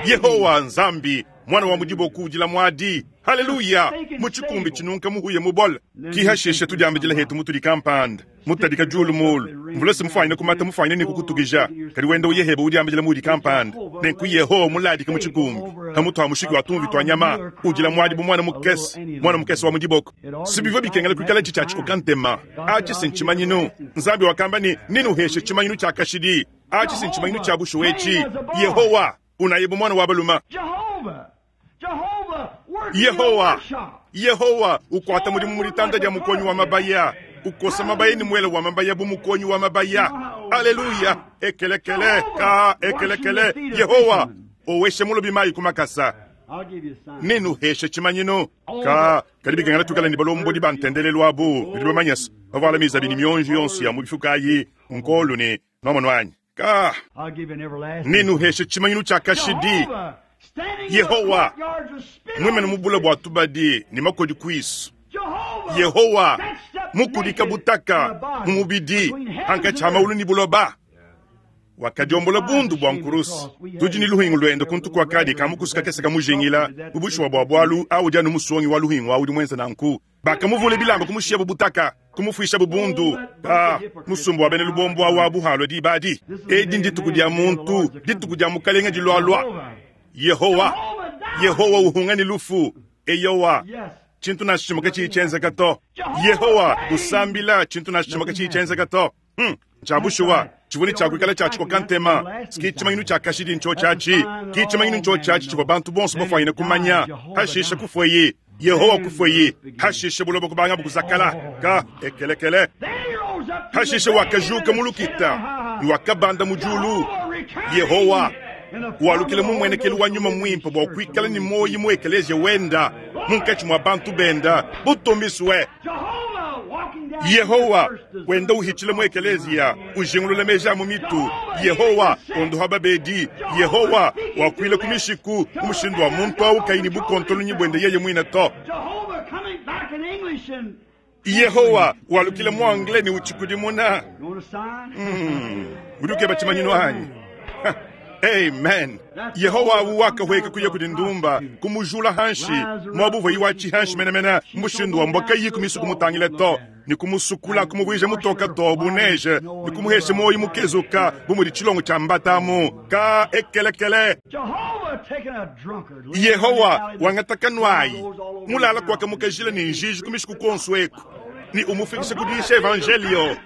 Yehowa Nzambi, muana wa mu diboko udila muadi. Haleluya! Mu tshikumbi tshinunka muhuya mubole. Ki hashishe tudiambidila hetu mutudi kampanda mutadika diulu mulu mvula se mufuanyine kumata mufuanyine ne kukutukija, kadi wenda uye heba udiambidila mudi kampanda. Nenku Yehowa muladika mu tshikumbi pamutu ha mushiki wa tumvi tua nyama, udila muadi bu muana mukese, muana mukese wa mu diboko. Si bivua bikengela kuikala tshi tshia tshikoka ntema atshi si ntshimanyinu. Nzambi wakamba ne, Nenuheshe tshimanyinu tshia kashidi. Atshi si ntshimanyinu tshia bushuwa etshi. Yehowa unaye bu muana wa balume. Yehowa, Yehowa ukuata mudimu mu ditanda dia mukonyi wa mabaya, ukosa mabaya ne muele wa mabaya bu mukonyi wa mabaya. Aleluya! Ekelekele ka ekelekele. Yehowa oweshe mulobi mayi ku makasa, nenuheshe tshimanyinu ka. Kadi bikengela tuikale ne balombodi ba ntendelelu abu bidi bamanye se bavuala mizabi ne mionji yonso ya mu bifuka ayi nkolu ne nwamonu anyi ka. Nenuheshe tshimanyinu tshia kashidi. Yehowa muimane mu bule bua tubadi ne makodi kuisu. Yehowa mukudika butaka mu mubidi hankatshi ha maulu ne buloba. Wakadiombola bundu bua nkurusu. Tudi ne luhingu luende kuntu kuakadi kamukusu kakese kamujingila. Bu bushuwa bua bualu awu udi anu musongi wa luhingu awu udi muenze nanku. Bakamuvula bilamba kumushiyabu butaka, kumufuishabu bundu. Ah, musumba wa bena lubombo awu abu halua diba adi. Edi ndituku dia muntu, dituku dia Mukalenge dilualua. Yehowa, Yehowa uhunga ne lufu. Eyowa, tshintu nansha tshimue katshiyi tshienzeka to. Yehowa usambila, tshintu nansha tshimue katshiyi tshienzeka to. Ntshia bushuwa, tshivua ne tshia kuikala tshia tshikoka ntema. Ki tshimanyinu tshia kashidi ntshiotshi atshi. Ki tshimanyinu ntshiotshi atshi tshivua bantu bonso bafuanyine kumanya. Pashishe kufueyi. Yehowa kufueyi. Hashishe buloba kubangabu kuzakala. Ka ekelekele. Hashishe wakajuka mu lukita ne wakabanda mu diulu. Yehowa walukila mu mmuenekelu wa nyuma muimpe bua kuikala ne muoyo mu ekeleziya wenda munkatshi mua bantu benda. Butumbisue Yehowa wenda uhitshila mu ekeleziya, ujingulula meji a mu mitu. Yehowa ondoha babedi. Yehowa wakuila ku mishiku mu mushindu wa muntu au kayi ne bukontolonyi buende yeye muine to. Yehowa walukila mu anglais ne utshikudimuna. Udi ukeba tshimanyinu anyi? Amen. Yehowa awu wakahueka kuya kudi ndumba, kumujula hanshi muaba uvua iwatshi hanshi menemene, mu mushindu wa mbua kayi ku misu kumutangila to, ne kumusukula, kumuvuija mutoka to bu neige, ne kumuhesha muoyo mukezuka bu mudi tshilongo tshia mbatamu ka ekelekele. Yehowa wangata kanuayi mulala kuakamukajila ne njiji ku mishiku kuonso eku, ne umufikisha ku diyisha evanjelio.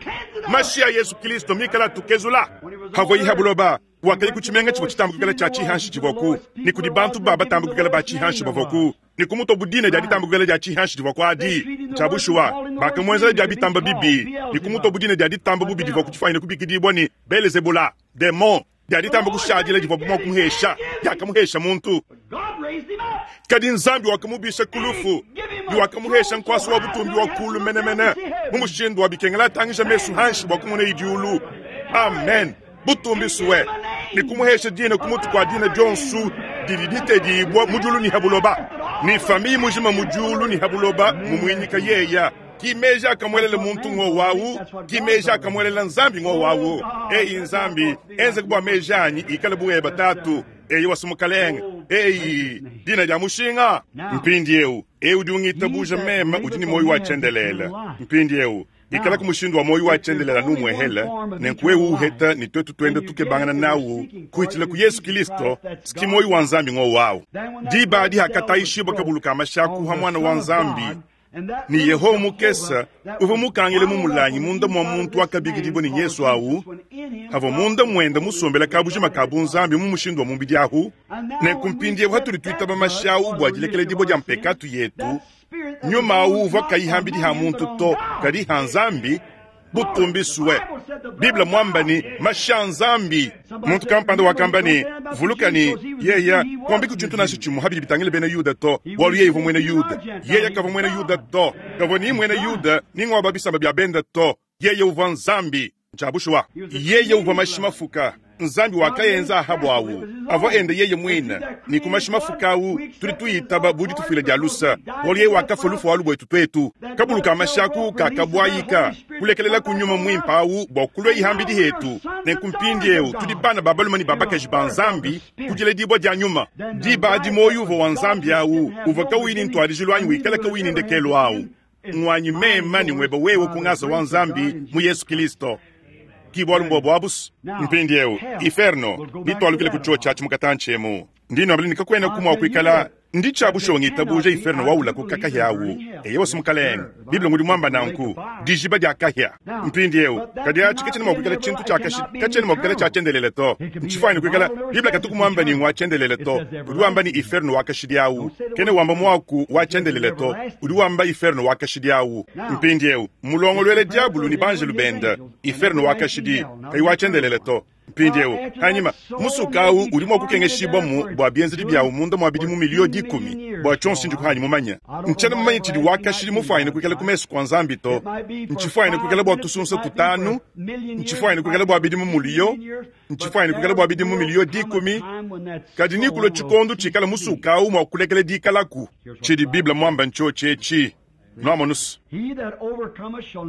Mashi a Yesu Kristo mikala atukezula. Havuaye ha buloba, wakaya ku tshimenga tshivua tshitamba kuikala tshia tshihanshi tshivuaku, ne kudi bantu ba batamba kuikala ba tshihanshi bavuaku, ne kumutua bu dina dia ditamba kuikala dia tshihanshi divuaku adi. Tshia bushuwa, bakamuenzela dia bitamba bibi, ne kumutua bu dina dia ditamba bubi divuaku difuanyine kubikidibua ne, Belezebula, demon dia ditamba kushadila divuabu mua kumuhesha, diakamuhesha muntu. Kadi Nzambi wakamubisha ku lufu ne wakamuhesha nkuasa wa butumbi wa kulu menemene, mu mushindu wa bikengela atangija mesu hanshi bua kumona diulu. Amen. Butumbi sue ne kumuhesha dina ku mutu kua dina dionso didi ditedibua mu diulu ne ha buloba, ne famiye mujima mu diulu ne ha buloba mumuinyika yeya. Ki meji akamuelela muntu ngowawu, ki meji akamuelela Nzambi ngowawu. Eyi Nzambi, enzeka bua meji anyi ikale bu eba Tatu. Eyi wasu Mukalenge. Eyi, dina dia mushinga. Mpindiewu, ewu udi ungitabuja meme udi ne muoyo wa tshiendelele. Mpindiewu, ikalaku mushindu wa muoyo wa tshiendelele anu umuehele, nenku wewe uheta ne tuetu tuenda tukebangana nawu kuhitshila ku Yesu Kilisto, ski muoyo wa Nzambi ngowawu. Diba adi hakatayishibua kabulu ka mashaku ha Muana wa Nzambi, ne Yehowa mukese uvua mukangile mu mulangi munda mua muntu wakabikidibua ne Yesu awu, avua munda muende musombela kabujima ka bunzambi mu mushindu wa mubidi ahu. Nenku mpindiewu hatudi tuitaba mashi awu bua dilekeledibua dia mpekatu yetu, nyuma awu uvua kayi hambidi ha muntu to, kadi ha Nzambi. Butumbisue. Bible muamba ne, mashi a Nzambi. Muntu kampanda wakamba ne, Vuluka ne, yeya kuambiku tshintu nansha tshimue habidi bitangila bena Yuda to, bualu yeye uvua muena Yuda. Yeye kavua muena Yuda to, kavua ni muena Yuda ni ngua ba bisamba bia bende to. Yeye uvua Nzambi. Ntshia bushuwa. Yeye uvua mashi mafuka. Nzambi wakaenza Ahabu awu avua ende yeye muine, ne ku mashi mafuka awu tudi tuyitaba bu ditufuila dia lusa, bualu yeye wakafua lufu alu buetu tuetu. Kabulu ka mashi aku kakabuayika, kulekelela ku nyuma muimpe awu bua kulua ihambidi hetu. Nenku mpindieu tudi bana ba balume ne ba bakaji ba Nzambi ku diledibua dia nyuma. Diba adi muoyo uvua wa Nzambi awu uvua kawuyi ne ntuadijilu anyi wikala kawuyi ne ndekelu awu nguanyi meme ne nguebe wewe ku ngasa wa Nzambi mu Yesu Kilisto. Ki bualu mbuobu abu's. Mpindieu, iferno, nitualukile ku tshiotshi atshi mu katantshi emu. Ndi nuambila ne kakuenaku mua kuikala ndi tshia bushuwa ngitabuja iferno waula ku kakahia awu. Eyowa mukalenge, Bible ngudi muamba nanku, dijiba dia kahia. Mpindieu, kadi atshi katshiena mua kuikala tshintu tshia kashidi, katshiena mua kuikala tshia tshiendelele to. Ntshifuanyine kuikala, Bible katuku muamba ne ngua tshiendelele to. Udi wamba ne iferno wa kashidi awu. Kena wamba muaku wa tshiendelele to, udi wamba iferno wa kashidi awu. Mpindieu, mmulongoluela diabulu ne banjelu bende iferno wa kashidi, kayi wa tshiendelele to. Mpindieu, anyima musuka awu udi mua kukengeshibua bua bienzedi biawu munda mua bidimu miliyo dikumi. Bua tshionso ndi kuhanyi mumanye, ntshiena mumanye tshidi wa kashidi mufuanyine kuikala ku mesu kua Nzambi to. Ntshifuanyine kuikala bua tusunsa tutanu, ntshifuanyine kuikala bua bidimu muliyo, ntshifuanyine kuikala bua bidimu miliyo dikumi, kadi nekulue tshikondo tshikala musuka awu mua kulekela dikalaku. Tshidi Bible muambe ntshiotshi etshi. Nuamonus,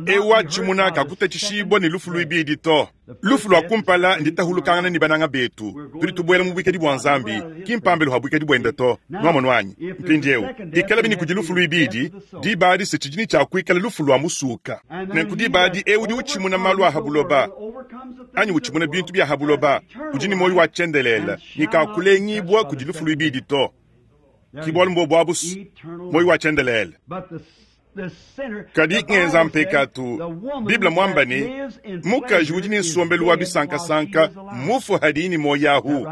eu watshimuna kakutatshishibua ne lufu luibidi to. Lufu lua kumpala nditahulukangana ne bananga betu. Tudi tubuela mu buikadi bua Nzambi, ki mpambelu ha buikadi buende to. Nuamonu anyi? Mpindieu, ikalabi ne kudi lufu luibidi, diba adi se tshidi ne tshia kuikala lufu lua musuka. Nenku diba adi eu udi utshimuna malu a ha buloba, anyi utshimuna bintu bia ha buloba, udi ne muoyo wa tshiendelele ne kakulengibua kudi lufu luibidi to. Ki bualu mbuobu abu muoyo wa tshiendelele. Kadi ngenza mpekatu. Bible muamba ne, mukaji udi ne nsombelu wa bisankasanka mmufue hadiyi ne muoyo ahu.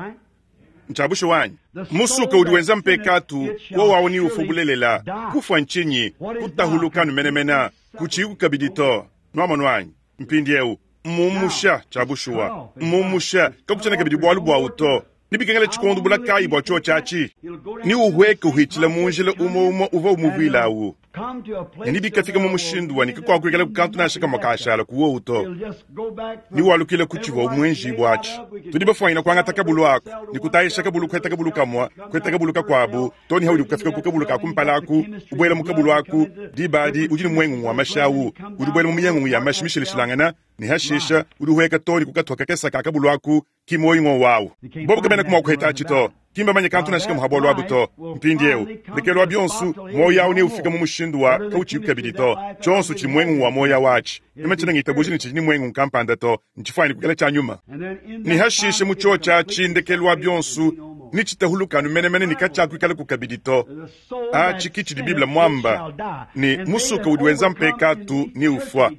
Ntshia bushuwa anyi? Musuka udi wenza mpekatu, wowu awu neufue bulelela. Kufua ntshinyi? Kutahuluka anu menemene, kutshiyiku kabidi to. Nwamonu anyi? Mpindiewu, mmumusha, tshia bushuwa, mmumusha, kakutshiena kabidi bualu buawu to. Nebikengele tshikondo bula kayi bua tshiotshi atshi? Neuhueke uhitshila mu njila umue umue uvua umuvuila awu, ne nebikafika mu mushindu wa ne kakuakuikalaku kantu nansha kamue kashala ku wowu to. Newalukile ku tshivua muenjibua atshi. Tudi bafuanyina kuangata kabulu aku ne kutayisha kabulu, kuheta kabulu kamue, kuheta kabulu kakuabu, too ne haudi kukafika ku kabulu ka kumpala aku, ubuela mu kabulu aku, diba adi udi ne muengungu wa mashi awu, udi ubuela mu miengungu ya mashi mishilashilangana, ne hashisha udi uhueka too ne ku katuha kakese ka kabulu aku, ki muoyo ng'wowu awu. Bobu kabenaku mua kuheta atshi to. Ki mbamanye kantu nansha kamue ha bualu abu to. Mpindieu, ndekelu wa bionso, muoyo awu neufike mu mushindu wa kautshiyiku kabidi to. Tshionso tshidi muengungu wa muoyo awu atshi. Meme tshiena ngitabuja ne tshidi ne muengungu kampanda to. Ntshifuanyine kuikala tshia nyuma. Ne hashishe mu tshiotshi atshi, ndekelu wa bionso, netshitahuluke anu menemene ne katshiakuikalaku kabidi to. Atshi ki tshidi Bible muamba, ne, Musuka udi wenza mpekatu neufua.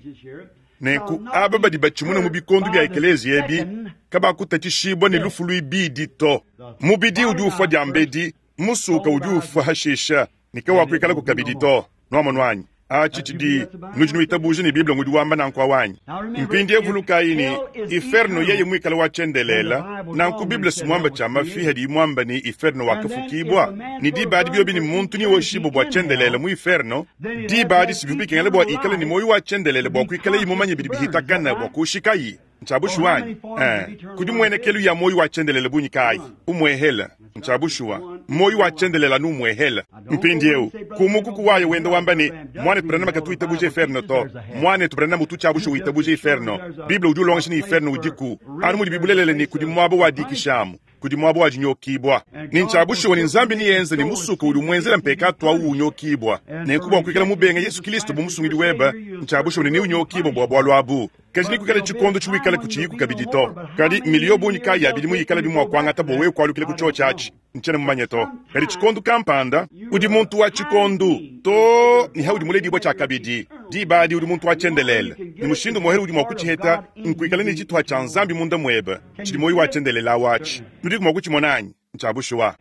Nenku aba badi batshimuna mu bikondo bia ekeleziya ebi kabakutatshishibua ne lufu luibidi to. Mubidi udi ufua diambedi, musuka udi ufua hashisha, ne kawakuikalaku kabidi to. Nuamonu anyi? Atshi tshidi, nudi nuitabuja ne Bible ngudi wamba nanku awu anyi? Mpindiewu vulukayi ne, iferno yeye muikale wa tshiendelele, nanku Bible si muamba tshia mafi hadiyi muamba ne iferno wakafukibua, ne diba adi biobi ne muntu newoshibue bua tshiendelele mu iferno, Diba adi si bivua bikengela bua ikale ne muoyo wa tshiendelele bua kuikalayi mumanye bidi bihitakana bua kuushikayi. Ntshia bushuwa anyi? Ee. Kudi muenekelu ya muoyo wa tshiendelele bungi kayi? Umuehele. Ntshia bushuwa. Muoyo wa tshiendelele anu umuehele. Mpindieu, ku mukuku wayo wenda wamba ne, Muanetu Branham katu witabuja inferno to. Muanetu Branham utu tshia bushuwa witabuja inferno. Bible udi ulongesha ne inferno udiku, anu mudibi bulelela ne kudi muaba wa dikishamu. Kudi muaba wa dinyokibua. Ne ntshia bushuwa ne Nzambi neyenze ne musuka udi umuenzela mpekatu au unyokibua. Nenku bua kuikala mubenge Yesu Kilisto bu Musungidi webe, ntshia bushuwa ne neunyokibue bua bualu abu. Kadi nekuikale tshikondo tshiwikala kutshiyiku kabidi to. Kadi mmiliyo bungi kayi ya bidimu yikalabi mua kuangata bua wewe kualukila ku tshiotshi atshi? Ntshiena mumanye to. Kadi tshikondo kampanda, udi muntu wa tshikondo, too ne haudi muledibua tshiakabidi. Diba adi udi muntu wa tshiendelele, ne mushindu umuehele udi mua kutshiheta nkuikala ne tshituha tshia Nzambi munda muebe. Tshidi muoyo wa tshiendelele awu atshi. Nudiku mua kutshimona anyi? Ntshia bushuwa.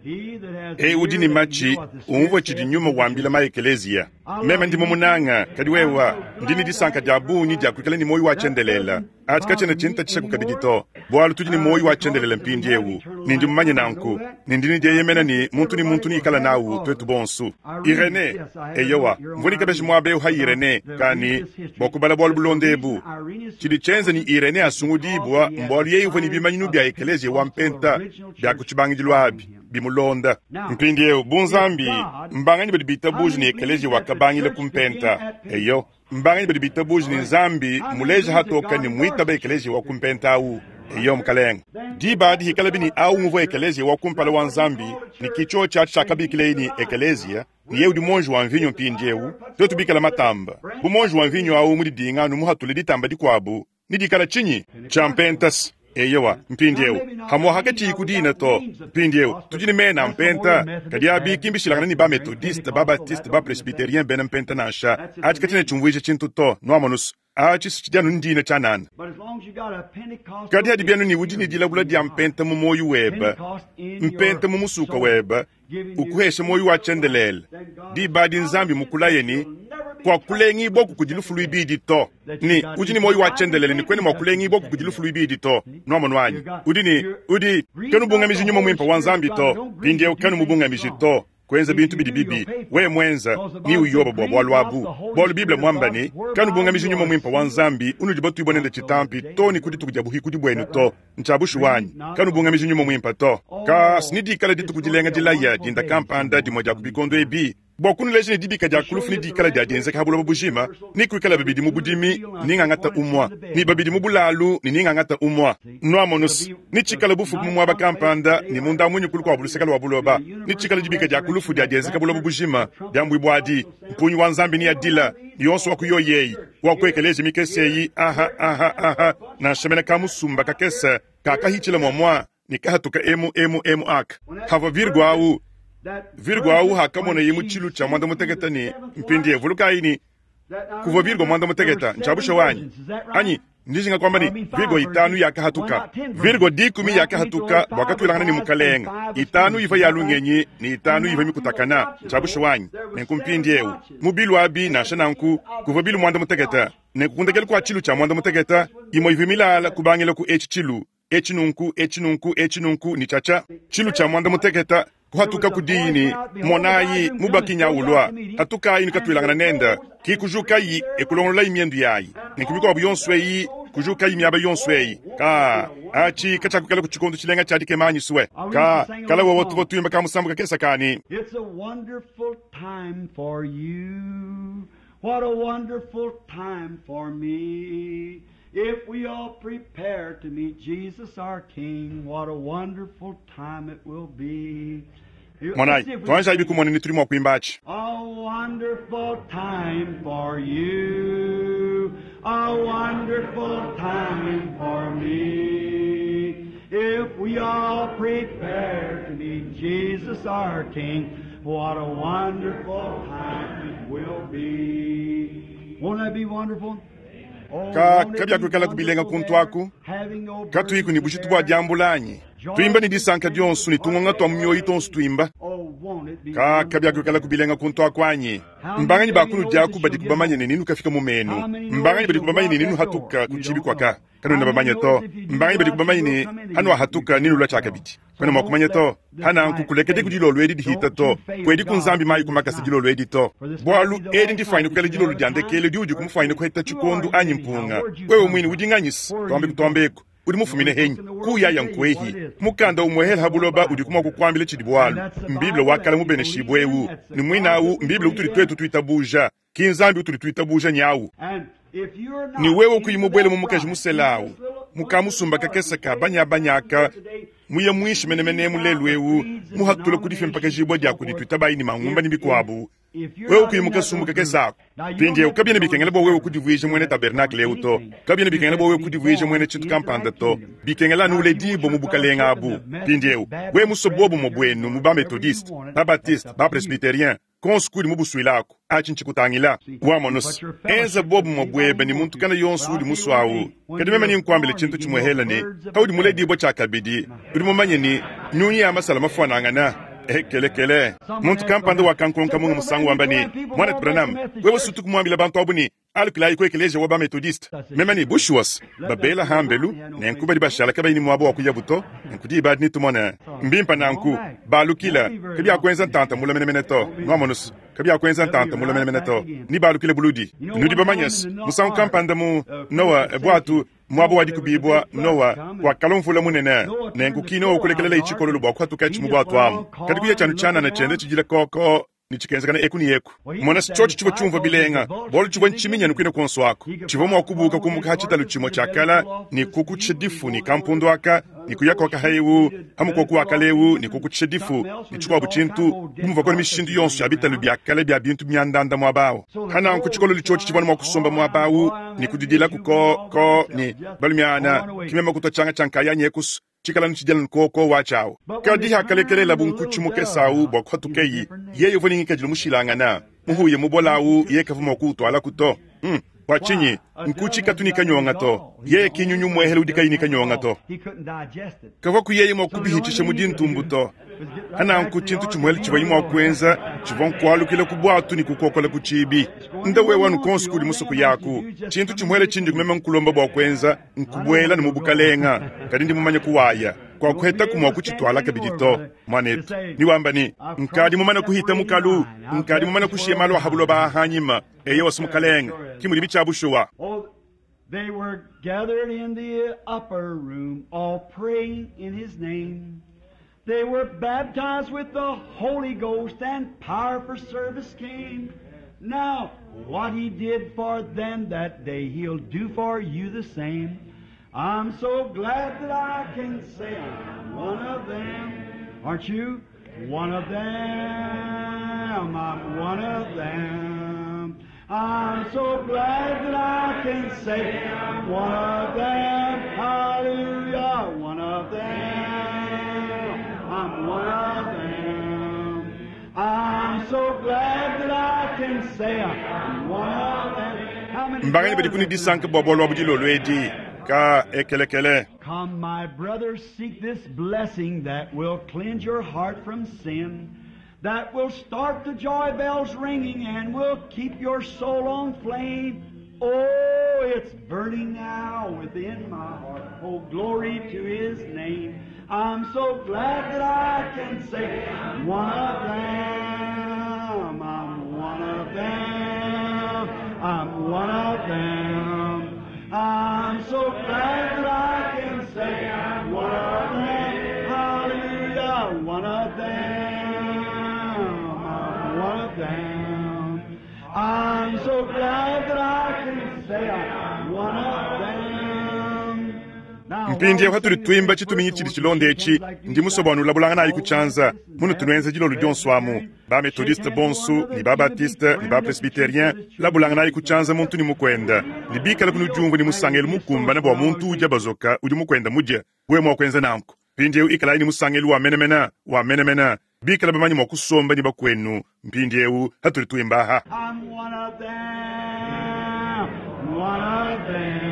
Eyi udi ne matshi, umvue tshidi Nyuma wambila maekeleziya. Meme ndi mumunanga, kadi wewa, ndi ne disanka dia bungi dia kuikala ne muoyo wa tshiendelele. Atshi katshiena tshintatshishaku kabidi to, bualu tudi ne muoyo wa tshiendelele mpindiewu, ne ndi mumanye nanku, ne ndi ne dieyemena ne muntu ne muntu neikala nawu, tuetu bonsu. Irenee, eyowa, mvua ne kabeji muaba eu ha Irenee, ka ne, bua kubala bualu bulonda ebu. Tshidi tshienza ne Irenee asungudibua mbualu yeye uvua ne bimanyinu bia ekeleziya wa mpenta bia ku tshibangidilu abi bimulonda. Mpindieu, bu Nzambi, mbanganyi badi bitabuja ne ekeleziya wakabangila ku mpenta? Eyo, mbanganyi badi bitabuja ne Nzambi mmuleja hatoka ne mmuitaba ekeleziya wa ku mpenta au? Eyo, mukalenge. Diba adi hikalabi ne au nguvua ekeleziya wa kumpala wa Nzambi, ne ki tshiotshi atshi tshiakabikileye ne ekeleziya, ne yeye udi muonji wa mvinyo mpindieu, tuetu bikale matamba. Bu muonji wa mvinyo au mudidinga anu muhatule ditamba dikuabu, nedikale tshinyi? Tshia mpenta-s. Eyowa, mpindieu, hamuaha katshiyi ku dina to. Mpindieu, tudi ne mena a mpenta, kadi abi ki mbishilangane ne ba-Methodiste, ba-Baptiste, ba-Presbyterien bena mpenta nansha. Atshi katshiena tshiumvuija tshintu to, nuamonus. Atshi si tshidi anu ndina tshianana. Kadi hadi bienu ne udi ne dilabula dia mpenta mu muoyo webe, mpenta mu musuka webe, ukuhesha muoyo wa tshiendelele, diba adi Nzambi mukulaye ne, Kuakulengibuaku kudi lufu luibidi to. Ne udi ne muoyo wa tshiendelele ne kuena mua kulengibuaku kudi lufu luibidi to. Nuamonu anyi? Udi ne, udi, kanubungamiji Nyuma Muimpe wa Nzambi to. Mpindieu kanumubungamiji to. Kuenza bintu bidi bibi, wewe muenza, ne uyoba bua bualu abu. Bualu Bible muamba ne, Kanubungamiji Nyuma Muimpe wa Nzambi unudi batuibue nende tshitampi to ne ku dituku dia buhikudi buenu to. Ntshia bushuwa anyi? Kanubungamiji Nyuma Muimpe to. Ka si nedikale dituku dilenga dilaya dinda kampanda dimue dia ku bikondo ebi, bua kunuleja ne dibika dia ku lufu nedikale dia dienzeka ha buloba bujima, ne kuikala babidi mu budimi, ne ngangata umua, ne babidi mu bulalu, ne ningangata umua. Nuamonus, netshikale bufuku mu muaba kampanda, ne munda muinyi ku lukuabu luseke lua buloba, netshikale dibika dia ku lufu dia dienzeka buloba bujima, diambuibua adi, mpungi wa Nzambi neadila, ne yonso wa ku yoyi eyi, wa ku ekeleziya mikese eyi, aha, aha, aha, nansha mene kamusumba kakese kakahitshila muamua ne kahatuka emu, emu, emu aka. Havua Virgo au, Virgo au hakamoneye mu tshilu tshia muanda mutekete ne, mpindiewu vulukayi ne, kuvua Virgo muanda mutekete, ntshia bushuwa anyi? Anyi? Ndi njinga kuamba ne, virgo itanu yakahatuka. Virgo dikumi yakahatuka bua katuilangana ne Mukalenge. Itanu ivua ya lungenyi ne itanu ivua mikutakana. Ntshia bushuwa anyi? Nenku mpindieu, mu bilu abi, nansha nanku, kuvua bilu muanda-mutekete. Nenku ku ndekelu kua tshilu tshia muanda-mutekete, imue ivua milala kubangila ku etshi tshilu, etshi nunku, etshi nunku, etshi nunku, ne tshiatshia tshilu tshia muanda-mutekete, kuhatukaku diyi ne, Monayi, mubaki nya ulua, hatukayi ne katuilangana nende. Ki kujukayi e kulongololayi miendu yayi, nenku mikuabu yonso eyi kujukayi miaba yonso eyi. Ka, atshi katshiakuikalaku tshikondo tshilenga tshia dikema anyi sue? Ka, kala wewe tuvua tuimba ka musambu kakese ka ne. It's a wonderful time for you. What a wonderful time for me. If we all prepare to meet Jesus our King, what a wonderful time it will be. Monayi, tuanjayi kumona ni tudi mua kuimba atshi. A wonderful time for you, a wonderful time for me. If we all prepare to meet Jesus our King, what a wonderful time it will be. Won't that be wonderful? Ka kabiakuikalaku bilenga kuntu aku, katuyiku ne bujitu bua diambula anyi? Tuimba ne disanka dionso ne tungonga tua mu mioyo tuonso tuimba. Ka kabiakuikalaku bilenga kuntu aku anyi? Mbanganyi ba kunudi aku badiku bamanye ne nenukafika mu menu? Mbanganyi badiku bamanye ne nenuhatuka ku tshibi kuaka? Kanuena bamanye to. Mbanganyi badiku bamanye ne hanuahatuka nenulua tshiakabidi? Kuena mua kumanya to. Hananku kulekedi ku dilolo edi dihita to, kuedi ku Nzambi mayi ku makasa dilolo edi to. Bualu edi ndifuanyine kuikala dilolo dia ndekelu diudi kumufwanyine kuheta tshikondu anyi mpunga. Wewe muine udi nganyisa, tuambe kutuambeku, udi mufumine henyi? Kuyaya nkuehi? Mukanda umuehela ha buloba udiku mua kukuambila tshidi bualu. Mbible wa kala mubeneshibue eu, ne muine au mBible utudi tuetu tuitabuja. Ki Nzambi utudi tuitabuja nyawu. Ne wewe kuyi mubuele mu mukaji musela awu, mu kamusumba kakese ka banyabanya aka, muye muinshi menemene mu lelu eu, muhatula ku difimpakajibua dia kudi tuitabayi ne mangumba ne bikuabu, wewe kuyi mu kasumbu kakese aku. Mpindieu, kabiena bikengela bua wewe kudivuija muena tabernakle eu to. Kabiena bikengela bua wewe kudivuija muena tshintu kampanda to. Bikengela anu uledibue mu bukalenge abu. Mpindieu, wewe musue buobumue buenu mu ba-Methodiste, ba-Baptiste, ba-Presbyterien, Konsu kudi mubusuilaku, atshi ntshikutangila. Wamonus, enza bobumue buebe ne muntu kana yonsu udi musuawu. Kadi meme ninkuambile tshintu tshimuehela ne, paudi muledibua tshiakabidi, udi mumanye ne, nyunyi ya masala mafuanangana. Ekelekele. Muntu kampanda wakankonka munga musangu wamba ne, Muanetu Branham, wewe sutuku muambila bantu abu ne, Alukilayi ku ekeleziya wa ba-Methodiste. Meme ne, Bushuwa's, babela hambelu, nenku badi bashala kabayi ne muaba wa kuyabu to. Nenku diba adi netumone. Mbimpe nanku. Balukila, kabiakuenza ntanta mule menemene to. Nwamonu's, kabiakuenza ntanta mule menemene to. Nebalukile buludi. Nudi bamanye's, musangu kampanda mu Nowa, bwatu, muaba wa dikubibua, Nowa, kwakalua mvula munene. Nenku ki Nowa kulekelelaye tshikololo bua kuhatukatshi mu bwatu amu. Kadi kuya tshianu tshianana tshienda tshidila kookoo. ne tshikenzakana eku ne eku. Mona, tshiotshi tshivua tshiumvua bilenga, bualu tshivua ntshiminyanu kuine kuonso aku. Tshivua mua kubuuka kumbuka ha tshitalu tshimue tshia kala ne kukutshisha difu ne kampundu aka, ne kuya kuaka ha eu, ha mukoku wa kala eu ne kukutshisha difu ne tshikuabu tshintu, bu muvuaku ne mishindu yonso ya bitalu bia kale bia bintu miandanda muaba au. Ha nanku tshikololu tshiotshi tshivua mua kusomba muaba au ne kudidilaku ko ko ne, Balumiana, ki meme kutua tshianga tshia nkayanyi ekusu. Tshikala nu tshidiala nukoko watshi awu. Kadi hakalekelelabu nkutshi mukese awu bua kuhatukeyi, yeye uvua ne ngikadilu mushilangana. Muhuya mubola awu yeye kavua mua kuwutualaku to. Hum! Bua tshinyi? Nkutshi katu ne kanyonga to. Yeye ki nyunyu muehele udi kayi ne kanyonga to. Kavuaku yeye mua kubihitshisha mu dintumbu to. Hananku tshintu tshimuele tshivuaye mua kuenza tshivua nkualukila ku buatu ne kukokola ku tshiibi. Nda wewe anu konso kudi musoko yaku. Tshintu tshimuele tshindi meme nkulomba bua kuenza nkubuela ne mu bukalenga, kadi ndi mumanye kuwaya. Kuakuhetaku mua kutshituala kabidi to, muanetu. Niwamba ne, Nkadi mumane kuhita mukalu, nkadi mumane kushiya malu a ha buloba aha hanyima. Eyowa, Mukalenga, ki mudibi tshia bushuwa. They were gathered in the upper room, all praying in His name. They were baptized with the Holy Ghost and power for service came. Now, what He did for them that day, He'll do for you the same. I'm so glad that I can say I'm one of them. Aren't you? One of them. I'm one of them. I'm so glad that I can say I'm one of them. Hallelujah, one of them. I'm one of them. I'm so glad that I can say I'm one of them. How many Mbanganyi badiku ne disanka bua bualu abu dilolo edi? Ka ekelekele. Come, my brothers, seek this blessing that will cleanse your heart from sin, that will start the joy bells ringing and will keep your soul on flame. Oh, it's burning now within my heart. Oh, glory to His name. I'm so glad that I can say, I'm one of them. I'm one of them. I'm one of them. I'm so glad that I can say, I'm one of them. Hallelujah, one of them. I'm one of them. I'm so glad that I can say, I'm one of them. Now, Mpindieu patudi tuimba tshituminyi tshidi tshilonda etshi, ndi musue bua nulabulanganayi ku tshianza munutu nuenza dilolo dionso amu, ba-Methodiste bonso ne ba-Baptiste ne ba-Presbyterien, labulanganayi ku tshianza muntu ne mukuenda, ne bikala kunudiumvua ne musangelu mukumbane bua muntu udia bazoka udi mukuenda mudia, wewe mua kuenza nanku. Mpindieu ikalayi ne musangelu wa menemene, wa menemene, bikala bamanye mua kusomba ne bakuenu. Mpindieu patudi tuimba aha. I'm one of them, one of them.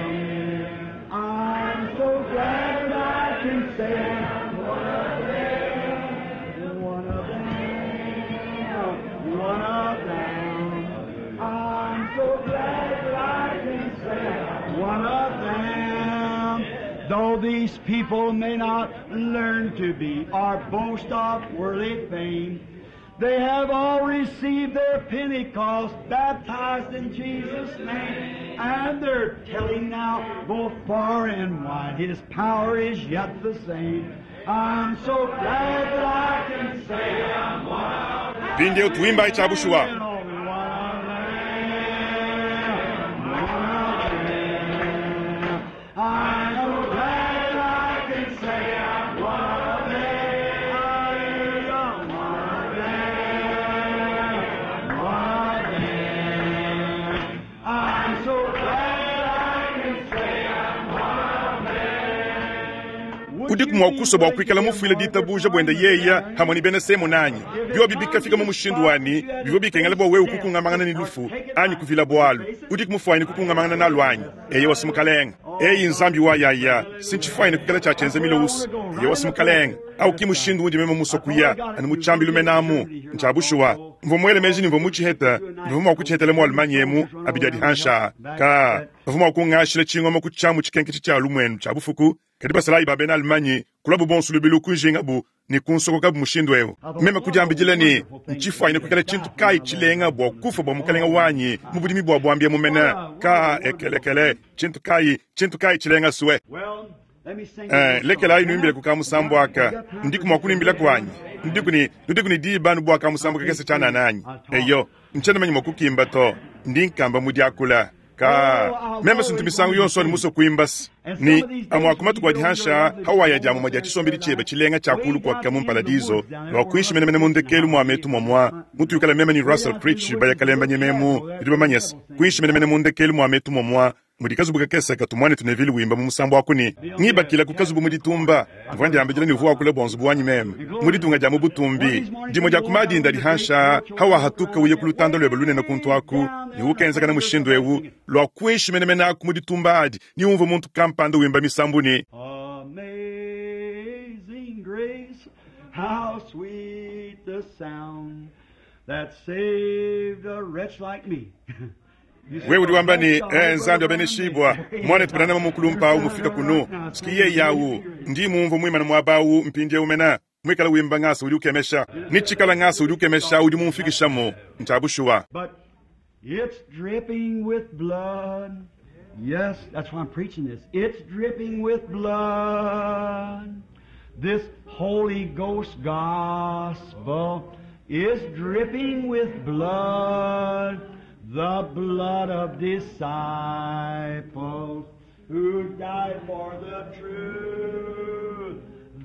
I'm so glad I can say I'm one of them, one of them, one of them. I'm so glad that I can say I'm one of them. Though these people may not learn to be or boast of worldly fame, they have all received their Pentecost, baptized in Jesus' name, and they're telling now, both far and wide, His power is yet the same. I'm so glad that I can say I'm one of them. Mpindieu tuimbayi tshia bushuwa. One of them, one of them. I'm so glad I can say I'm one of them. Hallelujah, one of them, one of them. I'm so glad I can say I'm one of them. Udiku mua kusua bua kuikala mufuile ditabuja buenda yeya hamwe ne bena semo nanyi biobi bikafika mu mushindu wani bivua bikengela bua wewe kukungamangana ne lufu anyi kuvila bualu. Udiku mufuanyine kukungamangana nalu anyi? Eya wasi mukalenga. Eyi nzambi wa yaya sintshifuanyine kuikala tshia tshienza milowusi. Eya wasi mukalenga. Au ki mushindu undi meme musua kuya anu mu tshiambilu menamu ntshia bushuwa. Mvua muele meji ne mvua mutshiheta, mvua mua kutshihetela mu Allemagne emu abidi adi hansha. Ka bavua mua kungashila tshingoma ku tshiamu tshikenke tshia lumuenu tshia bufuku. Kadi basalayi ba bena Allemagne kulabu bonso lubilu kunjingabu ne kunsokokabu mushindu eu. Meme kudiambidila ne ntshifuanyine kuikala tshintu kayi tshilenga bua kufa bua mukalenga wanyi mu budimi bua buambi mumena. Ka ekelekele tshintu kayi, tshintu kayi tshilenga sue. Well, let me sing Lekelayi nuimbile ku kamusambu aka. Ndiku mua kunuimbila kuanyi. Ndiku ne, ndiku ne diba nu bua kamusambu kakese tshianana anyi. Eyo, ntshiena manya mua kukimba to. Ndi nkamba mu diakula. Ka meme sintu misangu yonso ani musue kuimba se. Ni amua ku matuku adi hansha hawaya dia mumue dia tshisombedi tshiebe tshilenga tshia kulu kuaka mu mparadiso lua kuinshi menemene mu ndekelu mua metu muamua mutuyukala meme ni Russell Creech bayakalemba nyememu bidi bamanye se kuinshi menemene mu ndekelu mua metu muamua mudi kazubu kakese katumwane tunevile wimba mu musambu aku ni ngibakila ku kazubu mu ditumba mvua ndiambidila ni uvua wakula bua nzubu wanyi meme mu ditunga dia mu butumbi dimue dia kumadinda dihansha hawahatuka uye ku lutanda luebe lunene kuntu aku ni ukenzakana mushindu eu lua kuinshi menemene aku mu ditumba adi ni umvua muntu kampanda wimba misambu ni Amazing grace, how sweet the sound that saved a wretch like me. Wewe udi wamba ni nzambi abeneshibwa mwana tupanana mukulumpa au mufika kuno sikiye yawu ndi mumvu mwimana mwabawu mpindie umena mwikala wimba ngasa udi ukemesha nitshikala ngasa udi ukemesha udi mumfikishamo ntabushuwa. But it's dripping with blood. Yes, that's why I'm preaching this. It's dripping with blood. This Holy Ghost gospel is dripping with blood. The blood of disciples who died for the truth.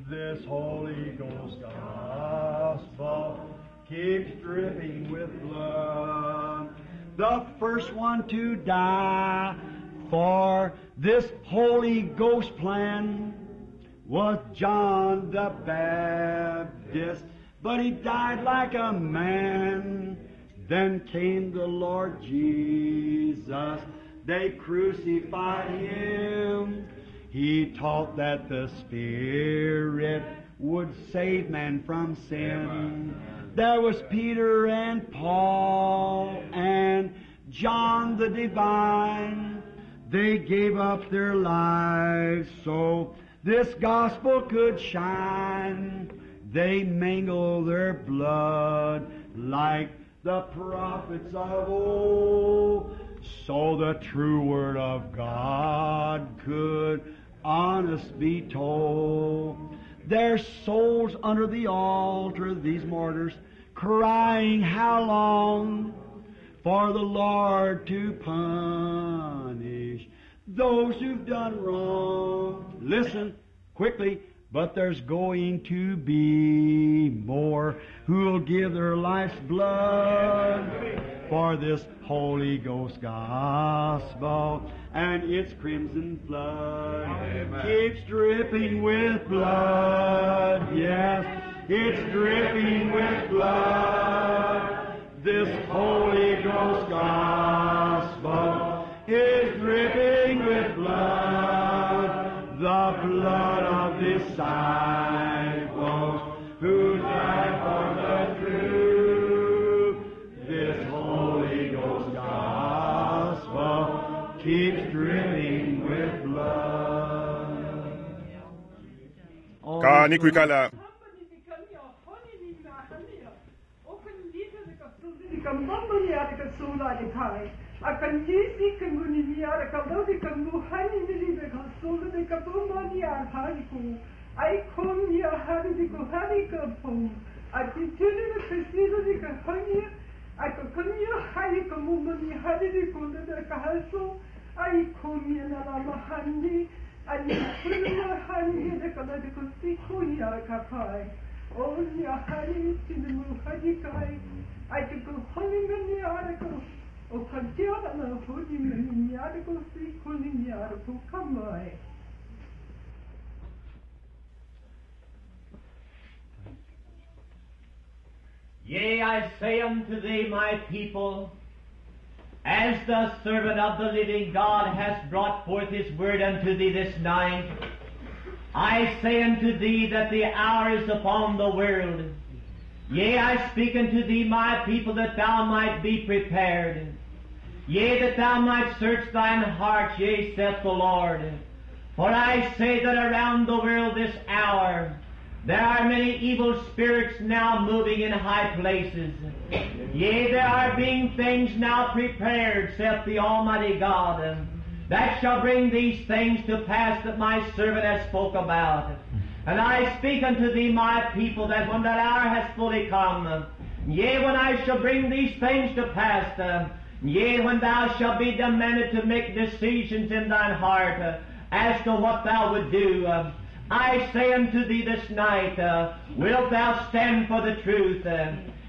This Holy Ghost gospel keeps dripping with blood. The first one to die for this Holy Ghost plan was John the Baptist, but he died like a man. Then came the Lord Jesus, They crucified him. He taught that the Spirit would save man from sin. There was Peter and Paul and John the Divine. They gave up their lives so this gospel could shine. They mingled their blood like the prophets of old, so the true word of God could honest be told. Their souls under the altar, these martyrs, crying, how long for the Lord to punish those who've done wrong? Listen quickly, but there's going to be more who'll give their life's blood for this Holy Ghost gospel and its crimson flood. Amen. Keeps dripping with blood. Yes, it's dripping with blood. This Holy Ghost gospel is dripping with blood, the blood of disciples who died for the truth. This Holy Ghost gospel keeps dripping with blood. Ka ni kuikala Yea, I say unto thee, my people, as the servant of the living God has brought forth his word unto thee this night, I say unto thee that the hour is upon the world. Yea, I speak unto thee, my people, that thou might be prepared. Yea, that thou might search thine heart, yea, saith the Lord. For I say that around the world this hour, there are many evil spirits now moving in high places. Yea, there are being things now prepared, saith the Almighty God, that shall bring these things to pass that my servant has spoke about. And I speak unto thee, my people, that when that hour has fully come, yea, when I shall bring these things to pass, yea, when thou shalt be demanded to make decisions in thine heart as to what thou would do, I say unto thee this night, wilt thou stand for the truth?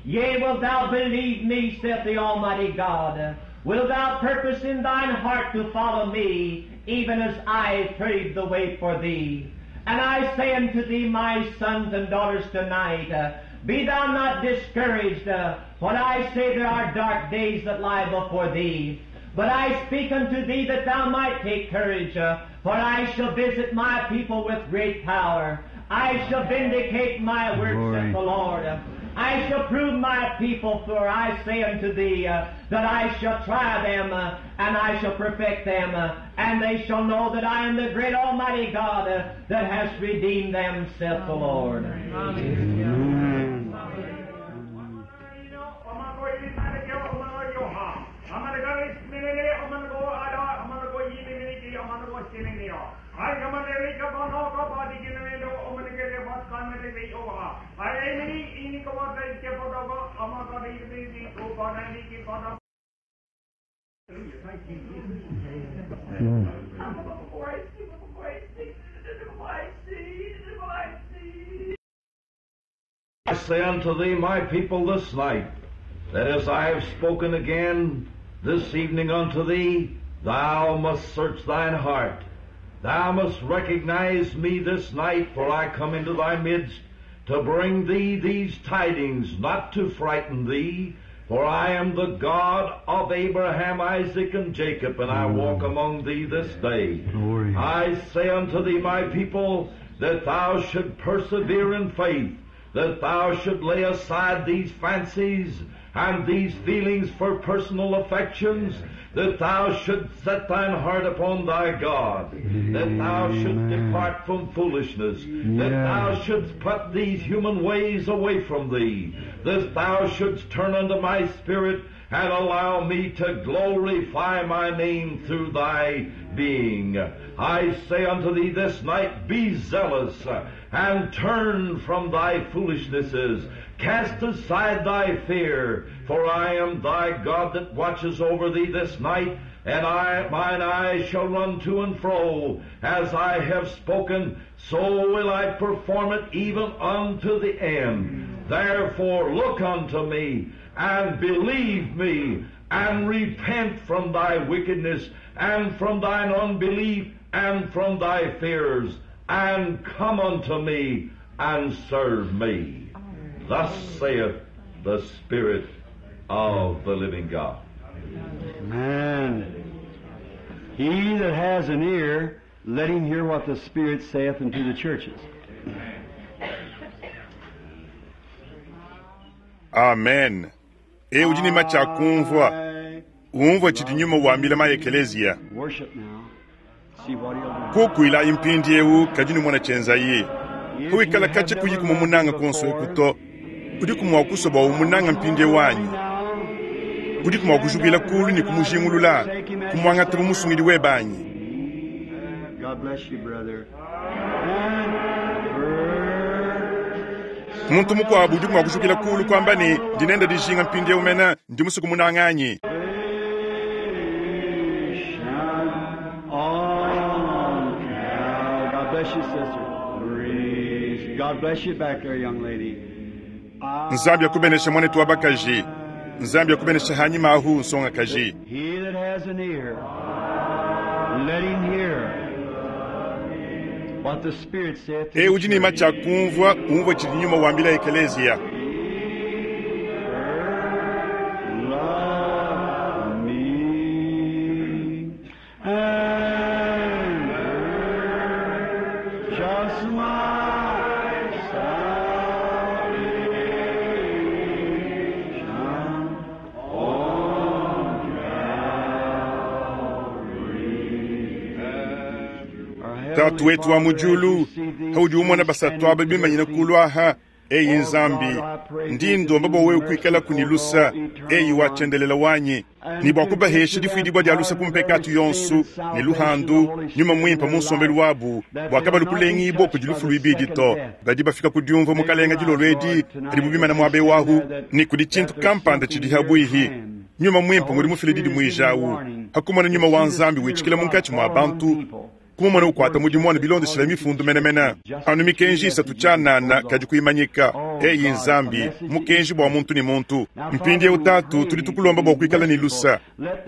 Yea, wilt thou believe me, saith the Almighty God? Wilt thou purpose in thine heart to follow me, even as I paved the way for thee? And I say unto thee, my sons and daughters, tonight, be thou not discouraged, for I say there are dark days that lie before thee. But I speak unto thee that thou might take courage, for I shall visit my people with great power. I shall vindicate my works, saith the Lord. I shall prove my people, for I say unto thee that I shall try them, and I shall perfect them, and they shall know that I am the great Almighty God that has redeemed them, saith the Lord. Amen. I say unto thee, my people, this night, that as I have spoken again this evening unto thee, thou must search thine heart. Thou must recognize me this night, for I come into thy midst to bring thee these tidings, not to frighten thee, For I am the God of Abraham, Isaac, and Jacob, and I walk among thee this day. Glory. I say unto thee, my people, that thou should persevere in faith, that thou should lay aside these fancies and these feelings for personal affections, that thou should set thine heart upon thy God, that thou shouldst depart from foolishness, that thou shouldst put these human ways away from thee, that thou shouldst turn unto my spirit and allow me to glorify my name through thy being. I say unto thee this night, be zealous and turn from thy foolishnesses. Cast aside thy fear, for I am thy God that watches over thee this night, and I, mine eyes shall run to and fro. As I have spoken, so will I perform it even unto the end. Therefore look unto me, and believe me, and repent from thy wickedness, and from thine unbelief, and from thy fears, and come unto me, and serve me. Thus saith the Spirit of the living God. Amen. He that has an ear, let him hear what the Spirit saith unto the churches. Amen. Eu udi ne matshi a kumvua, umvua tshidi nyuma wambila maekeleziya. Worship now. See what he'll do. Kukuilayi mpindiewu kadi numona tshienzaye. If Huikala you have katshi never kuyi loved kumunanga him konso before, ekuto. Udi kumwa kusoba umunanga mpindiewu anyi. Udi kumwa kujubila kulu ne kumujingulula, kumwangata mu musungidi webanyi. God bless you, brother. And Muntu mukuabu udi mua kujukila kulu kuamba ne ndinenda dijinga mpindiewu mena ndi musuku munanganyi. Salvation on Cal- God bless you, sister. God bless you back there, young lady. Nzambi akubenesha mwanetu wa bakaji. Nzambi akubenesha hanyima ahu nsonga kaji. He that has an ear, let him hear what the Spirit saith to E the udi ne church. matshi a kumvua, umvua tshidi nyuma wambila ekeleziya. Love me and just my salvation on Calvary. Our Tatu Heavenly wetu wa Father, as mujulu we see these haudi umona three basatu standing aba bimanyina here kulu aha eyi nzambi ndi ndomba bwa wewe kuikala kunilusa eyi wachendelela wanyi ni bwa kubahesha difuidibwa dia lusa kumpekatu yonsu ne luhandu nyuma mwimpa mu nsombelu wabu bwa kabalu kulengibwa kudi lufu luibidi to badi bafika kudiumva mukalenga dilolo edi adi mubimana muabe wahu ni kudi tshintu kampanda tshidi habuihi nyuma mwimpa ngudi mufile didi muijawu hakumona nyuma wa nzambi witshikila munkatshi mua bantu kumumona ukwata mudimu wanu bilondeshela mifundu menemene anu mikenji isatu tshianana kadi kuimanyika eyi nzambi mukenji bua muntu ni muntu mpindiewu tatu tudi tukulomba bua kuikala ne lusa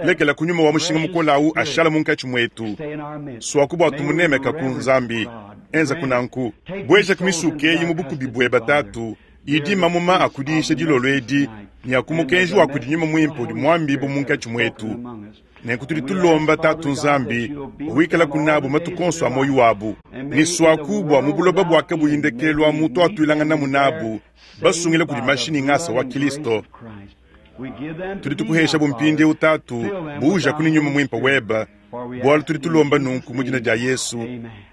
lekela kunyuma wa mushinga mukola awu ashala munkatshi muetu Stay in our midst. swaku bua May we tumunemeka ku reverence nzambi God. enza kunanku bweja kumisuka eyi mu bukubi bweba tatu idi mamuma akudisha dilolo edi ni akumukenji wa kudi nyuma mwimpe udi muambibu munkatshi muetu nenku tudi tulomba tatu nzambi wikala kunabu matuku onso a moyo wabu ni swaku bua mu buloba bwake buyindekelwa mutu atuilanganamu nabu basungila kudi mashini ngasa wa kilisto tudi tukuhesha bumpindiewu tatu buja kuni nyuma mwimpe weba bualu tudi tulomba nunku mu dina dia yesu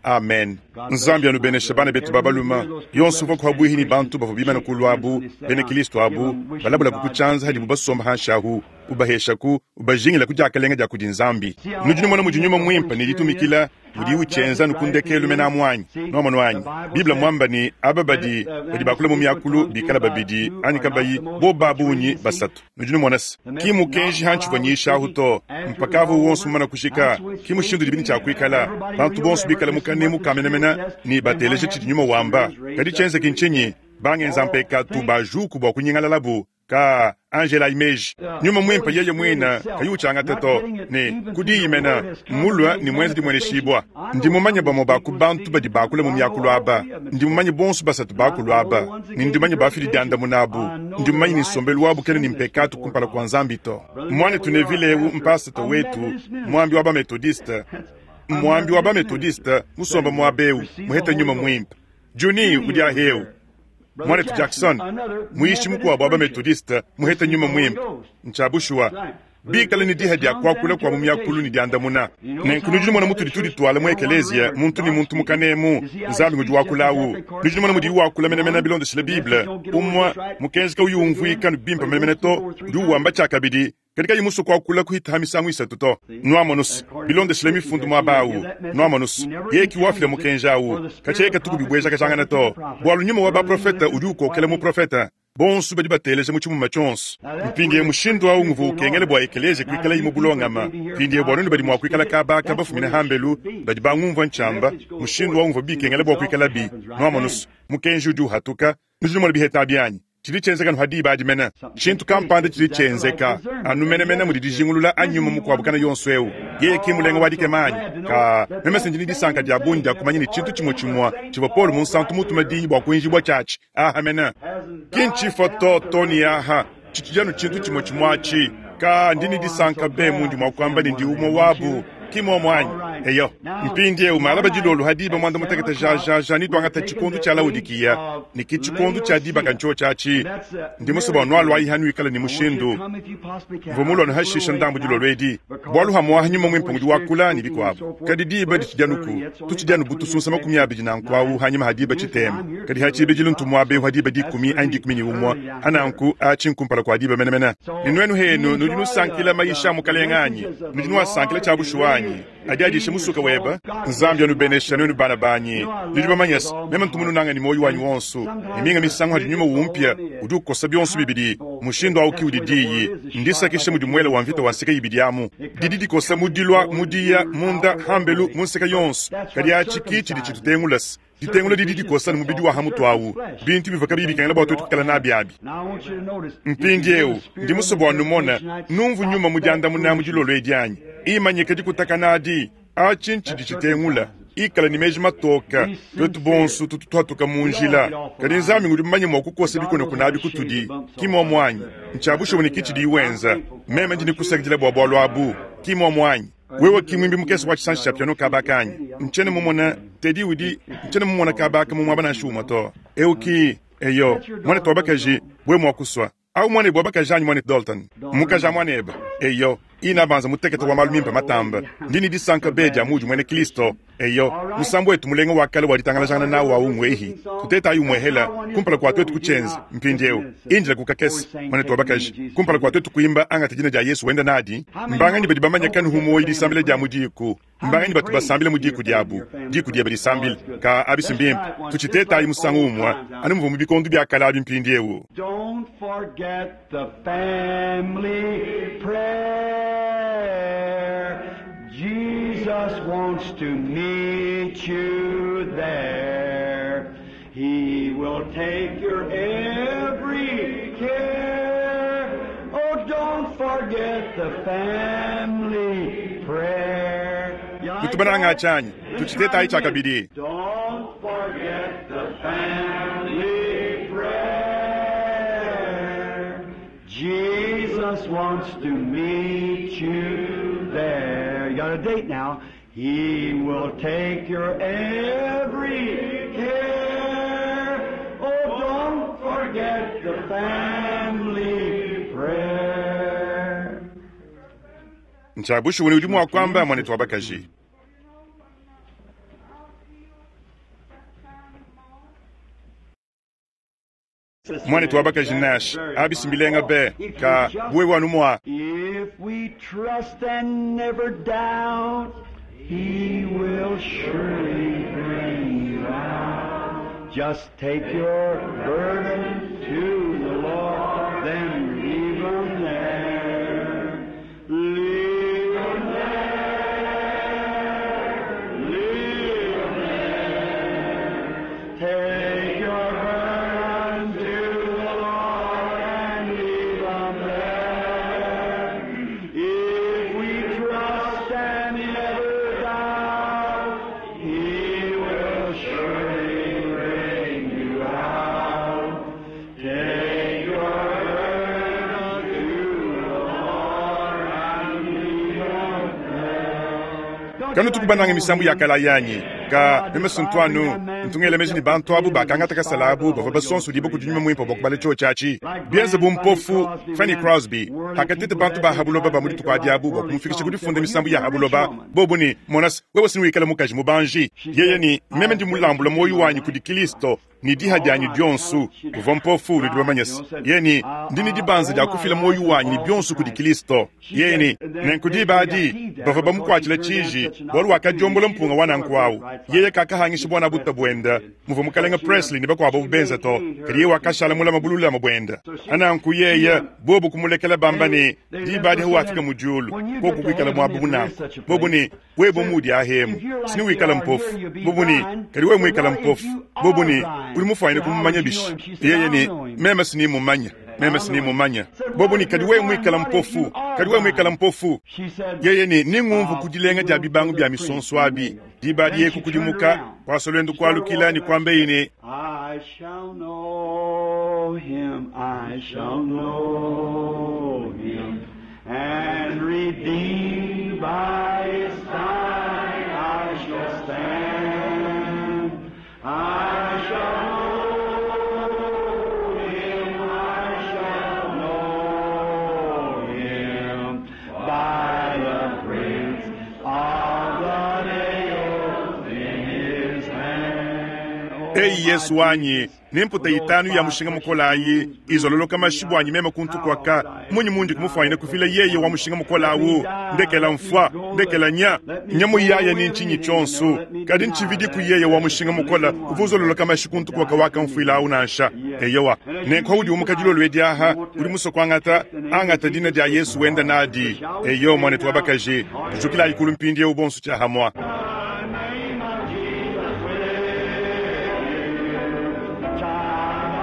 amen nzambi anubenesha bana betu babaluma yonso uvua kuhabuihi ni bantu bavua bimana kulu abu bena kilisto abu balabula kukutshanza hadibu basomba hanshi ahu ubaheshaku ubajingila ku diakalenga dia kudi nzambi nudi numona mudi nyuma mwimpe ne ditumikila mudi utshienza nukundekelu mena amu nuamono anyi biblia mwamba ni aba badi badi bakula mu miakulu bikala babidi anyi kabayi bo babunyi basatu nudi numona se ki mukenji hantshivua nyishahu to mpakavu wonso mumana kushika ki mushindu dibini tshia kuikala bantu bonso bikala mukanemu kamenamena ni bateleje tshidi nyuma wamba kadi tshienzeki ntshinyi bangenza mpekatu bajuku bua kunyingalalabu. Kaa, anji elayi meeji. Nyuma Mwimpe Yeye mwine kayi ucyangata to, ne ku Diyi mene, mmulwe ne mwenze dimweneshiibwa. Ndi mumanye bamwe baa ku bantu badi baakula mu myakulu aba. Ndi mumanye bonso basatu baakulu aba, ne ndi mumanye bafidi dyandamuna abu. Ndi mumanye ne nsombelu wabo kena ne mpekaatu kumpala kwa Nzambi to. Mwanetu Neville ewu mpaasata wetu, mwambi wa ba-Methodiste, mwambi wa ba-Methodiste musomba mwaba ewu, muhete Nyuma Mwimpe. Junie udi ahewu. Mwanetu Jackson, muyishi mukuabu wa ba-Methodiste, muhete Nyuma Mwimpe. Ncya bushuwa. Bikale ne diha dya kuakula kua mu myakulu ne dyandamuna. Nenku nudi numona mutudi tuditwala mu ekeleziya, muntu ne muntu mu kanemu. Nzambi ngudi wakula awu. Nudi numona mudiyi wakula menemene bilondeshile Bible. Umue, mukenji kauyi umvuika anu bimpe menemene to, udi uwamba tshiakabidi, kadi kayi musue kuakula kuhita ha misangu isatu to. Nwamonu's, bilondeshile Mifundu muaba awu. Nwamonu's, yeye ki wafila mukenji awu. Katshia yeye katu kubibuejakajangana to, bualu nyuma wa baprofete udi ukokela muprofete. Bonsu badi bateleja mu tshimuma tshionsu. Mpindiewu mushindu awu nguvua ukengela bua ekeleziya kuikalayi mu bulongama. Mpindiewu bua nuenu badi mua kuikala kaba aka bafumine hambelu, badi bangumvua ntshiamba, mushindu awu nguvua bikengela bua kuikalabi. Nwamonu's, mukenji udi uhatuka. Nudi numona biheta abi anyi? Tshidi tshienzeka anu ha diba adi mene. Tshintu kampanda tshidi tshienzeka anu menemene mudi dijingulula anyi nyuma mukuabu kana yonso eu. Yeye ki mulenga wa dikema anyi? Ka, meme se ndi ne disanka dia bungi dia kumanya ne tshintu tshimue tshimue tshivua Paulo Munsantu mutume diyi bua kuenjibua tshiatshi aha mene. Ki ntshifua to, to ne aha, tshitshidi anu tshintu tshimue tshimue atshi. Ka, ndi ne disanka be mundi mua kuamba ne ndi umue wabu. Ki muomu anyi? Eyo. Mpindieu, malaba dilolo ha diba muanda mutekete jajaja netuangate tshikondo tshia Laodikiya, ne ki tshikondo tshia dibaka ntshiotshi atshi. Ndi musue bua nualuayi hanuikala ne mushindu. Mvua mulua nuhashisha ndambu dilolo edi, bualu hamuaha Nyuma Muimpe ngudi wakula, ne bikuabu. Kadi diba ditshidi anuku, tutshidi anu bu tusunsa 20 nanku awu hanyima ha diba tshitema. Kadi ha tshibidilu ntu muaba eu ha diba dikumi anyi 11, ha nanku atshi nkumpala kua diba menemene. Ne nuenu henu nudi nusankila mayisha a Mukelenge anyi? Nudi nuasankila tshia bushuwa anyi? Adi adisha musuka webe. Nzambi anubenesha nuenu bana banyi. Nudi bamanye se, meme ntu mununanga ne muoyo wanyi wonso. Ne minga misangu hadi nyuma umpia, udi ukosa bionso bibidi. Mushindu au ki udi diyi. Ndisakisha mudi muele wa mvita wa nseke ibidi amu. Didi dikosa mu dilua, mu diya, munda, hambelu, mu nseke yonso. Kadi atshi ki tshidi tshitutengula se, Ditengula didi dikosa ne mubidi wa ha mutu awu, bintu bivua kabiyi bikengela bua tuetu kuikala nabi abi. Mpindieu, ndi musue bua numone, numvu Nyuma mu diandamuna mu dilolo edi anyi? Imanyika dikutakana adi. Atshi ntshidi tshitengula. Ikala ne meji matoka. Tuetu bonsu tutu tuhatuka mu njila, kadi Nzambi ngudi mumanye mua kukosa bikunakuna abi kutudi. Ki muomu anyi? Ntshia bushuwa ne ki tshidiyi wenza. Meme ndi ne kusakidila bua bualu abu. Ki muomu anyi? Wewe ki muimbi mukese wa tshisanji tshia piano kaba aka anyi? Ntshiena mumone Teddy udi, ntshiena mumone kaba aka mu muaba nansha umue to. Eu ki, eyo, muanetu wa bakaji, wewe mua kusua. Au muanebe wa bakaji anyi, muanetu Daulton? Mmukaji a muanebe. Eyo, inabanza mutekete wa malu mimpe matambe. Ndi ne disanka be dia muudi muena Kristo. Eyo, musambu wetu mulenga wa kale wa ditangalajangana nawu au ngwehi. Tutetayi umuehela kumpala kua tuetu kutshienza. Mpindieu, indila ku kakese, muanetu wa bakaji, kumpala kua tuetu kuimba Angata Dina dia Yesu Wenda Nadi. Mbanganyi badi bamanye kanuhu muoyo disambila dia mu diku? Mbanganyi batu basambila mu diku diabu? Diku diebe disambile. Kaa, abi si mbimpe. Tutshitetayi musangu umue, anu muvua mu bikondo bia kale abi mpindieu. Don't forget the family prayer. Jesus wants to meet you there. He will take your every care. Oh, don't forget the family prayer. You like Nutu bananga that? tshianyi, Let's try tutshitetayi it tshia again. kabidi. Don't forget the family prayer. Jesus wants to meet you there. You got a date now. He will take your every care. Oh, don't forget the family prayer. Ntshia bushuwa ne udi mua kuamba, muanetu wa bakaji. Muanetu wa bakaji Nash, abi si mbilenga be, ka bu wewe anu mua. If we trust and never doubt, He will surely bring you out. Just take your burden to the Lord, then leave 'em there. Leave 'em there. Leave 'em there. Take your burden to the Lord and leave. Kanutuku banange misambu ya kale ayi anyi? Ka, meme si ntu anu ntu ngela meji ne bantu abu bakangata kasala abu bavua basonsodibue kudi Nyuma Muimpe bua kubala tshiotshi atshi. Bienze bu mpofu Fanny Crosby, pakateta bantu ba ha buloba ba mu dituku adi abu bua kumufikisha ku difunda misambu ya ha buloba, bobu ne, Mona's, wewe si wikala mukaji mubanji. Yeye ne, Meme ndi mulambula muoyo wanyi kudi Kilisto ne diha dianyi dionso. Uvua mpofu, nudi bamanye-se. Yeye ne, Ndi ne dibanza dia kufila muoyo wanyi ne bionso kudi Kilisto. Yeye ne, Nenku diba adi bavua bamukuatshila tshiji bualu wakadiombola mpunga wa nanku awu. Yeye kakahangisha buana-buta buende muvua Mukalenge Presley ne bakuabo abu benza to, kadi yeye wakashala mulame bululame buende. Nanku yeye, bobu kumulekela bamba ne, Diba adi hawafika mu diulu, koku kuikala muaba bu nanku. Bobu ne, Wewe muudi ahemu, si newikale mpofu. Bobu ne, Kadi wewe muikale mpofu. Bobu ne, Udi mufuanyine kumumanya bishi? Yeye ne, Meme si nimumanya. Meme si nimumanya. Bobu ne, Kadi wewe muikale mpofu. Kadi wewe muikale mpofu. Yeye ne, Ningumvu ku dilenga dia bibangu bia misonso abi. Diba adi yeye kukudimuka, kuasa luendu kualukila ne kuambeyi ne, I shall know him, I shall know him, and redeemed by his side I shall stand. I shall know him, I shall know him, by the prints of the nails in his hand. Eyi Yesu wanyi, ne mputa itanu ya mushinga mukole ayi izololoka mashi buanyi meme kuntu kuaka, munyi mundi kumufuanyine kufila yeye wa mushinga mukole awu? Ndekela mfua, ndekela nya, nya muyaya ni ntshinyi tshionso, kadi ntshividiku yeye wa mushinga mukole uvua uzololoka mashi kuntu kuaka wakamfuila awu nansha. Eyowa, nenku paudi umuka dilolo edi aha, udi musue kuangata, angata dina dia Yesu wenda nadi. Eyo, muanetu wa bakaji, tujukilayi kulu mpindieu bonso tshiahamua. Name of Jesus with you, child of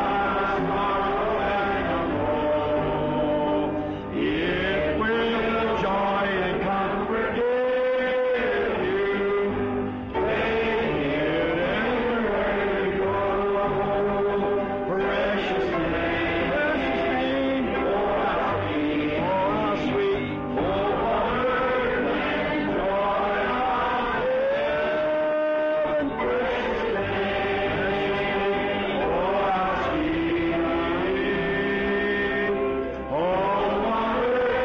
sorrow and woe. It will joy and comfort give you. Take it everywhere you go. Precious name, precious name, oh how sweet, oh how sweet, oh wonder and joy of heaven. Precious name, oh how sweet, oh wonder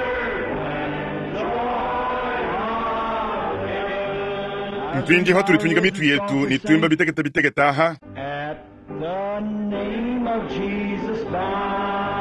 and joy of heaven. Mpindieu patudi tunyika mitu yetu ne tuimba bitekete bitekete aha, At the name of Jesus, bow.